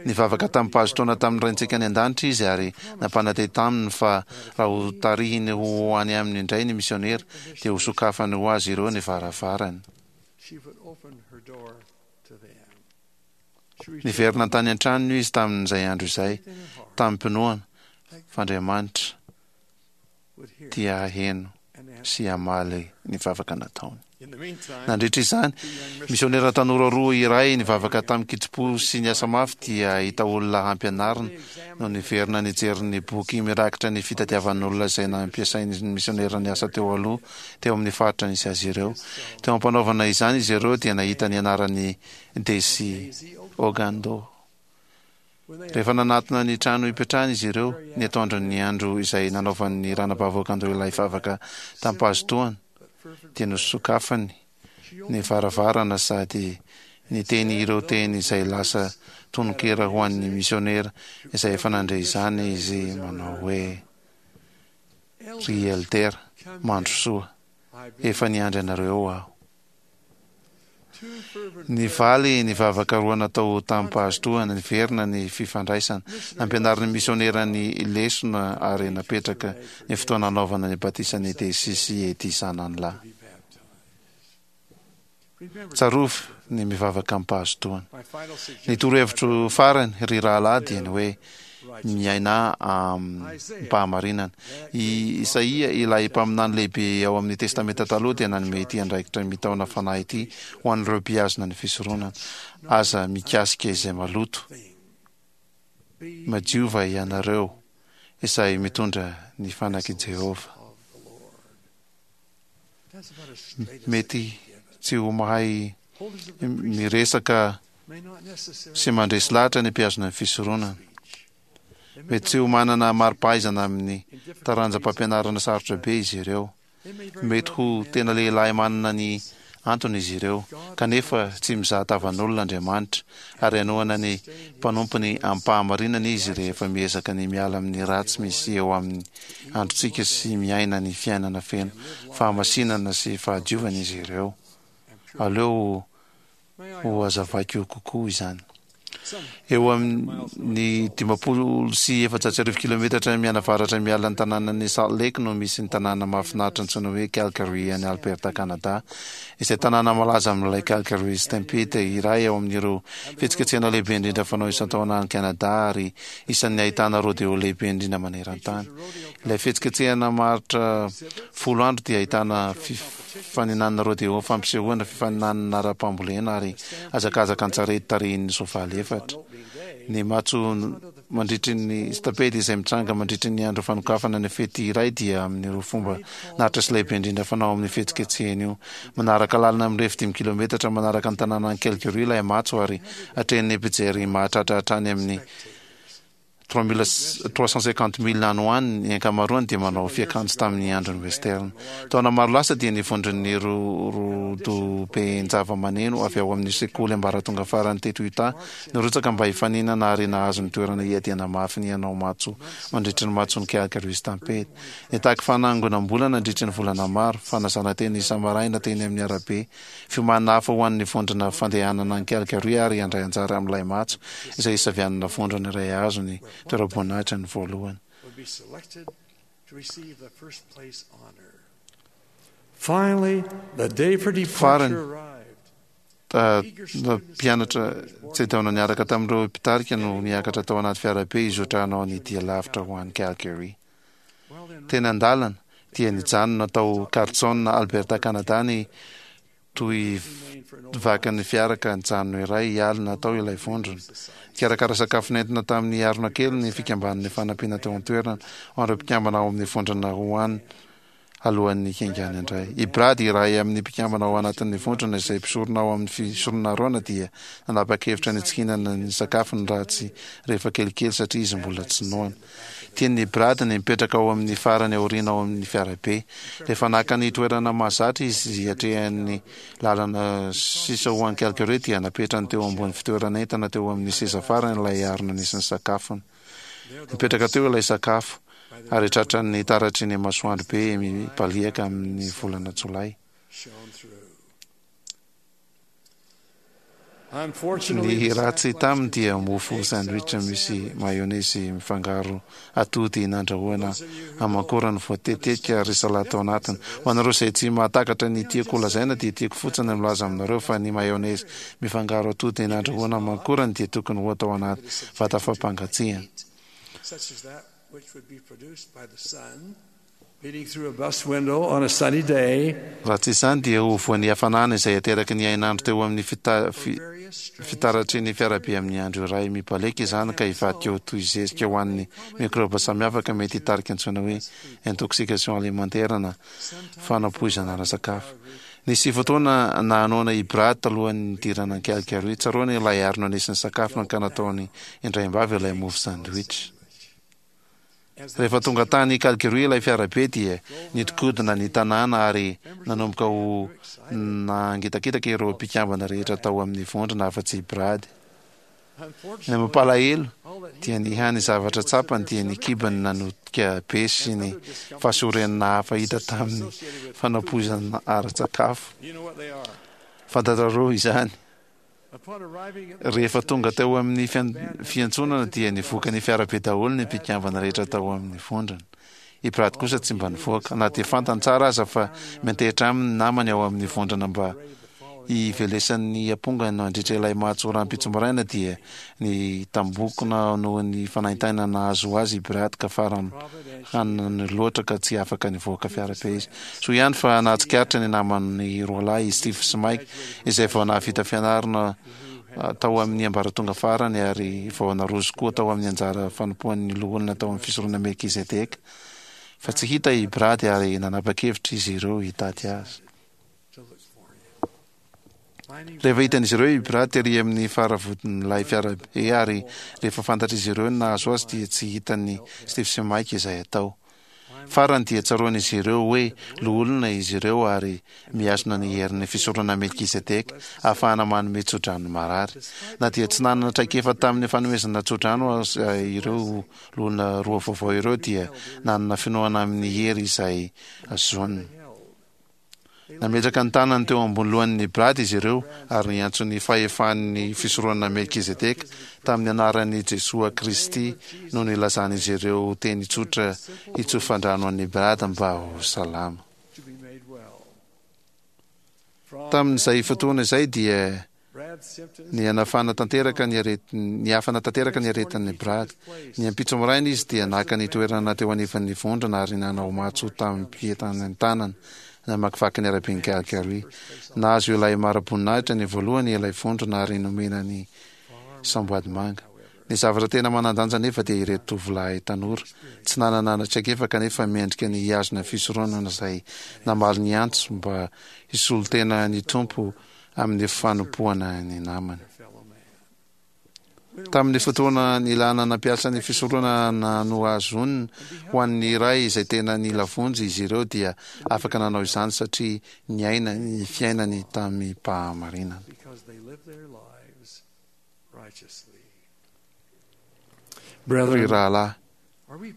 Nivavaka tamim-pahazotoana tamin'ny Raintsika any an-danitra izy ary nampanantena taminy fa raha ho tarihiny ho any aminy indray ny misionera dia ho sokafany ho azy ireo ny varavarany. Niverina tany an-tranony izy tamin'izay andro izay, tamim-pinoana fa Andriamanitra dia haheno sy hamaly ny vavaka nataony. Nandritra izany, misionera tanora roa iray nivavaka tamin-kitsim-po sy niasa mafy dia hahita olona hampianarina no niverina nijery ny boky mirakitra ny fitadiavan'olona izay nampiasain'ny misionera niasa teo aloha teo amin'ny faritra nisy azy ireo. Teo am-panaovana izany izy ireo dia nahita ny anaran'i Daisy Ogando. Rehefa nanatona ny trano ipetrahany izy ireo, ny atoandron'ny andro izay nanaovan'ny ranabavy Ogando ilay vavaka tamim-pahazotoana, dia nosokafany ny varavarana sady niteny ireo teny izay lasa tononkira ho an'ny misionera izay efa nandre izany izy manao hoe: Ry Elder, mandrosoa, efa niandry anareo aho. Nivaly ny vavaka roa natao tamim-pahazotoana, niverina ny fifandraisana, nampianarin'ny misionera ny lesona ary napetraka ny fotoana hanaovana ny batisan'i Daisy sy Eddie zanany lahy. Tsarovy ny mivavaka amim-pahazotoana. Ny torohevitro farany, ry rahalahy, dia ny hoe miainà amim-pahamarinana. I Isaia, ilay mpaminany lehibe ao amin'ny Testamenta Taloha, dia nanome ity andraikitra mitaona fanahy ity ho an'ireo mpihazona ny fisoronana, Aza mikasika izay maloto, madiova ianareo izay mitondra ny fanak'i Jehovah. Mety tsy ho mahay miresaka sy mandresy lahatra ny mpihazona ny fisoronana. Mety tsy ho manana mari-pahaizana amin'ny taranjam-pampianarana sarotra be izy ireo. Mety ho tena lehilahy manana ny antony izy ireo, kanefa tsy mizaha tavan'olona Andriamanitra, ary hanohana ny mpanompony amim-pahamarinana izy rehefa miezaka ny miala amin'ny ratsy misy eo amin'ny androntsika sy miaina ny fiainana feno fahamasinana sy fahadiovana izy ireo. Aleo ho hazavaiko kokoa izany. Eo amin'ny dimampolo sy efajato sy arivo kilometatra mianavaratra miala ny tanànan'i Salt Lake no misy ny tanàna mahafinaritra antsoina hoe Calgary any Alberta, Canada, izay tanàna malaza amin'ilay Calgary Stampede, iray ao amin'ireo fihetsiketsehana lehibe indrindra fanao isan-taona any Canada ary isan'ny ahitana rodeo lehibe indrindra maneran-tany. Ilay fihetsiketsehana maharitra folo andro dia ahitana fifaninanana rodeo, fampisehoana, fifaninanana ara-pambolena ary hazakazaka an-tsarety tarihin'ny soavaly efatra. Ny matso mandritry ny stampede izay mitranga mandritry ny andro fanokafana ny fety iray dia amin'ireo fomba naritra sy lehibe indrindra fanao amin'ny fihetsiketsehana io. Manaraka lalana mirefy dimy kilometatra manaraka ny tanànan'i Calgary ilay matso ary atrehin'ny mpijery mahatratra hatrany amin'ny trois mille trois cent cinquante mille any ho any, ny ankamaroany dia manao fiakanjo tamin'ny andron'ny western. Taona maro lasa dia ny vondron'ny rodoben-javamaneno avy ao amin'ny sekoly ambaratonga farany teto Utah nirotsaka mba hifaninana ary nahazo ny toerana hiadiana mafy ny hanao matso mandritry ny matson'ny Calgary Stampede. Nitaky fanangonam-bola nandritry ny volana maro, fanasana teny isa-maraina teny amin'ny arabe, Fiomanana hafa ho an'ny vondrona fandehanana any Calgary ary handray anjara amin'ilay matso izay hisavianana vondrona iray hahazo ny toeram-boninahitra ny voalohany. Farany, mpianatra tsedaona niaraka tamin'ireo mpitarika no niakatra tao anaty fiarabe hizotra hanao ny dia lavitra ho any Calgary. Teny an-dalana, dia nijanona tao Carlson, Alberta, Canada ny tohivakan'ny fiara ka nijanona iray alina tao ilay vondrona. Nikarakara sakafo nentina tamin'ny harona kely ny fikambanan'ny fanampiana teo an-toerana ho an'ireo mpikambana ao amin'ny vondrona ho any alohan'ny hiaingàny indray. I Brad, iray amin'ny mpikambana ao anatin'ny vondrona izay mpisorona ao amin'ny fisoronana Arona dia nanapa-kevitra ny tsy hihinana ny sakafony raha tsy rehefa kelikely satria izy mbola tsy noana. Tian'i Brad ny mipetraka ao amin'ny farany aoriana ao amin'ny fiarabe. Rehefa naka ny toerana mahazatra izy hiatrehany lalana sisa ho any Calgary dia napetrany teo ambony fitoeran'entana teo amin'ny seza farany ilay harona nisy ny sakafony. Nipetraka teo ilay sakafo ary tratran'ny taratry ny masoandro be mibaliaka amin'ny volana Jolay. Ny ratsy taminy dia mofo sandwich misy mayonnaise mifangaro atody nandrahoana amankorany voatetetika ary salady tao anatiny. Ho anareo izay tsy mahatakatra ny tiako holazaina dia tiako fotsiny ny milaza aminareo fa ny mayonnaise mifangaro atody nandrahoana amankorany dia tokony ho atao anaty vata fampangatsiahana. Such as that which would be produced by the sun beating through a bus window on a sunny day. Raha tsy izany dia ho voan'ny hafanana izay ateraky ny hainandro teo amin'ny fita- fi- fitaratry ny fiarabe amin'ny andro iray mibaleka izany ka hivadika ho toy zezika ho an'ny mikrôba samihafa ka mety hitarika antsoina hoe intoxication alimentaire na fanapoizana ara-sakafo. Nisy fotoana nahanoana i Brad talohan'ny nidirana an'i Calgary. Tsaroany ilay harona nisy ny sakafony ka nataony indraimbavy ilay mofo sandwich. Rehefa tonga tany Calgary ilay fiarabe dia nidinkodina ny tanàna ary nanomboka ho nangitakitaka ireo mpikambana rehetra tao amin'ny vondrona afa-tsy i Brad. Ny mampalahelo dia ny hany zavatra tsapany dia ny kibony nanotika be sy ny fahasorenana hafa hita tamin'ny fanapoizana ara-tsakafo. Fantatrareo izany. Rehefa tonga teo amin'ny fiantsonana dia nivoaka ny fiarabe daholo ny mpikambana rehetra tao amin'ny vondrona. I Brad kosa tsy mba nivoaka, na dia fantany tsara aza fa miantehitra aminy ny namany ao amin'ny vondrona mba hivelesan'ny ampongany nandritra ilay matso rahampitso maraina dia nitambokona noho ny fanaintainana nahazo azy i Brad ka farany hanany loatra ka tsy afaka nivoaka fiarabe izy. Soa ihany fa nahatsikaritra ny namany roalahy i Steve sy Mike izay vao nahavita fianarana tao amin'ny ambaratonga farany ary vao naroso koa tao amin'ny anjara fanompoan'ny loholona tao amin'ny fisoronana Melkizedeka fa tsy hita i Brad ary nanapa-kevitra izy ireo hitady azy. Rehefa hitan'izy ireo i Brad tery amin'ny faravodin'ilay fiarabe ary rehefa fantatr'izy ireo ny nahazo azy dia tsy hitan'i Steve sy Mike izay atao. Farany dia tsaroan'izy ireo hoe loholona izy ireo ary mihazona ny herin'ny fisoronana Melkizedeka ahafahana manome tsodrano marary. Na dia tsy nanana traikefa tamin'ny fanomezana tsodrano aza ireo loholona roa vaovao ireo dia nanana finoana amin'ny hery izay azoniny. Nametraka ny tanany teo ambony lohan'ny Brad izy ireo ary niantso ny fahefan'ny fisoronana Melkizedeka tamin'ny anaran'i Jesoa Kristy no nilazan'izy ireo teny tsotra hitsofan-drano an'i Brad mba ho salama. Tamin'izay fotoana izay dia nihanafana tanteraka ny aretin- nihafana tanteraka ny aretin'ny Brad. Ny ampitso maraina izy dia naka ny toerana teo anivan'ny vondrona ary nanao matso tamim-pientanentanana namakivaky ny araben'i Calgary. Nahazo ilay mari-boninahitra ny voalohany ilay vondrona ary nomena ny samboady manga. Ny zavatra tena manan-danja nefa dia ireto tovolahy tanora tsy nanana traikefa kanefa mendrika ny hihazona fisoronana izay namaly ny antso mba hisolo tena ny Tompo amin'ny fanompoana ny namany. Tamin'ny fotoana nilana nampiasa ny fisoronana nohazoniny ho an'ny iray izay tena nila vonjy izy ireo dia afaka nanao izany satria niaina ny fiainany tamim-pahamarinana. Because they lived their lives righteously. Ry rahalahy,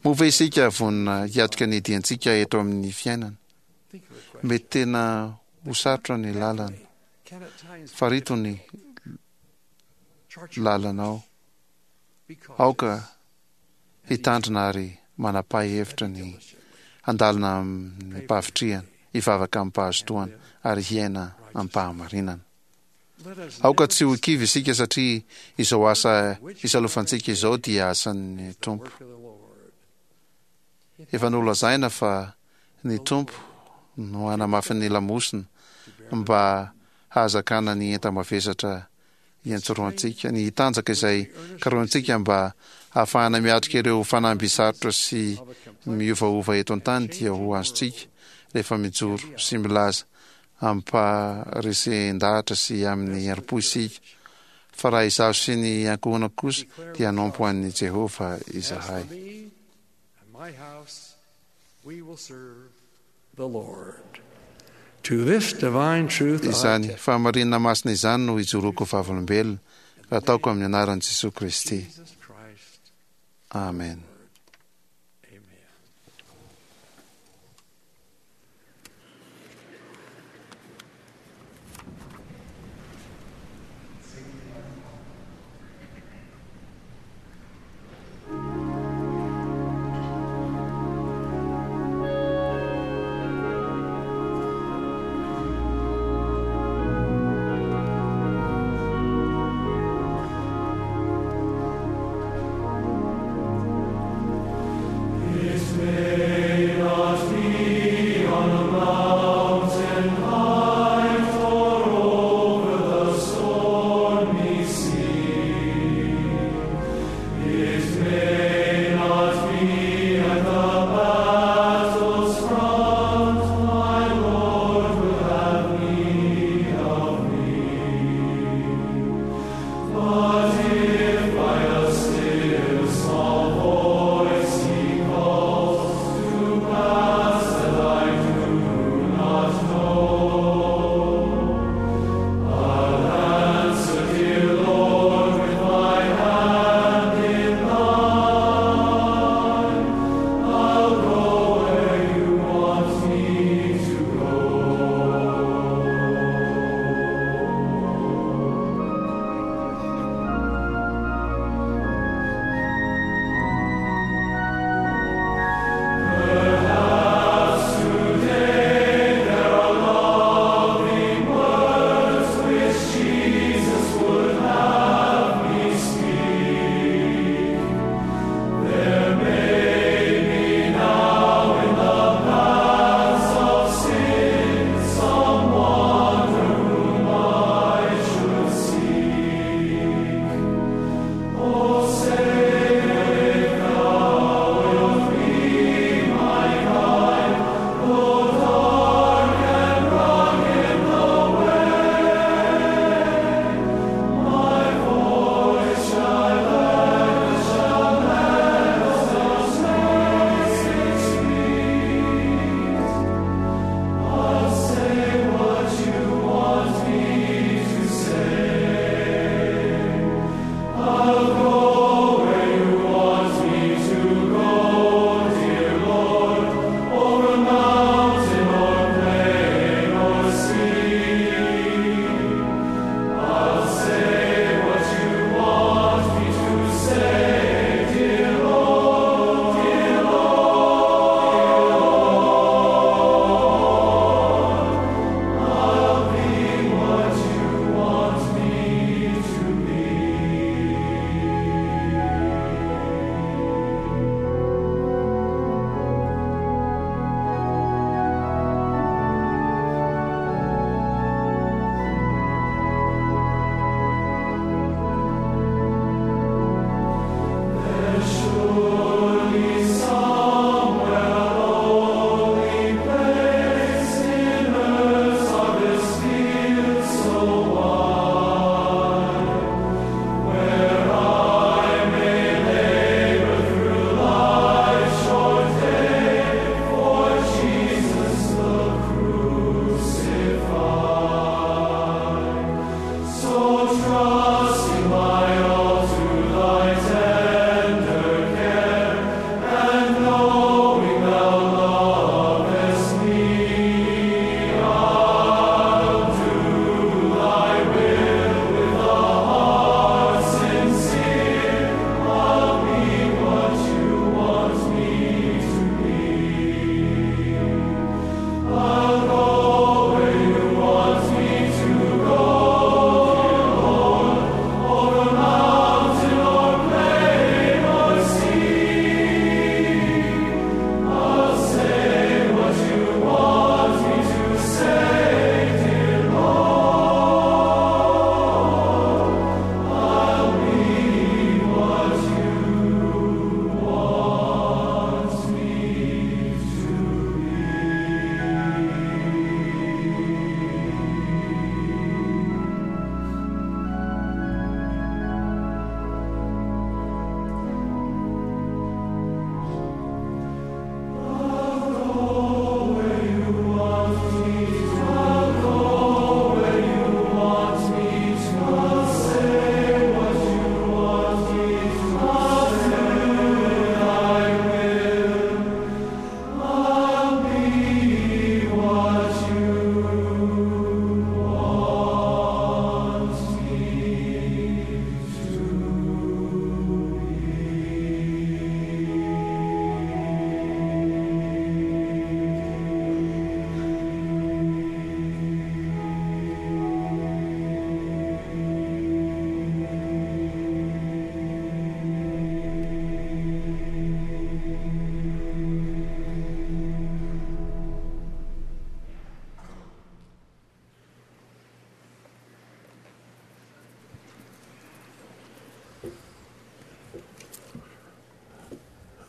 moa ve isika vonona hiatrika ny diantsika eto amin'ny fiainana? Mety tena ho sarotra ny lalana. Farito ny lalanao. Aoka hitandrina ary manapa-hevitra ny handalina amin'ny mpahavitrihana, hivavaka amim-pahazotoana ary hiaina amim-pahamarinana. Aoka tsy ho kivy isika satria izao asa isalovantsika izao dia asan'ny Tompo. Efa nolazaina fa ny Tompo no hanamafy ny lamosina mba hahazakana ny enta-mavesatra iantsorohantsika, ny hitanjaka izay karohintsika mba hahafahana miatrika ireo fanamby sarotra sy miovaova eto an-tany dia ho azontsika rehefa mijoro sy milaza amim-paharesen-dahatra sy amin'ny herim-po isika fa raha izaho sy ny ankohonako kosa dia hanompo an'i Jehovah izahay. As for me and my house, we will serve the Lord. To this divine truth I Izany fahamarinana masina izany no ijoroako vavolombelona raha ataoko amin'ny anaran'i Jesoa Kristy. Jesus Christ. Amen. Amen.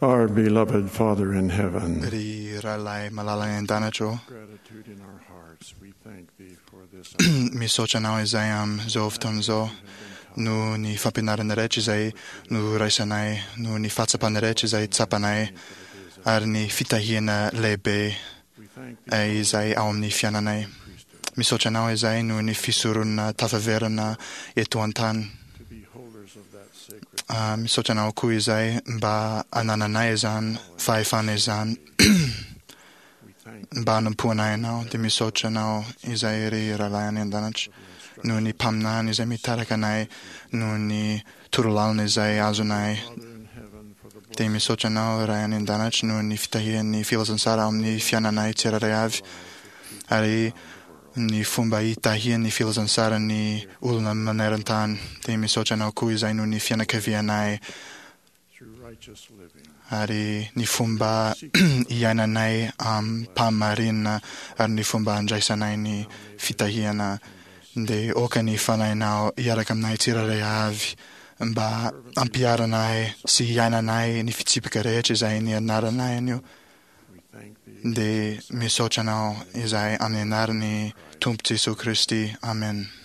Our beloved Father in heaven, Ry rahalahy malala any an-danitra ô, gratitude in our hearts, we thank thee for this misaotra anao izay amin'izao fotoana izao noho ny fampianarana rehetra izay noraisanay, noho ny fahatsapana rehetra izay tsapanay, ary ny fitahiana lehibe izay ao amin'ny fiainanay. Misaotra anao izay noho ny fisoronana tafaverina eto an-tany. to be holders of that sacred Ah, misaotra anao koa izay mba anananay izany fahefana izany mba hanompoanay anao. Dia misaotra anao izay ry rahalahy any an-danitra noho ny mpaminany izay mitarika anay, noho ny torolalana izay azonay. Dia misaotra anao ray any an-danitra noho ny fitahian'ny filazantsara ao amin'ny fiainanay tsirairay avy, ary ny fomba hitahian'ny filazantsara ny olona maneran-tany. Dia misaotra anao koa izay noho ny fianakavianay through righteous living. ary ny fomba iainanay am-pahamarinana ary ny fomba andraisanay ny fitahiana. Dia aoka ny fanahinao hiaraka aminay tsirairay avy mba hampiharanay sy hiainanay ny fitsipika rehetra izay nianaranay anio. Dia misaotra anao izay amin'ny anaran'ny Tompo Jesoa Kristy. Amen.